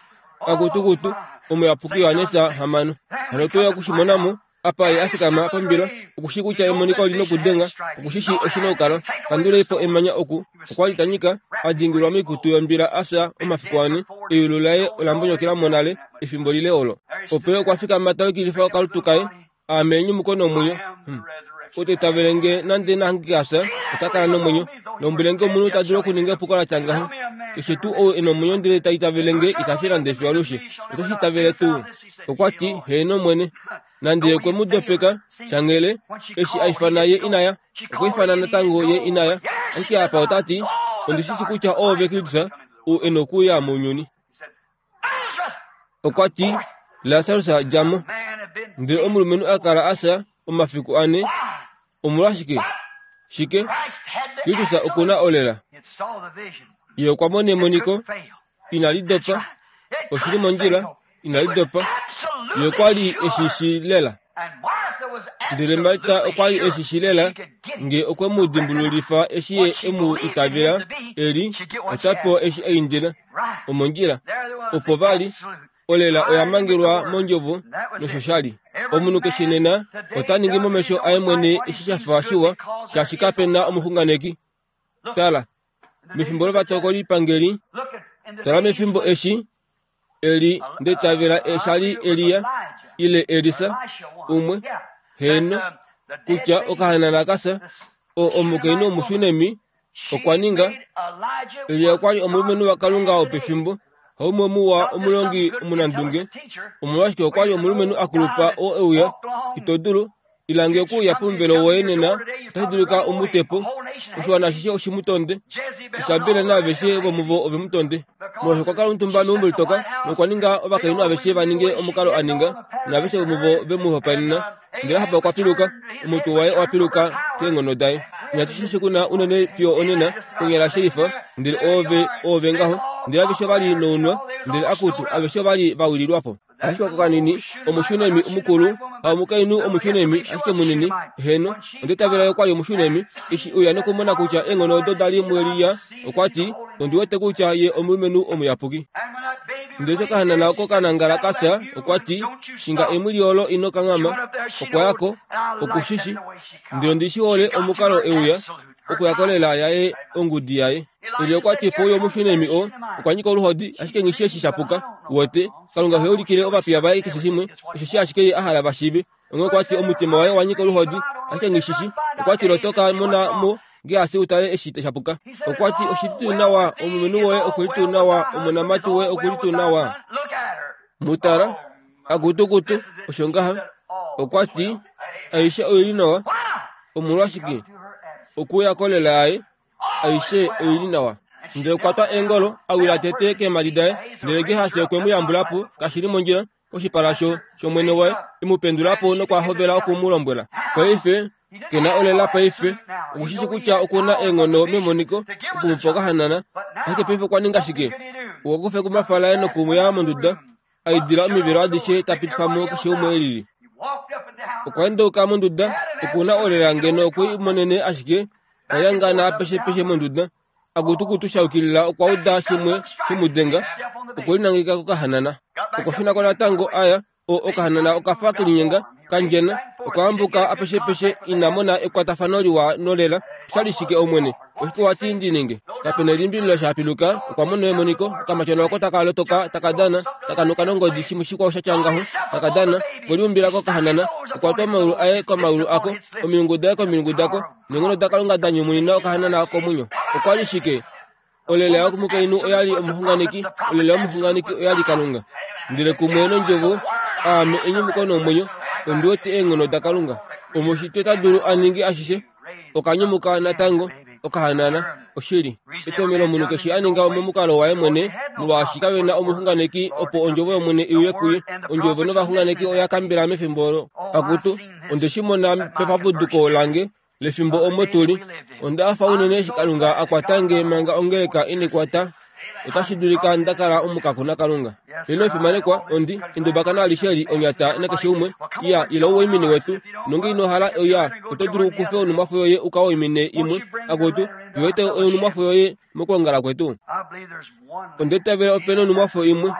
akutukutu, omuyapuki Johannes hamano. Hano otwe ya okushimona mo, apa ye a fikama pombila, okushi kutya emoniko oli nokudenga, okushishi oshi nokukala. Kandulei po emanya oku. Okwa li ta nyika, a dingilwa moikutu yombila a fya omafiku ane, eyulu laye ola mbonyokela mo nale, efimbo lile olo. Opo ye okwa fikama ta yukilifa okalutu kaye, aame enyumuko nomwenyo. Hmm. Ou ta itavele nge nande nahangike a fya, ota kala nomwenyo. Lombwele nge omunhu ta dulu okuninga epuko la tya ngaho. Keshe tuu ou e nomwenyo ndele ta itavele nge ita fi nande fiyo alushe. Oto shi itavele tuu? Okwa ti, heeno Omwene. Nande ye okwe mu dopeka, shanghele, eshi a ifana ye ina ya, okwa ifana natango ye ina ya. Ashike apa ota ti, ondi shi shi kutya oove Kristus, ou e nokuuya mounyuni. Okwa ti, Lasarus dja mo. Ndele omulumenhu a kala a fya omafiku ane, Omolwashike? Shike? Kristus oku na olela. Ye okwa mona emoniko, inali dopa, oshili mondjila, inali dopa. Ye okwa li eshi shi lela. Ndele Marta okwa li eshi shi lela, nge okwe mu dimbululifa eshi ye e mu itavela, eli, ota pewa eshi a indila. Omondjila. Opo vali, olela oya mangelwa mondjovo nosho sha li. Omunhu keshe nena ota ningi momesho aye mwene eshi sha fa shiwa, shaashi kape na omuxunganeki. Tala, mefimbo lovatokoli-pangeli, tala mefimbo eshi, Eli ndetavela eshali Elia, ile Elisa, umwe, heno, kutya okahanana kasa, o omukainhu omushunemi, okwa ninga, Elia okwa li omulumenhu waKalunga wopefimbo, haumwe muwa omulongi omunandunge, omolwashike okwa li omulumenhu akulupa oo euya, ito dulu, ilange okuuya pomuvelo woye nena, otashi dulika umutepo, oshiwana ashishe oshimutonde, Isabel naaveshe vomuvo ovemutonde. Molwaashi okwa kala omutumba meumbo litoka, nokwa ninga ovakainhu aveshe va ninge omukalo a ninga, naaveshe vomuvo ve mu hopaenena. Ndele Ahab okwa piluka, omutwe waye owa piluka keenghono daye. Inatu shi shikuna unene fiyo onena, konyala shelifa, ndele oove, oove ngaho, ndele aveshe ova li nounwa, ndele akutu, aveshe ova li va wililwa po. Ashike oko kanini, omushunemi omukulu, haomukainhu omushunemi, ashike munini, heno, ondetavela okwa li omushunemi, eshi uya nokumona kutya eenghono odo da li muElia, okwa ti, ondi wete kutya ye omulumenhu omuyapuki. Ndele eshi okahanana oko ka nangala ka fya, okwa ti, shinga emwili olo ino kanghama, okwa ya ko, oku shi shi, ndele ondi shi hole omukalo euya, okuya kolela yaye ongudi yaye. Elia okwa ti pouya omushunemi oo, okwa nyika oluhodi, ashike nghi eshi sha puka. Wote, Kalunga ohe ulikile ovapiya vaye keshe shimwe, osheshi ashike ye a hala va shiive. Onghee okwa ti omutima waye owa nyika oluhodi, ashike nghi shi shi. Okwa ti lotoka mona mo Geasi utale eshi sha puka. Okwa ti oshi li tuu nawa, omulumenhu woye oku li tuu nawa, omonamati woye oku li tuu nawa. Mutala, akutukutu, osho ngaha. Okwa ti, aishe oi li nawa. Omolwashike? Okuya kolela yaye, aishe oi li nawa. Ndele okwa twa eengolo, a wila tete keemhadi daye, ndele Gehasi okwe mu yambula po, kashi li mondjila, koshipala sho shomwene waye, e mu pendula po nokwa hovela oku mu lombwela. Paife, ke na olela paife, oku shi shi kutya oku na eenghono memoniko oku mu pa okahanana, ashike paife okwa ninga shike? Okwa kufa ekumbafa laye noku mu ya monduda, a idila omivelo adishe ta pitifa mo keshe umwe e lili. Okwa endauka monduda, oku na olela ngeno okwe i monene ashike, ta lyangana apeshe peshe monduda, akutukutu shaukilila okwa uda shimwe shemudenga, okwe linangeka kokahanana. Okwa shuna ko natango aya, o okahanana okafa kelinyenga, kandjena, okwa ambuka apeshe peshe ina mona ekwatafano liwa nolela. Oshali shike Omwene? Oshike wa ti ndi ninge? Kape na elimbililo sha piluka, okwa mona emoniko, okamatyona oko taka lotoka, taka dana, taka nuka nongodi shimwe shikwao sha tya ngaho, taka dana, okwe liumbila kokahanana, okwa twa omaulu aye komaulu ako, omilungu daye komilungu dako, neenghono daKalunga da nyumunina okahanana komwenyo. Okwa li shike? Olela yomukainhu oya li omuxunganeki, olela yomuxunganeki oya li Kalunga. Ndele kumwe nondjovo, aame enyumuko nomwenyo, ondi wete eenghono daKalunga. Omushitwe ta dulu a ninge ashishe, okanyumuka natango, okahanana, oshili. Etomhelo omunhu keshe a ninga momukalo waye mwene, molwaashi kave na omuxunganeki opo ondjovo yOmwene i uye kuye. Ondjovo novaxunganeki oya kambela mefimbo olo. Akutu, onde shi mona pepapuduko lange lefimbo omo tu li. Onda hafa unene eshi Kalunga a kwata nge manga ongeleka ine kwata. Otashi dulika nda kala omukaku naKalunga. Ino fimanekwa, ondi endubakana alishe eli onyata nakeshe umwe. Iya, ila u waimine wetu. Nonge ino hala oya, oto dulu ukufe onumwafo yoye uka waimine imwe. Akutu, iwete onumwafo yoye mokwoongala kwetu. Onde tavela ope nonumwafo imwe.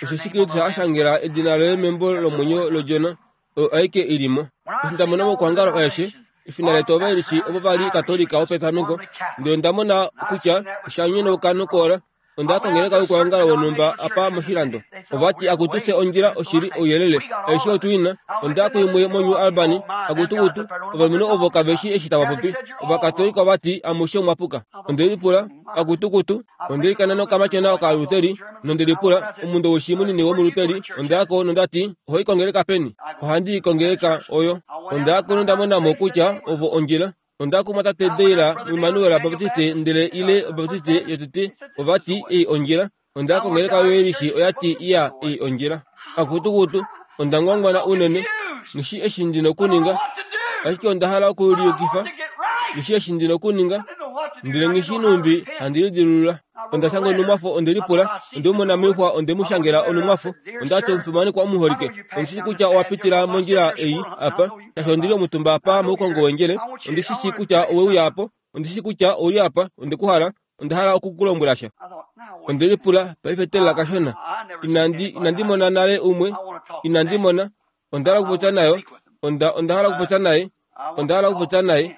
Osheshi Kristus a shangela edina loye membo lomwenyo lOdjona, oyo aike i li mo. Eshi nda mona mokwoongala aeshe, efina letu ovailishi ovo va li Katolika wopetameko, ndele onda mona kutya osha nyonauka nokoola. Onda ya kongeleka youkwaongalo wonhumba apa moshilando. Ova ti akutu fye ondjila oshili ouyelele, aishe otu i na. Onda ya kuimwe moNew Albany, akutukutu, ovalumenhu ovo kave shi eshi tava popi. Ovakatolika ova ti amushe omwa puka. Onde lipula, akutukutu, onde likana nokamatyona Okaluteri, nonde lipula, omundowishi munini womuluteri, onda ya ko nonda ti, oho i kongeleka peni? Ohandi i kongeleka oyo. Onda ya ko nonda mona mo kutya ovo ondjila. Onda kumwa tate Deila muImmanuel Baptiste ndele ile Obaptiste yotete ova ti ei ondjila. Onda kongeleka yoelishi oya ti iya ei ondjila. Akutukutu, onda ngwangwana unene, nghi shi eshi ndi nokuninga. Ashike onda hala okuliyukifa. Ngishi eshi ndi nokuninga. Ndele ngishi numbi handi lidilulula. Onda shanga onumwafo onde lipula, onde mu mona moixwa onde mu shangela onumwafo. Ondati omufimanekwa omuholike, ondi shi kutya owa pitila mondjila ei apa, shaashi ondi li omutumba apa moukongo wendjele. Ondi shi shii kutya owe uya apo, ondi shi kutya ouli apa, onde ku hala, onda hala oku ku lombwela sha. Onde lipula, paife telela kashona. Inandi, inandi mona nale umwe, inandi mona, onda hala okupopya nayo, onda, onda hala okupopya naye, onda hala okupopya naye.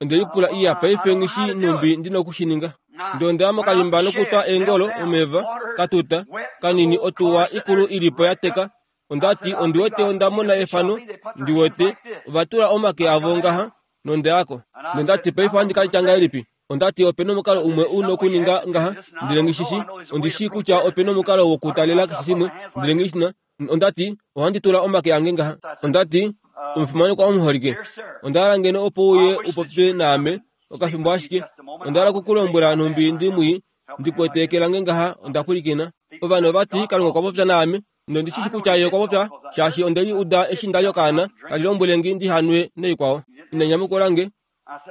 Onde lipula iya paife ngishi numbi ndi nokushininga. Ndele onda ya mokalimba nokutwa eengolo omeva katuta kanini otuwa ikulu ilipo ya teka. Ondati ondi wete onda mona efano, ndi wete ova tula omake avo ngaha nonde yako. Nondati paife ohandi ka tya ngahelipi? Ondati opena omukalo umwe u nokuninga ngaha, ndele ngishishi ondi shii kutya opena omukalo wokutalela keshe shimwe, ndele ngishina. Ondati ohandi tula omake ange ngaha. Ondati omufimanekwa omuholike, onda hala ngeno opo uye upopye naame okafimbo ashike. Onda hala okukulombwela nhumbi ndi mwii, ndi kwete eke lange ngaha onda pwilikina. Ovanhu ovati Kalunga okwa popya naame, nondi shi shi kutya ye okwa popya, shaashi onde li uda eshi nda li okaana tali lombwele nge ndi hanwe noikwao. Ina nyamukula nge.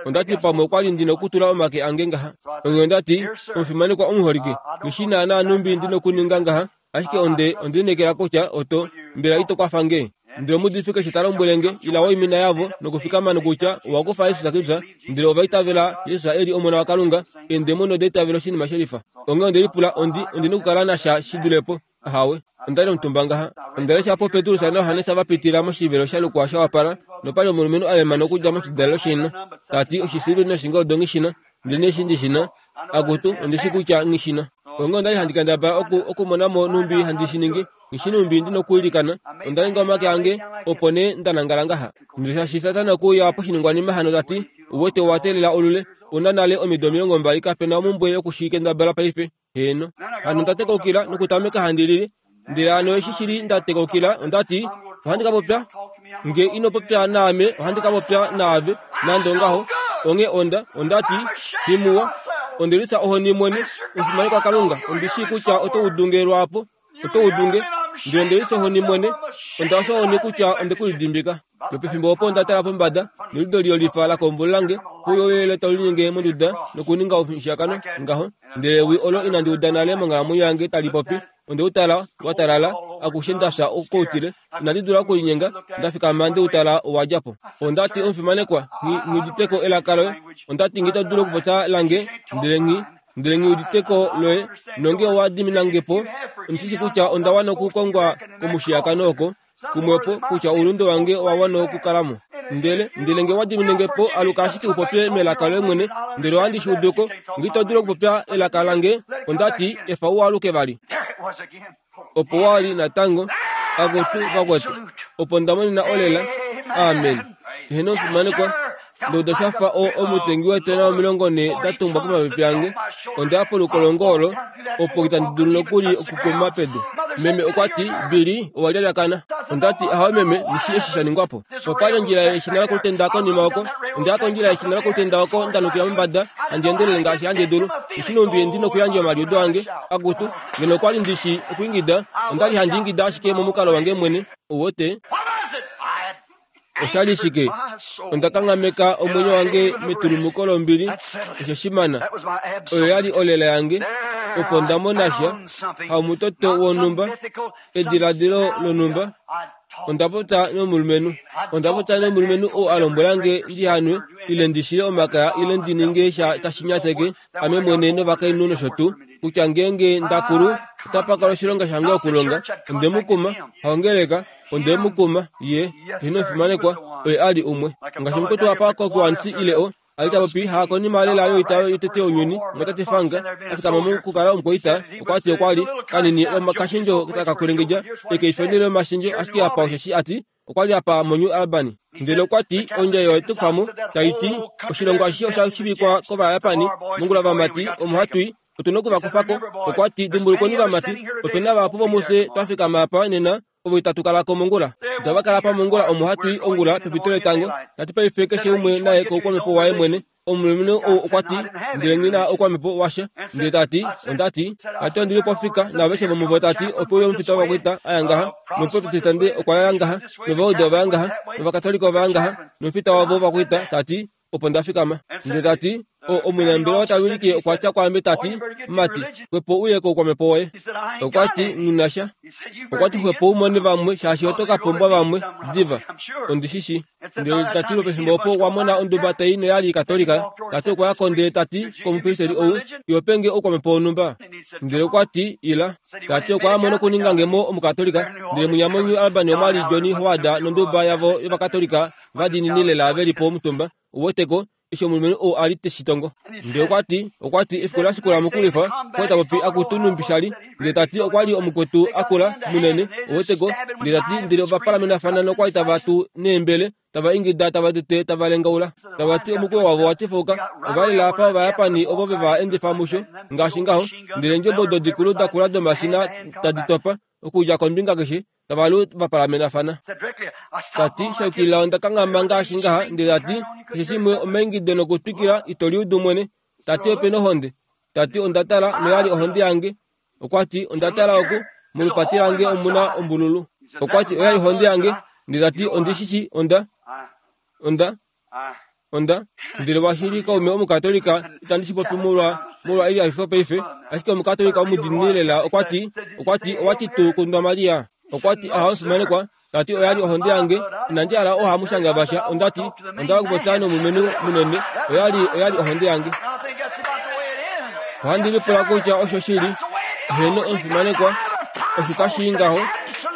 Ondati pamwe okwa li ndi nokutula omake ange ngaha. Onghee ondati omufimanekwa omuholike, ngishi naanaa nhumbi ndi nokuninga ngaha, ashike onde onde lineekela kutya oto mbela ito kwafa nge. Ndele omuudifi keshe ta lombwele nge ila waimina yavo nokufikama nokutya owa kufa Jesus Kristus, ndele ova itavela Jesus e li Omona waKalunga, eendemoni oda itavela oshinima shelifa. Onghee onde lipula ondi ondi nokukala nasha shi dulepo. Ahawe, onda li omutumba ngaha. Onda lesha po Petrus naJohannes va pitila moshivelo sha lukwa sha wapala, nopali omulumenhu a lemana okudja moshidalelo shina, ta ti oshisiliveli noshingoldo nghishina, ndele neshi ndi shina, akutu ondi shi kutya nghishina. Onghee onda li handi kendabala oku okumona mo nhumbi handi shi ningi, ngishi numbi ndi nokwiilikana. Onda ninga omake ange, opo nee nda nangala ngaha. Ndele shaashi Satana okwe uya poshiningwanima hano ta ti, uwete owa teelela olule, una nale omido omilongo mbali kape na omumbwe yokushi kendabala paife. Heeno. Hano onda tekaukila nokutameka handi lili. Ndele hano eshi shili nda tekaukila, onda ti, ohandi ka popya. Nge ino popya naame, ohandi ka popya naave, nande ongaho. Onghee onda, onda ti, himuwa, onde lisa ohoni mwene, omufimanekwa Kalunga, ondi shii kutya oto udunge lwaapo, oto udunge. Ndele onde lisa ohoni mwene, onda fya ohoni kutya onde ku lidimbika. Nopefimbo opo onda tala pombada, nolido liyolifa la kombo lange, puyo oyele tau linyenge monduda nokuninga omushiyakano ngaho. Ndele ewi olo inandi uda nale monghalamwenyo yange tali popi. Onde u tala wa talala, akushe nda fya koutile, inandi dula okulinyenga, nda fikama nde u tala owa dja po. Onda ti omufimanekwa, nghi nghi elaka loye. Onda ti nghi to dulu okupopya lange, ndele nghi ndele nghi uditeko loye, nonge owa dimina nge po, ondi shi kutya onda wana okukongwa komushiyakano oko, kumwepo kutya oulunde wange owa wana okukala mo. Ndele ndele nge wa dimine nge po, aluka ashike upopye melaka loye mwene, ndele ohandi shi udu ko, nghi to dulu okupopya elaka lange, onda ti efa u aluke vali. Opo wa li natango, akutu vakwetu, opo nda monena olela. Amen. Eheno omufimanekwa, ndouda shafa o omutengi weetona omilongo nhee da tumbwa komapepe ange. Onda ya polukolongo olo, opo itandi dulu nokuli okukuma pedu. Meme okwa ti, Billy, owa lyalyakana. Onda ti, ahawe meme, nishi eshi sha ningwa po. Opali ondjila yeshina lokulutenda konima oko. Onda ya kondjila yeshina lokulutenda oko nda nukila mombada, handi endelele ngaashi handi dulu. Nishi numbi ndi nokuyandja omaliudo ange. Akutu, ngeno okwa li ndi shi okwiingida, onda li handi ingida ashike momukalo wange mwene. Uwete? Osha li shike? Onda kanghameka omwenyo wange metulumuko lombili, osho shimana. Oyo ya li olela yange, opo nda mona sha, haumutoto wonhumba, ediladilo lonhumba. Onda popya nomulumenhu. Onda popya nomulumenhu oo a lombwela nge ndi hanwe, ile ndi shile omakaya, ile ndi ninge sha tashi nyateke ame mwene novakainhu nosho tuu, kutya ngeenge nda kulu, otapa kala oshilonga shange okulonga. Onde mu kuma, haongeleka, onde mu kuma, ye, eheno omufimanekwa, oye a li umwe. Ngaashi omukwetu apa kokuansi ile o, a li ta popi ha konima lela yoita yotete younyuni, mwatate Fang, a fikama mokukala omukwaita, okwa ti okwa li kanini omakashendjo taka kwelengedja, eke ifenele omashendjo ashike apa osheshi a ti, okwa li apa moNew Albany. Ndele okwa ti, ondja oyo ye tu kufa mo, tai ti, oshilongo ashishe osha shivikwa kOvajapani, mongula vamati, omo hatu i, otu na okuvakufa ko. Okwa ti, dimbulukweni vamati, ope na vahapu vomufye twa fikama apa nena, ovo itatu kala ko mongula. Itava kala pa mongula omo hatu i ongula pepito letango. Tati paife keshe umwe naye koukwamhepo waye mwene. Omulumenhu ou okwa ti, ndele nghi na oukwamhepo washa. Ndele ta ti, onda ti, ta ti ondi li pofika naaveshe vomuvo ta ti ope uya omufita wovakwaita a ya ngaha, nomuprotestante okwa ya ngaha, novaudo ova ya ngaha, novakatolika ova ya ngaha, nomufita wavo wovakwaita ta ti, opo nda fikama. Ndele ta ti, o omunambelewa ta wilike okwa tya kwaame ta ti, mati, xwepo uye koukwamhepo woye. Okwa ti, nghi na sha. Okwa ti xwepo u mone vamwe shaashi oto ka pumbwa vamwe diva. Ondi shi shii. Ndele ta ti pefimbo opo okwa mona onduba tai noyali katolika, ta ti okwa ya ko ndele ta ti komupristeli ou, iho pe nge oukwamhepo wonhumba? Ndele okwa ti, ila. Ta ti okwa ya mo nokuninga nge mo omukatolika, ndele munya moNew Albany omwa li Johnny Howard nonduba yavo yovakatolika vadiinini lela ve li po omutumba. Uweteko, eshi omulumenhu ou a li te shi tongo. Ndele okwa ti, okwa ti efiku la shikula mokulwifa, okwa ta popi akutu numbi sha li. Ndele ta ti okwa li omukwetu akula, munene, uweteko. Ndele ta ti ndele ova palamenafana nokwa li tava tu neembele, tava ingida tava tete tava lengaula. Tava ti omukweyo wavo wa tifauka, ova lela apa Ovayapani ovo ve va endifa musho, ngaashi ngaho. Ndele eendjebo odo dikulu dakula domashina tadi topa, okudja kombinga keshe, tava lu va palamenafana. Ta ti, shayukilila onda kanghama ngaashi ngaha, ndele ta ti, keshe shimwe omaingido nokutwikila ito liudu mwene. Ta ti ope nohonde. Ta ti onda tala noyali ohonde yange. Okwa ti onda tala oku, molupati lange omuna ombululu. Okwa ti oyali ohonde yange, ndele ta ti ondi shi shii onda onda onda ndele washili kaume omukatolika itandi shi popi molwa molwa elihafifo paife, ashike omukatolika omudiinini lela okwa ti okwa ti owa ti tuu kundwa Maria. Okwa ti aha omufimanekwa, ta ti oyali ohonde yange, inandi hala ohamushanga vasha, onda ti onda okupopya nomulumenhu munene, oyali oyali ohonde yange. Ohandi lipula kutya osho shili, heeno omufimanekwa, osho tashi i ngaho,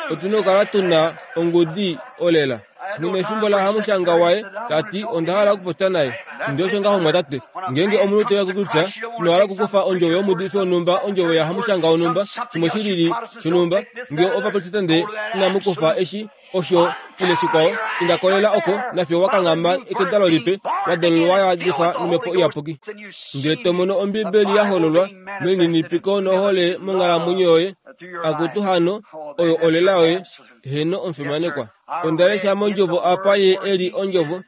otu na okukala tu na ongudi olela. Nghi efimbo la hamushanga waye, ta ti onda hala okupopya naye. Ndele osho ngaho mwatate, ngeenge omunhu te uya kutya ino hala okukufa ondjovo yomuudifi wonhumba, ondjovo ya hamushanga wonhumba, shimwe shi lili shonhumba, ngee ovaprotestante inamu kufa eshi, osho ile shikwao, inda kolela oko nafye wa kanghama ekedalo lipe, wa dalulwa wa yadifwa nomhepo iyapuki. Ndele to mono Ombibeli ya hololwa melininipiko nohole monghalamwenyo yoye, akutu hano, oyo olela yoye, heeno omufimanekwa. Onda lesha mondjovo apa ye e li ondjovo,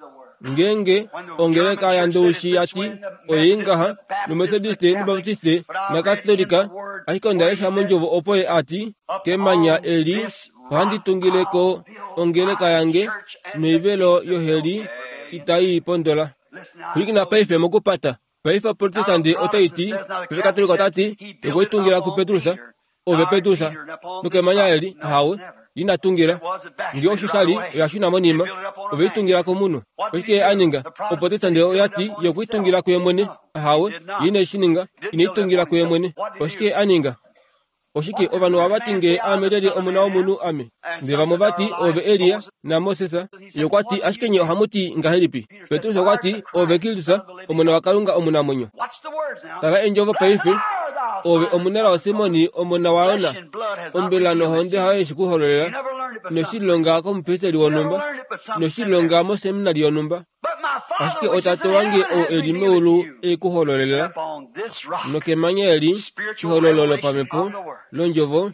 ngeenge ongeleka yaNdowishi ya ti oye ngaha, noMethodiste nObaptiste naKatolika, ashike onda lesha mondjovo opo ye a ti, kemanya eli ohandi tungile ko ongeleka yange, noivelo yoheli itai pondola. Pwilikina paife mokupata. Paife Oprotestante otai ti, paife Katolika ota ti, okwe itungila kuPetrus, ove Petrus, nokemanya eli, ahawe, ina tungila. Ngee osho sha li, oya shuna monima, ove itungila komunhu. Oshike ye a ninga? Oprotestante oya ti ye okwe itungila kuye mwene, ahawe, ye ine shi ninga, ine itungila kuye mwene. Oshike ye a ninga? Oshike ovanhu ohava ti ngee aame lyelye omona womunhu ame? Ndele vamwe ova ti ove Elia naMoses. Ye okwa ti ashike nye ohamu ti ngahelipi? Petrus okwa ti ove Kristus, omona waKalunga omunamwenyo. Tala eendjovo paife, ove omunelao Simoni omona waYona, ombela nohonde hayo yeshi ku hololela, ino shi lilonga komupristeli wonhumba, ino shi lilonga moseminari yonhumba, ashike otate wange ou e li meulu e ku hololela, nokemanya eli, ehololo lopamhepo londjovo,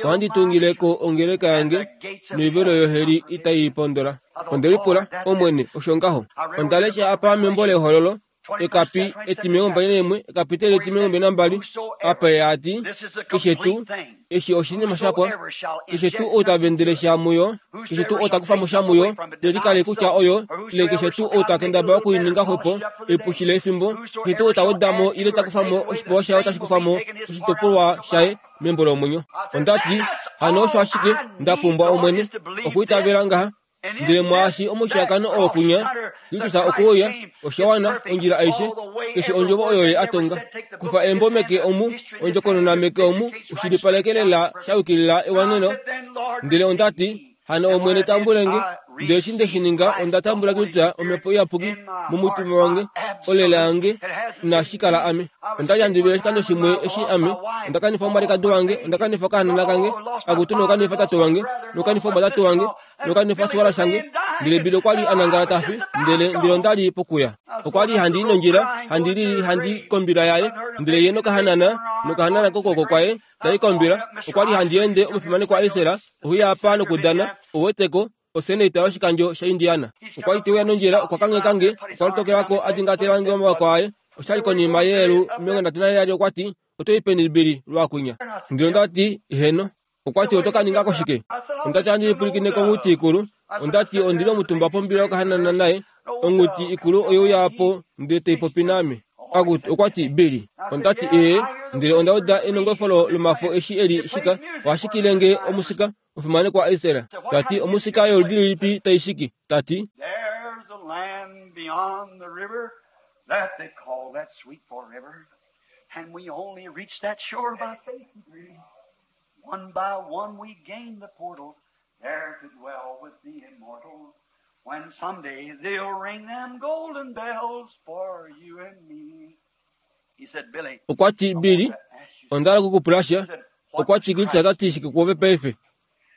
ohandi tungile ko ongeleka yange, noivelo yoheli itai pondola. Onde lipula, Omwene, osho ngaho. Onda lesha apa membo lehololo, ekapi etimilongo mbali naimwe, ekapiteli etimilongo mbali nambali, apa ye a ti, keshe tuu, eshi oshinima shapwa, keshe tuu ou ta vendele sha muyo, keshe tuu ou ta kufa mo sha muyo, te likale kutya oyo, ile keshe tuu ou ta kendabala okuininga xwepo, epushile efimbo, keshe tuu ou ta weda mo ile ta kufa mo oshipewa shaye otashi kufa mo oshitopolwa shaye membo lomwenyo. Onda ti, hano osho ashike nda pumbwa Omwene, okwiitavela ngaha. Ndele mwaashi omushiyakano oo kunya, Kristus okwe uya, osha wana, ondjila aishe, keshe ondjovo oyo ye a tonga. Kufa embo meke omu, ondjokonona meke omu, ushilipaleke lela sha yukilila ewaneno. Ndele onda ti, hano Omwene tambule nge. Ndele eshi nde shi ninga, onda tambula Kristus, Omhepo Iyapuki, momutima wange, olela yange, inashi kala ame. Onda li handi vele oshikando shimwe eshi ame, onda kanifa omwalikadi wange, onda kanifa okahanana kange, akutu nokanifa tate wange, nokanifa omwatate wange, nokanifa suwala shange. Ndele Bill okwa li a nangala ta fi, ndele ndele onda li pokuya. Okwa li handi i nondjila, handi lili handi kombila yaye, ndele ye nokahanana, nokahanana kokwooko kwaye, ta i kombila. Okwa li handi ende omufimanekwa Isera, ohuya apa nokudana, ouweteko, Oseneta yoshikandjo shaIndiana. Okwa li te uya nondjila, okwa kangheka nge, okwa lotokela ko a dingatela nge omawako aye. Oshali konima yeelu omilongo nhatu naheyali okwa ti, oto i peni Billy lwakunya? Ndele onda ti, heno. Okwa ti oto ka ninga ko shike? Onda ti handi lipwilikine konghuti ikulu. Onda ti ondi li omutumba pombila yokahanana naye. Onghuti ikulu oye uya po ndele tai popi naame. Akutu okwa ti Billy. Onda ti ee, ndele onda uda enongofolo lomafo eshi eli shika. Oha shikile nge omusika, omufimanekwa Israel. Ta ti omusika yoludi lilipi tai shiki? Ta ti There's a land beyond the river that they call that sweet forever. And we only reach that shore by faith and grace. One by one we gain the portal, there to dwell with the immortal. When someday they'll ring them golden bells for you and me. He said, Billy, okwa ti Billy, onda hala okukupula sha. Okwa ti Kristus ota ti shike kwoove paife?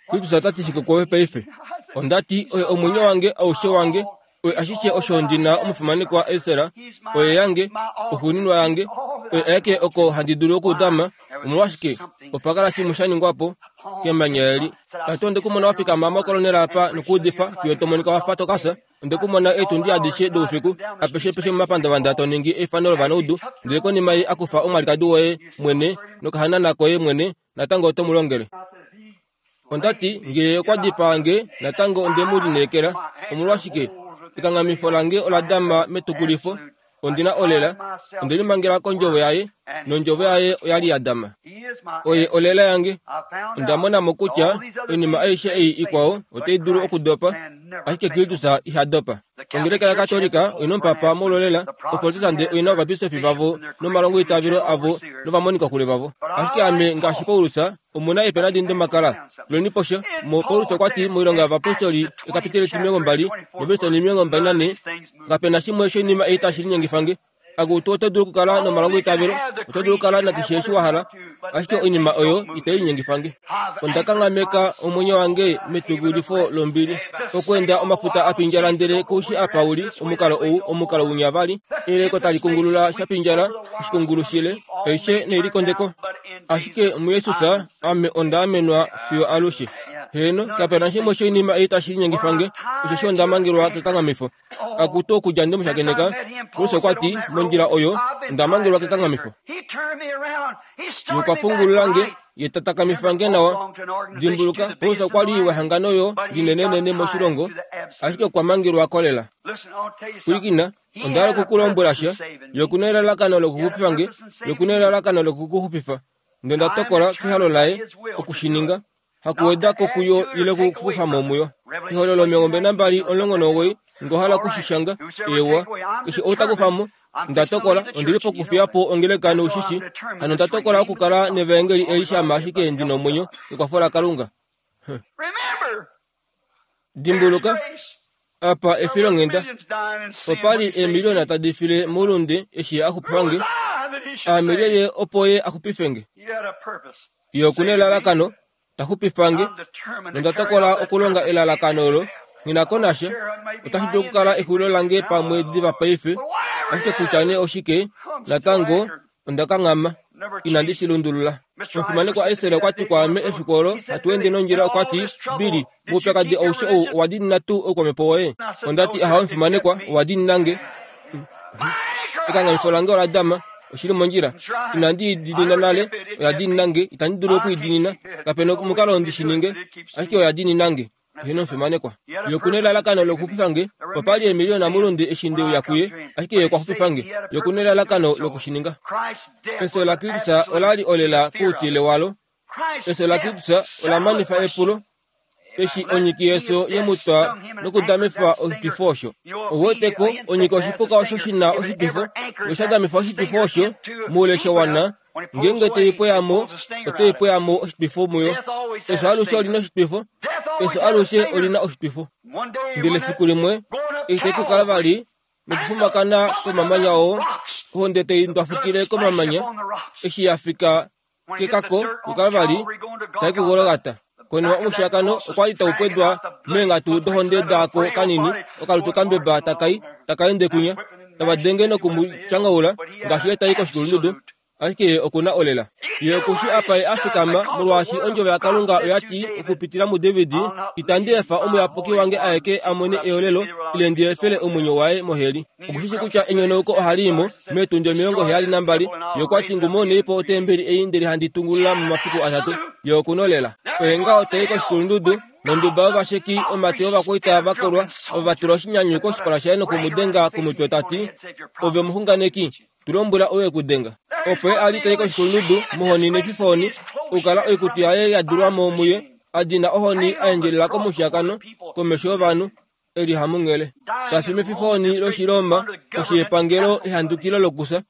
Kristus ota ti shike kwoove paife? Onda ti oye omwenyo wange aushe wange, oye ashishe osho ndi na omufimanekwa Esra, oye yange, oxuuninwa yange, oye aeke oko handi dulu okudama. Omolwashike opa kala shimwe sha ningwa po kemanya eli. Ta ti onde ku mona wa fikama mokolonela apa nokuudifa fiyo to monika wa fa to kasa. Onde ku mona eetundi adishe doufiku apeshe peshe momapandavanda to ningi eifano lovanaudu, ndele konima ye a kufa omwalikadi woye mwene nokahanana koye mwene, natango oto mu longele. Onda ti ngee okwa dipaa nge, natango onde mu lineekela. Omolwashike ekanghamifo lange ola dama metukulifo. Ondi na olela, onde limangela kondjovo yaye, nondjovo yaye oya li ya dama. Oye olela yange. Onda mona mo kutya oinima aishe ei ikwao otai dulu okudopa, ashike Kristus iha dopa. Ongeleka yaKatolika oina omupapa mololela, Oprotestante oina ovabisofi vavo nomalongoitavelo avo novamonikakule vavo. Ashike ame ngaashi Paulus, omu na eepena domakala. Tuleni posha. Mo Paulus okwa ti moilonga yovapostoli ekapiteli etimilongo mbali novelise omilongo mbali nane, kapena shimwe shoinima ei tashi linyengifa nge. Akutu oto dulu okukala nomalongoitavelo, oto dulu okukala nakeshe eshi wa hala, ashike oinima oyo itai linyengifa nge. Onda kanghameka omwenyo wange metukulifo lombili. Okweenda omafuta a pindjala ndele koushi apa uli, omukalo ou, omukalo winya vali. Eleko tali kungulula sha pindjala, oshikungulu shile, aishe neilikondeko. Ashike muJesus ame onda amenwa fiyo alushe. Heno, kapena shimwe shoinima ei tashi linyengifa nge, osheshi onda mangelwa kekanghamifo. Akutu okudja nde mushakeneka, Paulus okwa ti, mondjila oyo, onda mangelwa kekanghamifo. Ye okwa pungulula nge, ye ta takamifa nge nawa. Dimbuluka, Paulus okwa li wehangano oyo linenenene moshilongo, ashike okwa mangelwa kolela. Pwilikina, onda hala okukulombwela sha. Ye okuna elalakano lokuxupifa nge, ye okuna elalakano lokukuxupifa. Ndele onda tokola kehalo laye okushininga, hakuweda ko kuyo ile okukufa mo muyo. Ehololo omilongo mbali nambali omulongo nomuwoi, ngo hala okushishanga, ewa, keshe ou ta kufa mo, onda tokola, ondi li pokufiya po ongeleka noushishi, hano onda tokola okukala nevaengeli eli shama ashike ndi nomwenyo kekwafo laKalunga. Dimbuluka, apa efilonghenda. Opa li eemiliona tadi file moulunde eshi a xupifa nge. Aame lyelye opo ye a xupife nge? Ye okuna elalakano, ta xupifa nge, nonda tokola okulonga elalakano olo. Nghi ko nasha, otashi dulu okukala exulilo lange pamwe diva paife, ashike kutya nee oshike, natango onda kanghama, inandi shi lundulula. Omufimanekwa Israel okwa ti kwaame efiku olo hatu ende nondjila, okwa ti, Billy, moupyakadi aushe ou owa diinina tuu oukwamhepo woye? Onda ti, ahawe omufimanekwa, owa diinina nge. Ekanghamifo lange ola dama, oshili mondjila. Inandi i diinina nale, oya diinina nge, itandi dulu oku i diinina, kapena omukalo ndi shi ninge, ashike oya diinina nge. Eheno omufimanekwa. Ye okuna elalakano lokuxupifa nge, opa li eemiliona moulunde eshi nde uya kuye, ashike ye okwa xupifa nge. Ye okuna elalakano lokushininga. Efyo laKristus ola li olela koutile walo. Efyo laKristus ola manifa epulo, eshi onyiki yefyo ye mu twa nokudamifa oshitwifo osho. Ou weteko, onyiki oshipuka osho shi na oshitwifo, nosha damifa oshitwifo osho moule sha wana, ngeenge tei pweya mo, otai pweya mo oshitwifo muyo. Efyo alushe olina oshitwifo, efyo alushe olina oshitwifo. Ndele efiku limwe, eshi tai kukala vali nokufumakana komamanya oo, ohonde tai ndwafukile komamanya, eshi ya fika kekako kuKalvari, tai kuGolgata. Konima omushiyakano okwa li tau pwedwa meenghatu dohonde daako kanini, okalutu kambeba takai takaende kunya, tava denge noku mu tyanghaula ngaashi ye tai koshikulundudu, ashike ye okuna olela. Ye okushi apa ye a fikama molwaashi ondjovo yaKalunga oya ti okupitila muDavid, itandi efa omuyapuki wange aeke a mone eolelo ile ndi efele omwenyo waye moheli. Okushishi kutya enyonauko ohali imo meetundi omilongo heyali nambali. Ye okwa ti ngumoneipo otembeli ei ndele handi tungulula momafiku atatu. Ye okunolela. Oye ngaho tai koshikulundudu nonduba yovasheki omate ovakwaita va kolwa ova va tula oshinyanyu koshipala shaye nokumudenga komutwe ta ti, ove omuxunganeki, tu lombwela ou e ku denga. Opo ye a li tai koshikulundudu mohoni nefifoni, okukala oikutu yaye ya dulwa mo muye, a dina ohoni a endjelela komushiyakano komesho yovanhu, e li hamunghele. Ta fi mefifoni lOshiroma koshi yepangelo ehandukilo lokufya,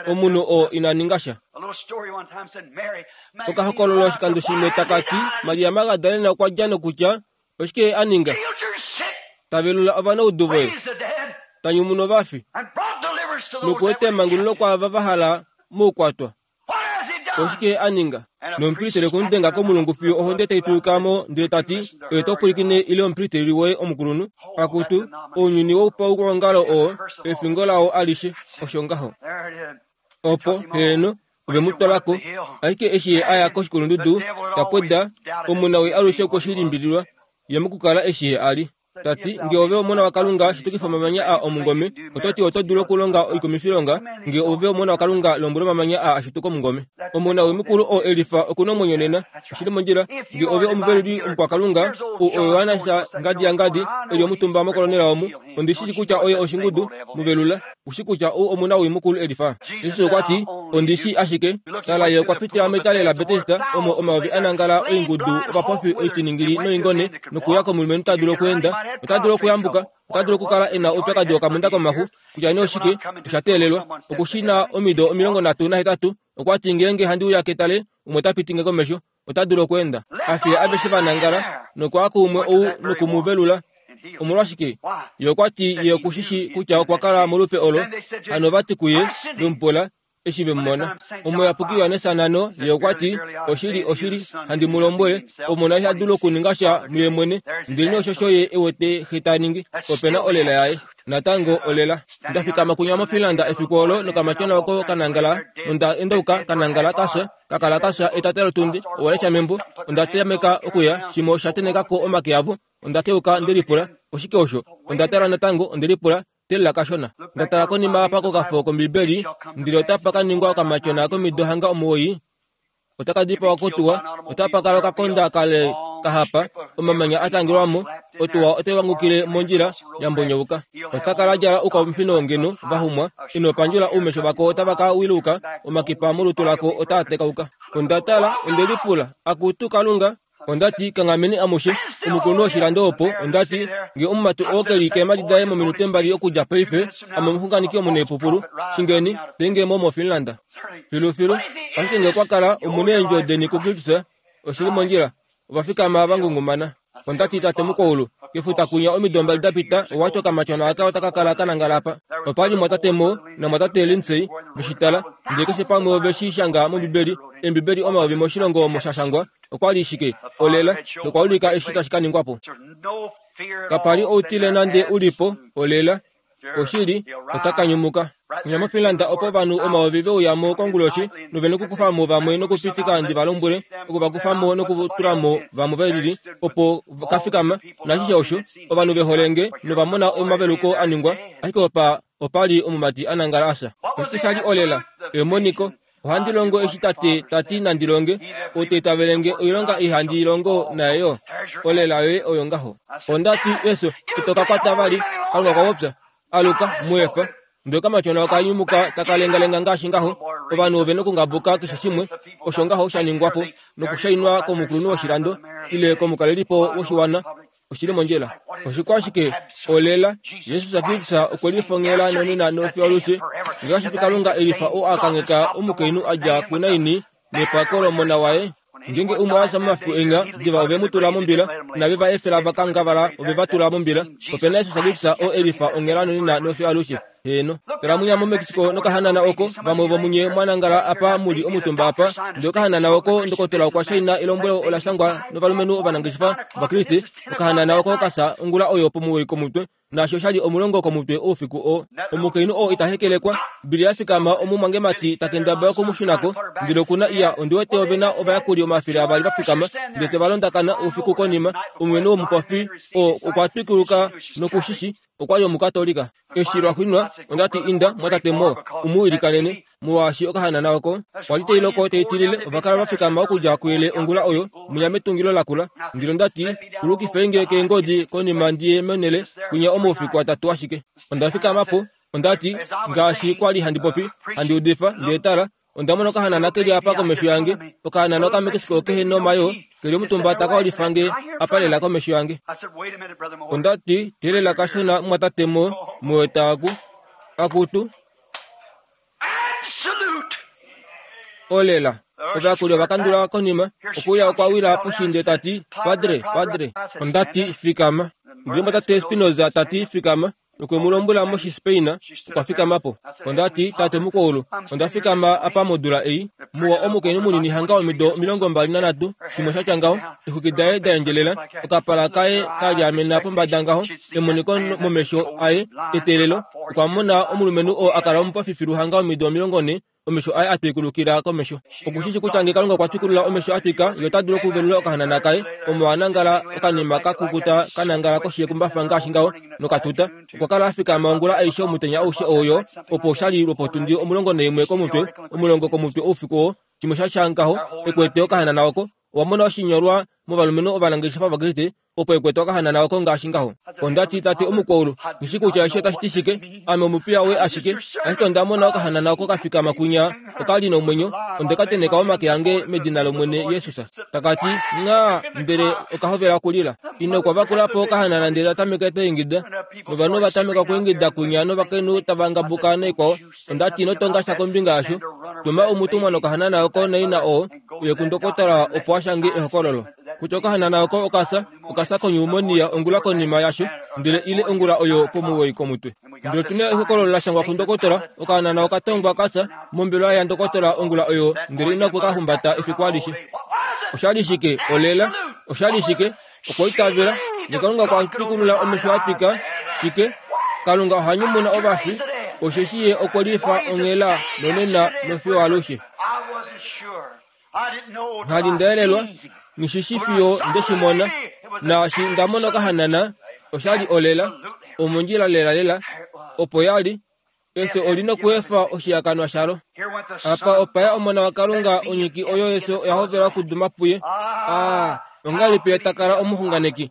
omunhu oo ina ninga sha. Okahokololo oshikando shimwe taka ti Maria Magdalena okwa dja nokutya oshike ye a ninga? Ta velula ovanaudu voye, ta nyumuna ovafi, nokueta emangululo kwaava va hala moukwatwa. Oshike ye a ninga? Nomupristeli okwe mu denga komulungu fiyo ohonde tai tuyuka mo ndele ta ti, oye to pwilikine ile omupristeli woye omukulunhu? Akutu, ounyuni woupaulongalo oo, efingo lao alishe, osho ngaho. Opo, heeno, ove mu twala ko. Ashike eshi ye a ya koshikulundudu, ta pweda, omunawii alushe okwe shi limbililwa, ye mokukala eshi ye a li. Ta ti, nge ove omona waKalunga, shitukifa omamanya a omungome. Oto ti oto dulu okulonga oikumifilonga, nge ove omona waKalunga, lombwela omamanya a a shituke omungome. Omona mukulu oo elifa oku na omwenyo nena, oshili mondjila. Nge ove omuveluli omukwakalunga, ou oYohannes ngadi yangadi, e li omutumba mokolonela omu, ondi shi kutya oye oshingudu, muvelula. Ushi kutya ou omuna wimukulu elifa. Jesus okwa ti, ondi shi ashike. Tala ye okwa pitila metale laBetesda, omo omayovi a nangala oingudu ovapofi oitiningili noingone, nokuya komulumenhu ta dulu okweenda, ota dulu okuyambuka, ota dulu okukala e na oupyakadi wokamunda komaxu, kutya nee oshike, osha teelelwa. Oku shi na omido omilongo nhatu nahetatu, okwa ti ngeenge handi uya ketale, umwe ta piti nge komesho, ota dulu okweenda. A fiya aveshe va nangala, nokwa kuumwe ou nokumuvelula. Omolwashike? Ye okwa ti ye okushishi kutya okwa kala molupe olo, hano va ti kuye, vemupula, eshi vemumona. Omuyapuki Johannes nano, ye okwa ti, oshili, oshili, handi mu lombwele, omona iha dulu okuninga sha muye mwene, ndele oshosho ye e wete xe ta ningi, ope na olela yaye. Natango olela. Nda fikama kunya moFinland efiku olo nokamatyona oko kanangala, nonda endauka kanangala kafya, kakala kafya etata lotundi, owa lesha membo, onda tameka okuya, shimwe osha tenekako omake avo, onda keuka ndelipula, oshike osho? Onda tala natango, ondelipula, telela kashona. Nda tala konima apa kokafo kOmbibeli, ndele otapa ka ningwa okamatyona komido hanga omuwoi, otaka dipawa kotuwa, otapa kala okakonda kale kahapa, omamanya a tangelwamo, otuwa otai wangukile mondjila ya mbonyouka. Ota kala djala oukamufino ngeno vahumwa, ino pandjula oumesho vako otava ka wiluka, omakipa molutu lako otaa tekauka. Onda tala, ondelipula, akutu Kalunga, onda ti kanghameni amushe, omukulunhu woshilando opo, onda ti, nge omumati oo ke li keemhadi daye mominute mbali okudja paife, ame omuxunganeki omunaipupulu, shingeni, tenge mo moFinland. Filufilu, ashike nge okwa kala omuneendjo deni kuKristus, oshili mondjila, ova fikama va ngungumana. Onda ti tate mukwaulu, kefuta kunya omido mbali da pita, owa ti okamatyona aka otaka kala ka nangala apa. Opa li mwatate Mo namwatate Lindsay veshitala, ndele keshe pamwe ove shi shanga mOmbibeli, Eembibeli omayovi moshilongo omo sha shangwa, okwa li shike, olela, nokwa ulika eshi tashi ka ningwa po. Kapa li outile nande u li po, olela, oshili, ota ka nyumuka. Kunya moFinland opo ovanhu omayovi ve uya mo konguloshi, nove nokukufa mo vamwe nokupitika ndi va lombwele, oku va kufa mo nokutula mo vamwe ve lili, opo ka fikama, nashishe osho, ovanhu ve hole nge, nova mona omaveluko a ningwa, ashike opa, opa li omumati a nangala a fya. Oshike sha li olela? Emoniko. Ohandi longo eshi tate ta ti nandi longe, ou ta itavele nge oilonga ei handi i longo naye yo, olela yoye oyo ngaho. Onda ti, Yesu, ito ka kwata vali, Kalunga okwa popya. Aluka, mu efa. Ndele okamatyona oka nyumuka taka lengalenga ngaashi ngaho, ovanhu ove nokungabuka keshe shimwe, osho ngaho sha ningwa po, nokushainwa komukulunhu woshilando, ile komukalelipo woshiwana, oshili mondjila. Oshikwashike? Olela. Jesus Kristus okwe lifongela nonena nofiyo alushe, ngaashi Kalunga elifa oo a kangheka omukainhu a dja kuNaini nepako lomona waye. Ngeenge umwe a fya momafiku enya, diva ove mu tula mombila, nave va efela va kangavala ove va tula mombila. Ope na Jesus Kristus oo elifa onghela nonena nofiyo alushe. Heno tala munya mu Mexico nokahanana oko vamwe vomunye mwanangala apa muli omutumba apa ndele okahanana oko ndokotola okwa shaina elombwelo ola shangwa novalumenhu ovanangeshefa vakriste. Okahanana oko kasa ongula oyo pomuwoi komutwe naasho oshali omulongo komutwe oufiku oo. Omukainhu oo ita hekelekwa bili yafikama omumwangemati takendabala okumushunako ndele okuna iya ondi wete ovena ovayakuli omafele avali vafikama ndele tevalondakana oufiku konima. Omulumenhu womupofi oo okwa twikuluka nokushishi okwali omukatolika. Eshi lwaxwinwa ondati inda mwatate mo umuwilikanene molwaashi okahanana oko kwali teiloko teitilile. Ovakala vafikama okudja kuyele ongula oyo munya metungilo lakula. Ndele ondati kulukifenge keengodi konima ndiye menele kunya omaufiku atatu ashike. Onda fikamapo ondati ngaashi kwali handi popi handi udifa ndele tala onda mona okahanana keli apa komesho yange. Okahanana okaMexico kehe nomayo keli omutumba taka olifange apa lela komesho yange. Ondati telela kashona mwatate mo moetaaku akutu olela. Ovayakuli ovakandula konima okuya okwawila poshinde tati padre padre. Ondati fikama. Ndele mwatate Spinoza tati fikama. Nokwe mu lombwela moshispain okwa fikamapo. Ondati tate mukwaulu onda fikama apa modula ei muwa omukainhu munini hanga omido omilongo mbali nanhatu shimwe shatya ngaho exwiki daye da endjelela okapala kaye kalyaamena pombada ngaho emoniko momesho aye eteelelo. Okwa mona omulumenhu oo akala omupofifilu hanga omido omilongo nhe omesho aye atwikulukila komesho. Okushishi kutya nge Kalunga okwa twikulula omesho atwika ye ota dulu okuvelula okahanana kaye omo anangala okanima kakukuta kanangala koshi yekumbafa ngaashi ngaho nokatuta. Okwa kala afikama ongula aishe omutenya aushe oyo opo oshali lwopotundi omulongo naimwe komutwe omulongo komutwe oufiku oo shimwe shasha ngaho ekwete okahanana oko. Owa mona oshinyolwa movalumenhu ovanangeshefa vakriste opo ekwete okahanana oko ngaashi ngaho. Ondati tate omukwaulu ngishi kutya eshi otashi ti shike ame omupiya woye ashike ashike onda mona okahanana oko kafikama kunya okali nomwenyo onde ka teneka omake ange medina lOmwene Yesus. Takati nga ndele okahovela okulila. Ina okwa vakulapo okahanana ndele atameka teingida novanhu ovatameka okuingida kunya novakainhu tava ngabuka naikwao. Ondati inotonga sha kombinga yasho tuma omutumwa nokahanana oko naina oo uye kundokotola opo ashange ehokololo kutya okahanana oko okasa okasa konyumonia ongula konima yasho ndele ile ongula oyo pomuwoi komutwe. Ndele tuna ehokololo la shangwa kundokotola okahanana okatongwa kasa mombelwa ya ndokotola ongula oyo ndele ina okwe kahumbata efiku alishe. Oshali shike olela oshali shike okwa itavela nge Kalunga okwa twikulula omesho atwika shike Kalunga oha nyumuna ovafi osheshi ye okwe lifa onghela nonena nofiyo alushe. Nghali ndaelelwa ngishishi fiyo ndeshimona naashi ndamona okahanana oshali olela omondjila lelalela opo yali efyo olina okuefa oshihakanwa shalo. Apa opaya omona waKalunga onyiki oyo efyo oya hovela okuduma puye. Aa ongahelipi ye takala omuxunganeki?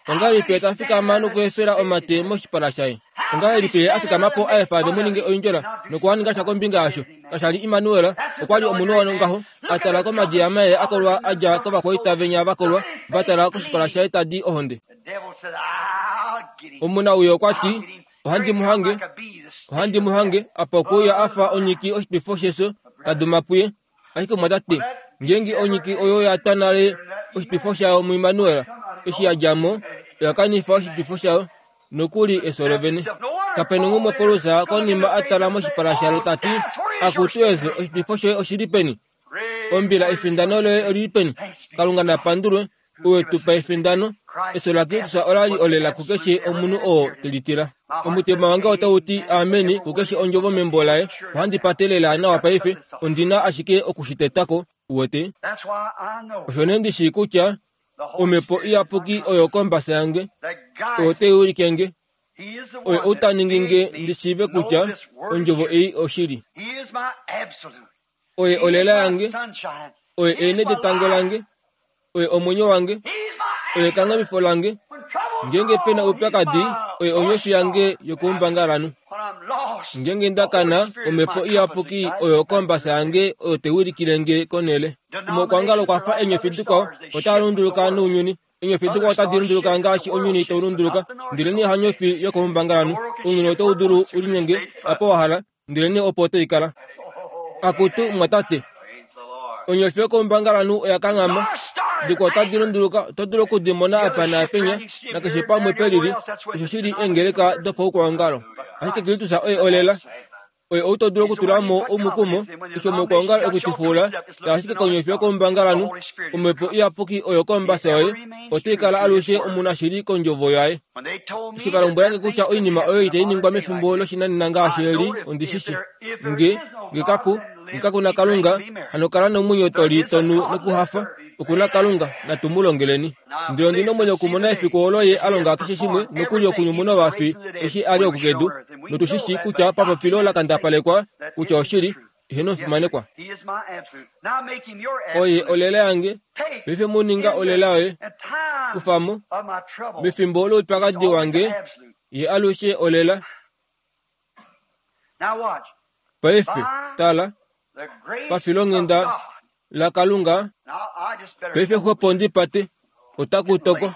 Ongahelipi ye tafikama nokuefela omate moshipala shaye? Ongahelipi ye afikamapo aefa ve muninge oindjola nokuhaninga sha kombinga yasho? Kashali Immanuel okwali omunhu wongaho atala komadiama ye akolwa adja kovakwaita venya vakolwa vatala koshipala shaye tadi ohonde. Omuna uyo okwati ohandi muhange ohandi muhange apa okuuya afa onyiki oshitwifo shefyo taduma puye. Ashike mwatate ngeenge onyiki oyo yatwa nale oshitwifo shayo muImmanuel eshi yadjamo oya kanifa oshitwifo shayo nokuli efyo lovene. Kapena umwe Paulus konima atala moshipala shalo tati akutu efyo oshitwifo shoye oshili peni? Ombila efindano loye olili peni? Kalunga napandulwe uwe tupa efindano. Efyo laKristus olali olela kukeshe omunhu oo telitila. Omutima wange otau ti ameni kukeshe ondjovo membo laye. Ohandi patelela nawa paife ondina ashike okushitetako uwete. Osho nee ndishi kutya omhepo iyapuki oyo kombasa yange oyo teiulikenge oyo outaninginge ndishiive kutya ondjovo ei oshili. Oye olela yange oye ene detango lange oye omwenyo wange oye kangamifo lange ngeenge pena oupyakadi oye onyofi yange yokuumbangalanu. Ngeenge ndakana omhepo iyapuki oyo kombasa yange oyo teiulikilenge konele. Omokwangalo okwafa eenyofi dikwao otaa lunduluka nounyuni. Eenyofi dikwao otadi lunduluka ngaashi ounyuni tau lunduluka ndele nee hanyofi yokoumbangalanu. Ounyuni otau dulu ulinyenge apa wahala ndele nee opo otoikala. Akutu mwatate onyofi yokoumbangalanu oya kanghama dikwao otadi lunduluka oto dulu okudimona apa naapenya nakeshe pamwe pelili. Osho shili eengeleka dopaukwaongalo. Ashike Kristus oye olela. Oye ou to dulu okutula mo omukumo, eshi omokwoongala ekutifula, ashike konyofi yokombangalanhu, Omhepo Iyapuki oyo kombasa yoye, otai kala alushe omunashili kondjovo yaye. Eshi va lombwelange kutya oinima oyo itai ningwa mefimbo loshinanena ngaashi eli, ondishishi. Nge, nge kaku, nge kaku na Kalunga, hano kala nomwenyo to li tonu nokuhafa. Okuna Kalunga, natu mu longeleni. Ndele ondi nomwenyo okumona efiku olo ye a longa keshe shimwe nokuli okunyumuna ovafi eshi a li oku kedu, notu shi shii kutya papopilo la kandapalekwa kutya oshili, eheno omufimanekwa. Oye olela yange, paife mu ninga olela yoye. Kufa mo, mefimbo loupyakadi wange, ye alushe olela. Paife, tala, pafilonghenda laKalunga, paife xwepo ndi pate, otaku toko.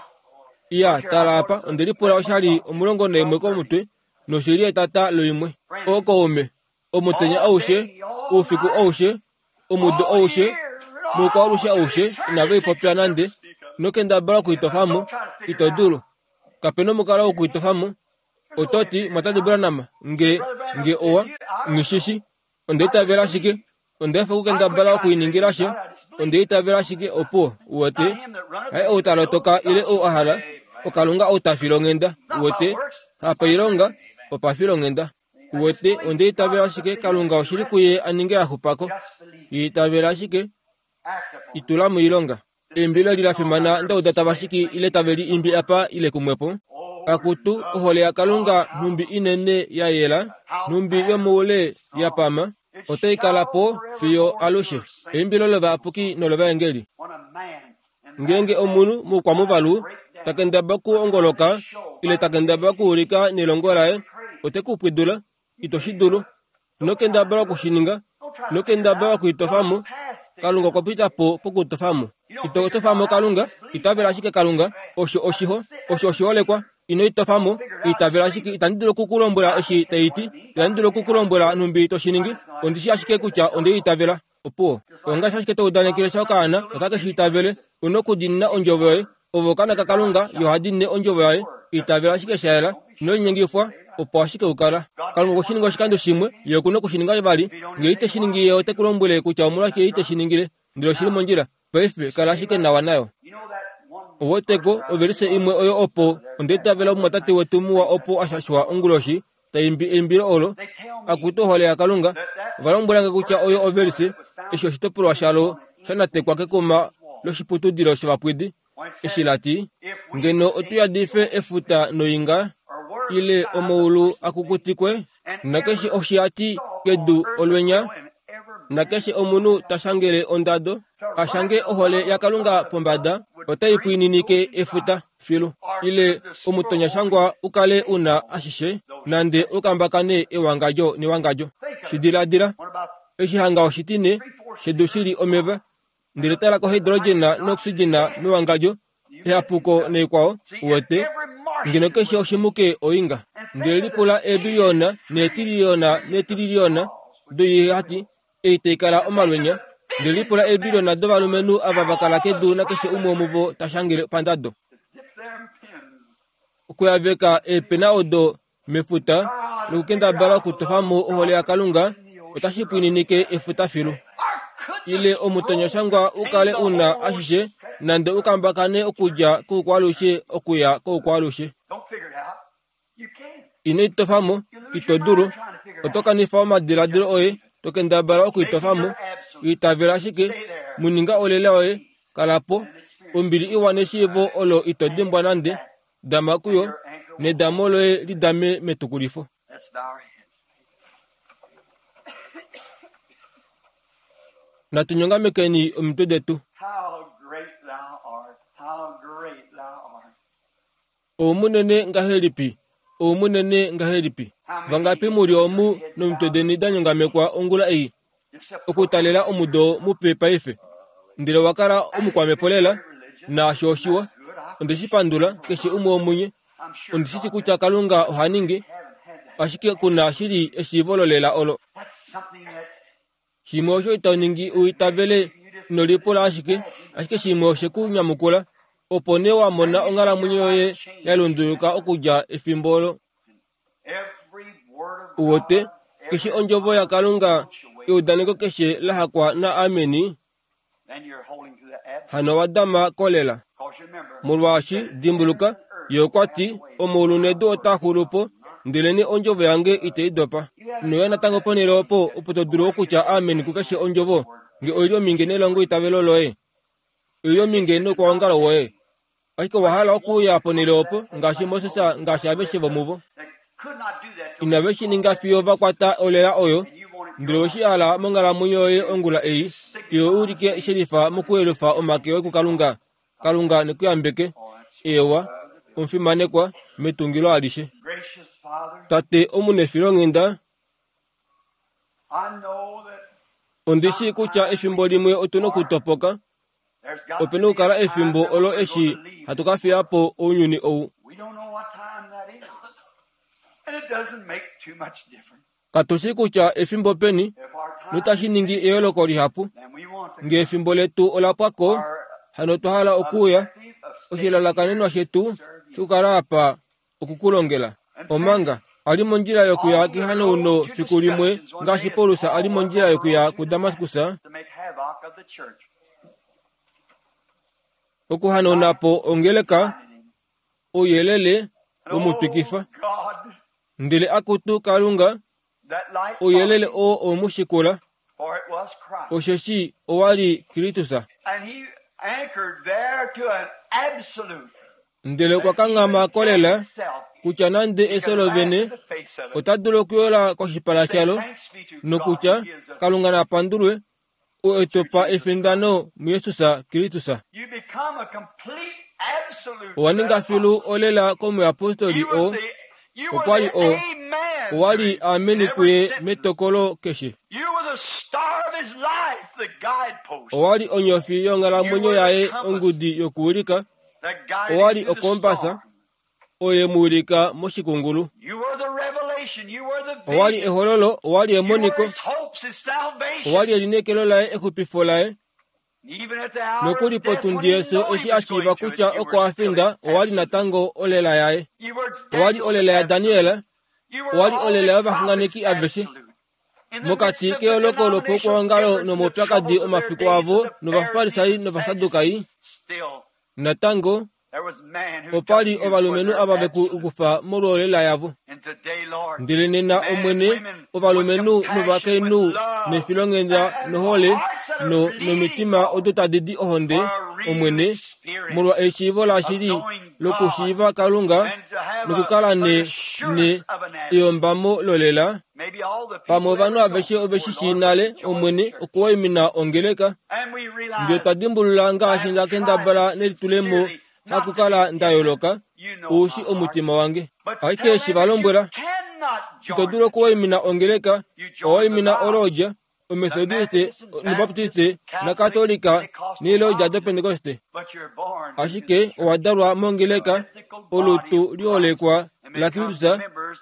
Iya, tala apa, onde lipula oshali omulongo naimwe komutwe, noshili etata loimwe. Okaume, omutenya aushe, oufiku aushe, omudo aushe, moukwalushe aushe, inave ipopya nande, nokendabala okuitofamo, ito dulu. Kapena omukalo wokuitofamo. Ototi, Mwatate Branham, nge, nge owa, ngishishi, onda itavela ashike, onda efa okukendabala okuiningila sha, onda itavela ashike opo, uwete, haye ou ta lotoka ile ou a hala, oKalunga ou ta filonghenda, uwete, hapailonga, opafilonghenda. Uwete, onda itavela ashike Kalunga oshili kuye a ninge a xupako. Itavela ashike, itula moilonga. Eimbilo eli la fimana ndauda tava shiki ile tave li imbi apa ile kumwepo. Akutu, ohole yaKalunga nhumbi inene ya yela, nhumbi yomoule ya pama, otai kala po fiyo alushe. Eimbilo lovayapuki nolovaengeli. Ngeenge omunhu moukwamuvalu ta kendabala okuongoloka ile ta kendabala okuulika nelongo laye, ote ku pwidula, ito shi dulu. Ino kendabala okushininga, ino kendabala okuitofamo. Kalunga okwa pita po pokutofamo. Ito tofamo Kalunga, itavela ashike Kalunga, osho oshiho, osho oshiholekwa. Ino itofamo, itavela ashike. Itandi dulu okukulombwela eshi tai ti, itandi dulu okukulombwela nhumbi to shi ningi, ondi shi ashike kutya onde itavela. Opuwo. Ongaashi ashike to udanekele sha okaana, otake shi itavele. Una okudiinina ondjovo yoye. Ovo okaana kaKalunga, yo oha diinine ondjovo yaye. Itavela ashike sha yela, ino linyengifwa, opo ashike ukala. Kalunga okwe shi ninga oshikando shimwe, ye okuna oku shi ninga vali. Ngee ite shi ningi, ye ote ku lombwele kutya omolwashike ye ite shi ningile. Ndele oshili mondjila. Paife, kala ashike nawa nayo. Oweteko ovelise imwe oyo opo onda itavela omumwatate wetu muwa opo a shashwa onguloshi ta imbi eimbilo olo, Akutu ohole yaKalunga. Ova lombwelange kutya oyo ovelise eshi oshitopolwa shalo sha natekwa kekuma loshiputudilo shovapwidi, eshi la ti, Ngeno otu yadife efuta noinga, ile omaulu a kukutikwe, nakeshe oshihati kedu olwenya, nakeshe omunhu ta shangele ondado, a shange ohole yaKalunga pombada, otai pwiininike efuta filu, ile omutonyashangwa u kale u na ashishe, nande u kambakane ewangadjo newangadjo. Shi diladila, eshi hanga oshitine shedu shi li omeva, ndele tala kohidrogena noxigena mewangadjo, ehapuko naikwao, uwete, ngeno keshe oshimuke oinga. Ndele lipula eebiliyona neetiliyona neetiliyona doihati ei tai kala omalwenya, ndele lipula eebiliyona dovalumenhu ava va kala kedu nakeshe umwe womuvo ta shangele pandado. Okuyaveka eepena odo mefuta nokukendabala okutofa mo ohole yaKalunga otashi pwiininike efuta filu. Ile omutonyashangwa u kale u na ashishe nande u kambakane okudja koukwaalushe okuya koukwaalushe. Ino itofamo, ito dulu. Oto kanifa omadiladilo oye to kendabala okuitofamo. Itavela ashike, mu ninga olela yoye, kala po. Ombili iwa neshiivo olo ito dimbwa nande, dama kuyo, nedamo loye li dame metukulifo. Natu nyongamekeni omitwe detu. Oumunene ngahelipi, oumunene ngahelipi! Vangapi mu li omu nomitwe deni da nyongamekwa ongula ei, okutalela omudo mupe paife? Ndele owa kala omukwamhepo lela, naasho oshiwa. Onde shi pandula, keshe umwe womunye. Ondi shi shii kutya Kalunga oha ningi, ashike ku na shili eshiivo lolela olo. Shimwe osho ito ningi u itavele, ino lipula ashike, ashike shimwe oshe ku nyamukula, opo nee wa mona onghalamwenyo yoye ya lunduluka okudja efimbo olo. Uwote keshe ondjovo yaKalunga eudaneko keshe la hakwa na ameni hano wadama kolela. Molwaashi dimbuluka ye okwa ti omaulu nedu otaa xulu po ndeleni ondjovo yange itei dopa. Noya natango ponhele opo opo to dulu okutya ameni kukeshe ondjovo nge oili ominge nelongo itavelo loye oili ominge noukwaongalo woye. Ashike owa hala okuuya ponhele opo ngaashi Moses ngaashi aveshe vomuvo inave shi ninga fiyo va kwata olela oyo ndele oweshi hala monghalamwenyo yoye ongula ei iwe ulike shelifa mokuyelufa omake oye kuKalunga. Kalunga nekuyambeke ewa omufimanekwa metungilo alishe. Tate omunefilonghenda, ondi shii kutya efimbo limwe otuna okutopoka. Opena okukala efimbo olo eshi hatu ka fiya po ounyuni ou. Katu shii kutya efimbo peni notashi ningi eyooloko lihapu. Nge efimbo letu ola pwa ko, hano otwa hala okuuya. Oshilalakanenwa shetu shokukala apa okukulongela. Omanga a li mondjila yokuya kehanauno fiku limwe ngaashi Paulus a li mondjila yokuya kuDamaskus, okuhanauna po ongeleka, ouyelele womutwikifa. Ndele akutu Kalunga, ouyelele oo owemushikula, osheshi owa li Kristus. Ndele okwa kanghama kolela kutya nande efyo lovene ota dulu okuyola koshipala shalo nokutya Kalunga na pandulwe oo e tu pa efindano muJesus Kristus. Owa ninga filu olela komuyapostoli oo okwa li o owa li ameni kuye metokolo keshe. Owa li onyofi yonghalamwenyo yaye ongudi yokuwilika. Owa li okompasa oyo ye mu wilika moshikungulu. Owa li ehololo, owa li emoniko, owa li elineekelo laye exupifo laye. Nokuli potundi yefyo eshi a shiiva kutya oko a finda owa li natango olela yaye. Owa li olela yaDaniel, owa li olela yovaxunganeki aveshe. Mokati keyooloko lopaukwaongalo nomaupyakadi omafiku avo novafarisai novasadukai, natango opa li ovalumenhu ava ve ku kufa molwolela yavo. Ndele nena Omwene, ovalumenhu novakainhu nefilonghenda nohole no nomitima odo tadi di ohonde, Omwene, molwa eshiivo lashili lokushiiva Kalunga nokukala ne ne eyombamo lolela. Pamwe ovanhu aveshe ove shi shii nale, Omwene, okuwaimina ongeleka. Ndele twa dimbulula ngaashi nda kendabala nelitulemo hakukala nda yooloka, ou shi omutima wange. Ashike eshi va lombwela, ito dulu okuwaimina ongeleka, owaimina oloodja, omethodiste, nobaptiste, nakatolika neeloodja dopentekoste. Ashike owa dalwa mongeleka, olutu liholekwa laKristus,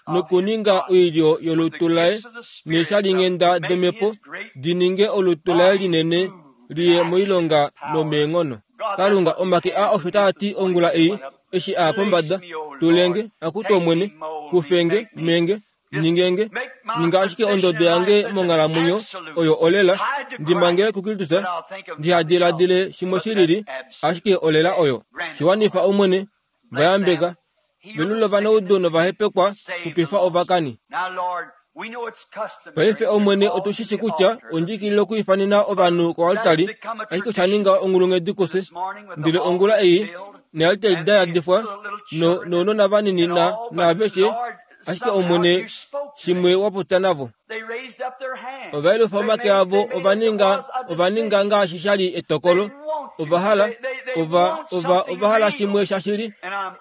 nokuninga oilyo yolutu laye neeshalinghenda domhepo di ninge olutu laye linene liye moilonga nomeenghono. Kalunga, omake a osho taa ti ongula ei, eshi a pombada, tulenge, akutu Omwene, kufenge, menge, ningenge, ninga ashike ondodo yange monghalamwenyo oyo olela, ndimangele kuKristus, ndihadiladile shimwe shilili, ashike olela oyo. Shiwanifa Omwene, vayambeka, velula ovanaudu novahepekwa, xupifa ovakani. Paife Omwene otu shi shi kutya ondjikilile okuifanena ovanhu koaltari, ashike osha ninga onghulunghedi kufye. Ndele ongula ei nealtari da yadifwa no nounona vanini na naaveshe, ashike Omwene shimwe wa popya navo. Ova yelufa omake avo, ova ninga ova ninga ngaashi sha li etokolo. Ova hala ova ova ova hala shimwe shashili.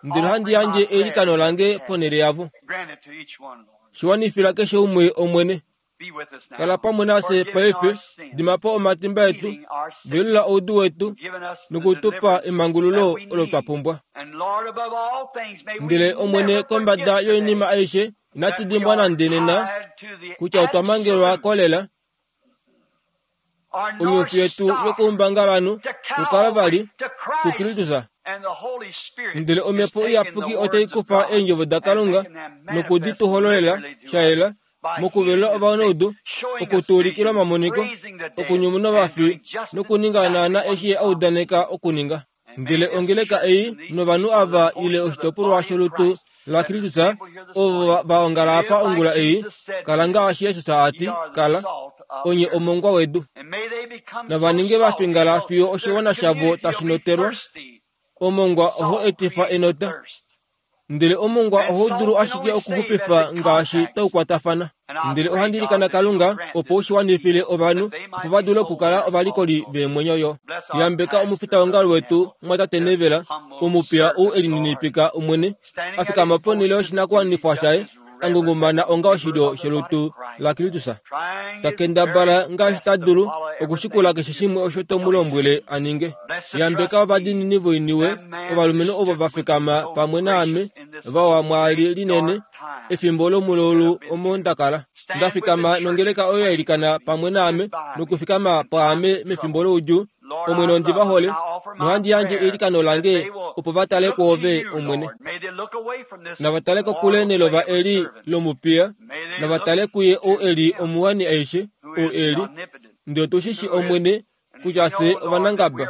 Ndele ohandi yandje eilikano lange ponhele yavo. Shiwanifila keshe umwe Omwene. Kala pamwe nafye paife, dima po omatimba etu, velula oudu wetu, nokutupa emangululo olo twa pumbwa. Ndele Omwene, kombada yoinima aishe, inatu dimbwa nande nena kutya otwa mangelwa kolela onyofi yetu yokoumbangalanhu kuKalvari, kuKristus. Ndele Omhepo Iyapuki otai kufa eendjovo daKalunga nokudi tu hololela sha yela Mokuvelula ovanaudu, okutuulikila omamoniko, okunyumuna ovafi nokuninga naana eshi ye a udaneka okuninga. Ndele ongeleka ei novanhu ava ile oshitopolwa sholutu laKristus ovo va ongala apa ongula ei, kala ngaashi Jesus a ti, kala, onye omongwa wedu. Nava ninge va fingala fiyo oshiwana shavo tashi notelwa. Omongwa oho etifa enota. Ndele omongwa oho dulu ashike okuxupifa ngaashi taukwatafana. Ndele ohandi ilikana Kalunga opo u shi wanifile ovanhu opo va dule okukala ovalikoli veemwenyo yo. Yambeka omufitaongalo wetu mwatate Nevela, omupiya ou e lininipika Omwene, a fikama ponhele yoshinakuwanifwa shaye, a ngungumana onga oshilyo sholutu laKristus. Ta kendabala ngaashi ta dulu okushikula keshe shimwe osho to mu lombwele a ninge. Yambeka ovadiinini voiniwe, ovalumenhu ovo va fikama pamwe naame, vawa mwaali linene, efimbo lomululu omo nda kala. Nda fikama nongeleka oyo ya ilikana pamwe naame, nokufikama pwaame mefimbo loudjuu. Omwene ondi va hole, nohandi yandje eilikano lange opo va tale kwoove, Omwene. Nava tale kokule nelova eli lomupiya, nava tale kuye ou e li omuwani aishe, ou e li. Ndele otu shi shi Omwene, kutya fye ovanangaba,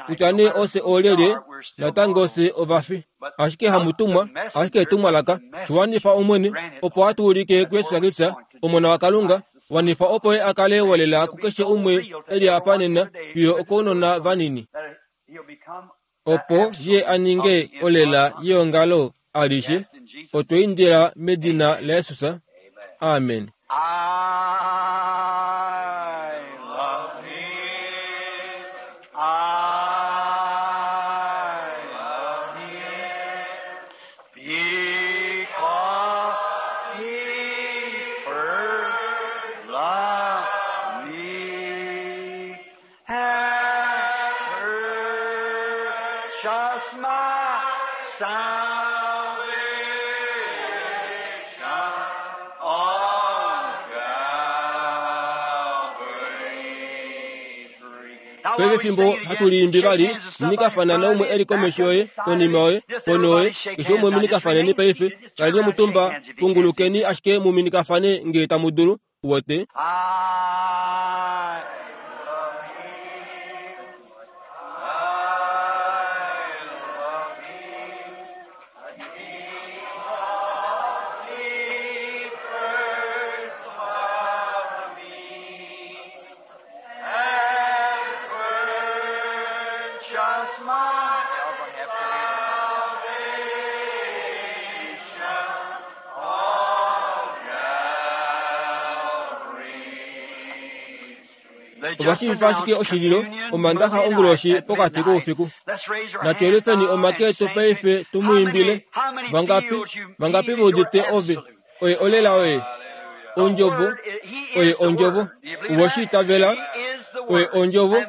kutya nee ofye oolyelye, natango fye ovafi. Ashike hamutumwa, ashike etumwalaka, shiwanifa Omwene, opo a tuulike kuJesus Kristus, Omona waKalunga, wanifa opo ye a kale wolela kukeshe umwe e li apa nena fiyo okounona vanini, opo ye a ninge olela yeongalo alishe. Otwe indila medina laJesus. Amen. I love him. I love him. Because he first loved me and purchased my salvation on Calvary's tree. Paife fimbo hatu liimbi vali, minikafana naumwe e li komesho yoye, konima yoye, pono yoye, keshe umwe minikafaneni paife, kaleni omutumba, pungulukeni ashike muminikafane ngee tamu dulu, wote. I love him. I love him. Because he first loved me and purchased my salvation on Calvary's tree. Ovashiivifa ashike oshililo omandaxa onguloshi pokati koufiku. Natu yelufeni omake etu paife tu mu imbile. Vangapi, vangapi ve udite ove, oye olela oye, ondjovo, oye ondjovo, uwe shi itavela, oye ondjovo,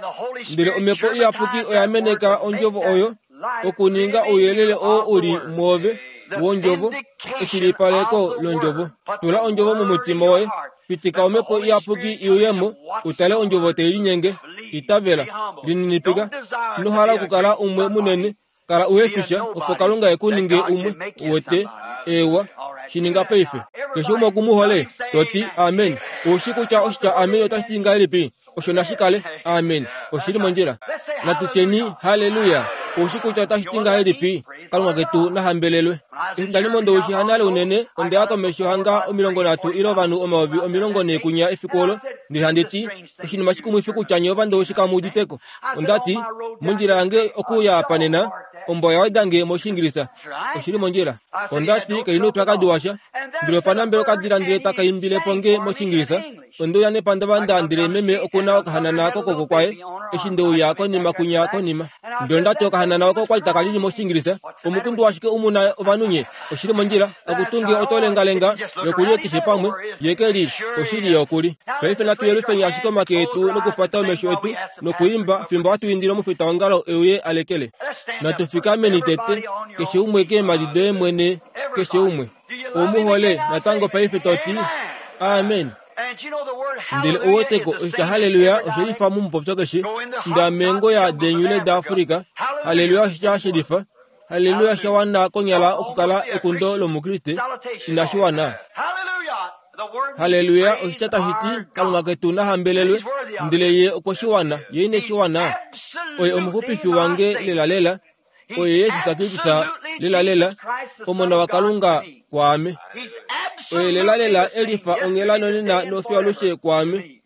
ndele omhepo iyapuki oya meneka ondjovo oyo, okuninga ouyelele oo u li mwoove wondjovo, eshilipaleko londjovo. Tula ondjovo momutima woye, pitika omhepo iyapuki i uyemo, utale ondjovo tai linyenge. Itavela, lininipika, ino hala okukala umwe munene, kala uhefisha opo Kalunga e ku ninge umwe, uwete, ewa, shi ninga paife. Keshe umwe oku mu hole, to ti amen. Oushi kutya oshitya amen otashi ti ngahelipi? Osho nashi kale amen. Oshili mondjila. Natu tyeni haleluya. Oushi kutya otashi ti ngahelipi? Kalunga ketu na hambelelwe. Eshi nda li mondoushi hanale unene, onde ya komesho hanga omilongo nhatu ile ovanhu omayovi omilongo nhee kunya efiku olo, ndele handi ti, oshinima shikumwifi kutya nye ovandoushi kamu uditeko. Onda ti, mondjila yange okuuya apa nena, ombwa oya weda nge mOshiingilisa. Oshili mondjila. Onda ti, kai na oupyakadi washa. Ndele opa nambela okadila ndele taka imbile po nge mOshiingilisa. Onde uya nepandavanda ndele meme oku na okahanana kokwooko kwaye, eshi nde uya konima kunya konima. Ndele onda ti okahanana oko okwali taka lili mOshiingilisa. Omukundu washike umu na ovanhu nye? Oshili mondjila. Akutunge oto lengalenga yokulye keshe pamwe, ye ke li, oshili ye okuli. Paife natu yelufeni ashike omake etu nokupata omesho etu nokuimba fimbo hatu indile omufitaongalo e uye a lekele. Natu fikameni tete, keshe umwe keemhadi doye mwene, keshe umwe. Ou mu hole natango paife to ti amen. Ndele ouweteko oshitya haleluya oshe lifa momupopyo keshe. Ndamengo ya denyule daAfrika, haleluya oshitya she lifa. Haleluya sha wana konyala okukala ekundo lomukriste, inashi wana. Haleluya! Oshitya tashi ti Kalunga ketu na hambelelwe, ndele ye okwe shi wana, ye ine shi wana. Oye omuxupifi wange lelalela, oye Jesus Kristus lelalela, Omona waKalunga kwaame. Oye lelalela e lifa onghela nonena nofiyo alushe kwaame.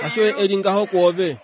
Hasho ye e li ngaho kwoove.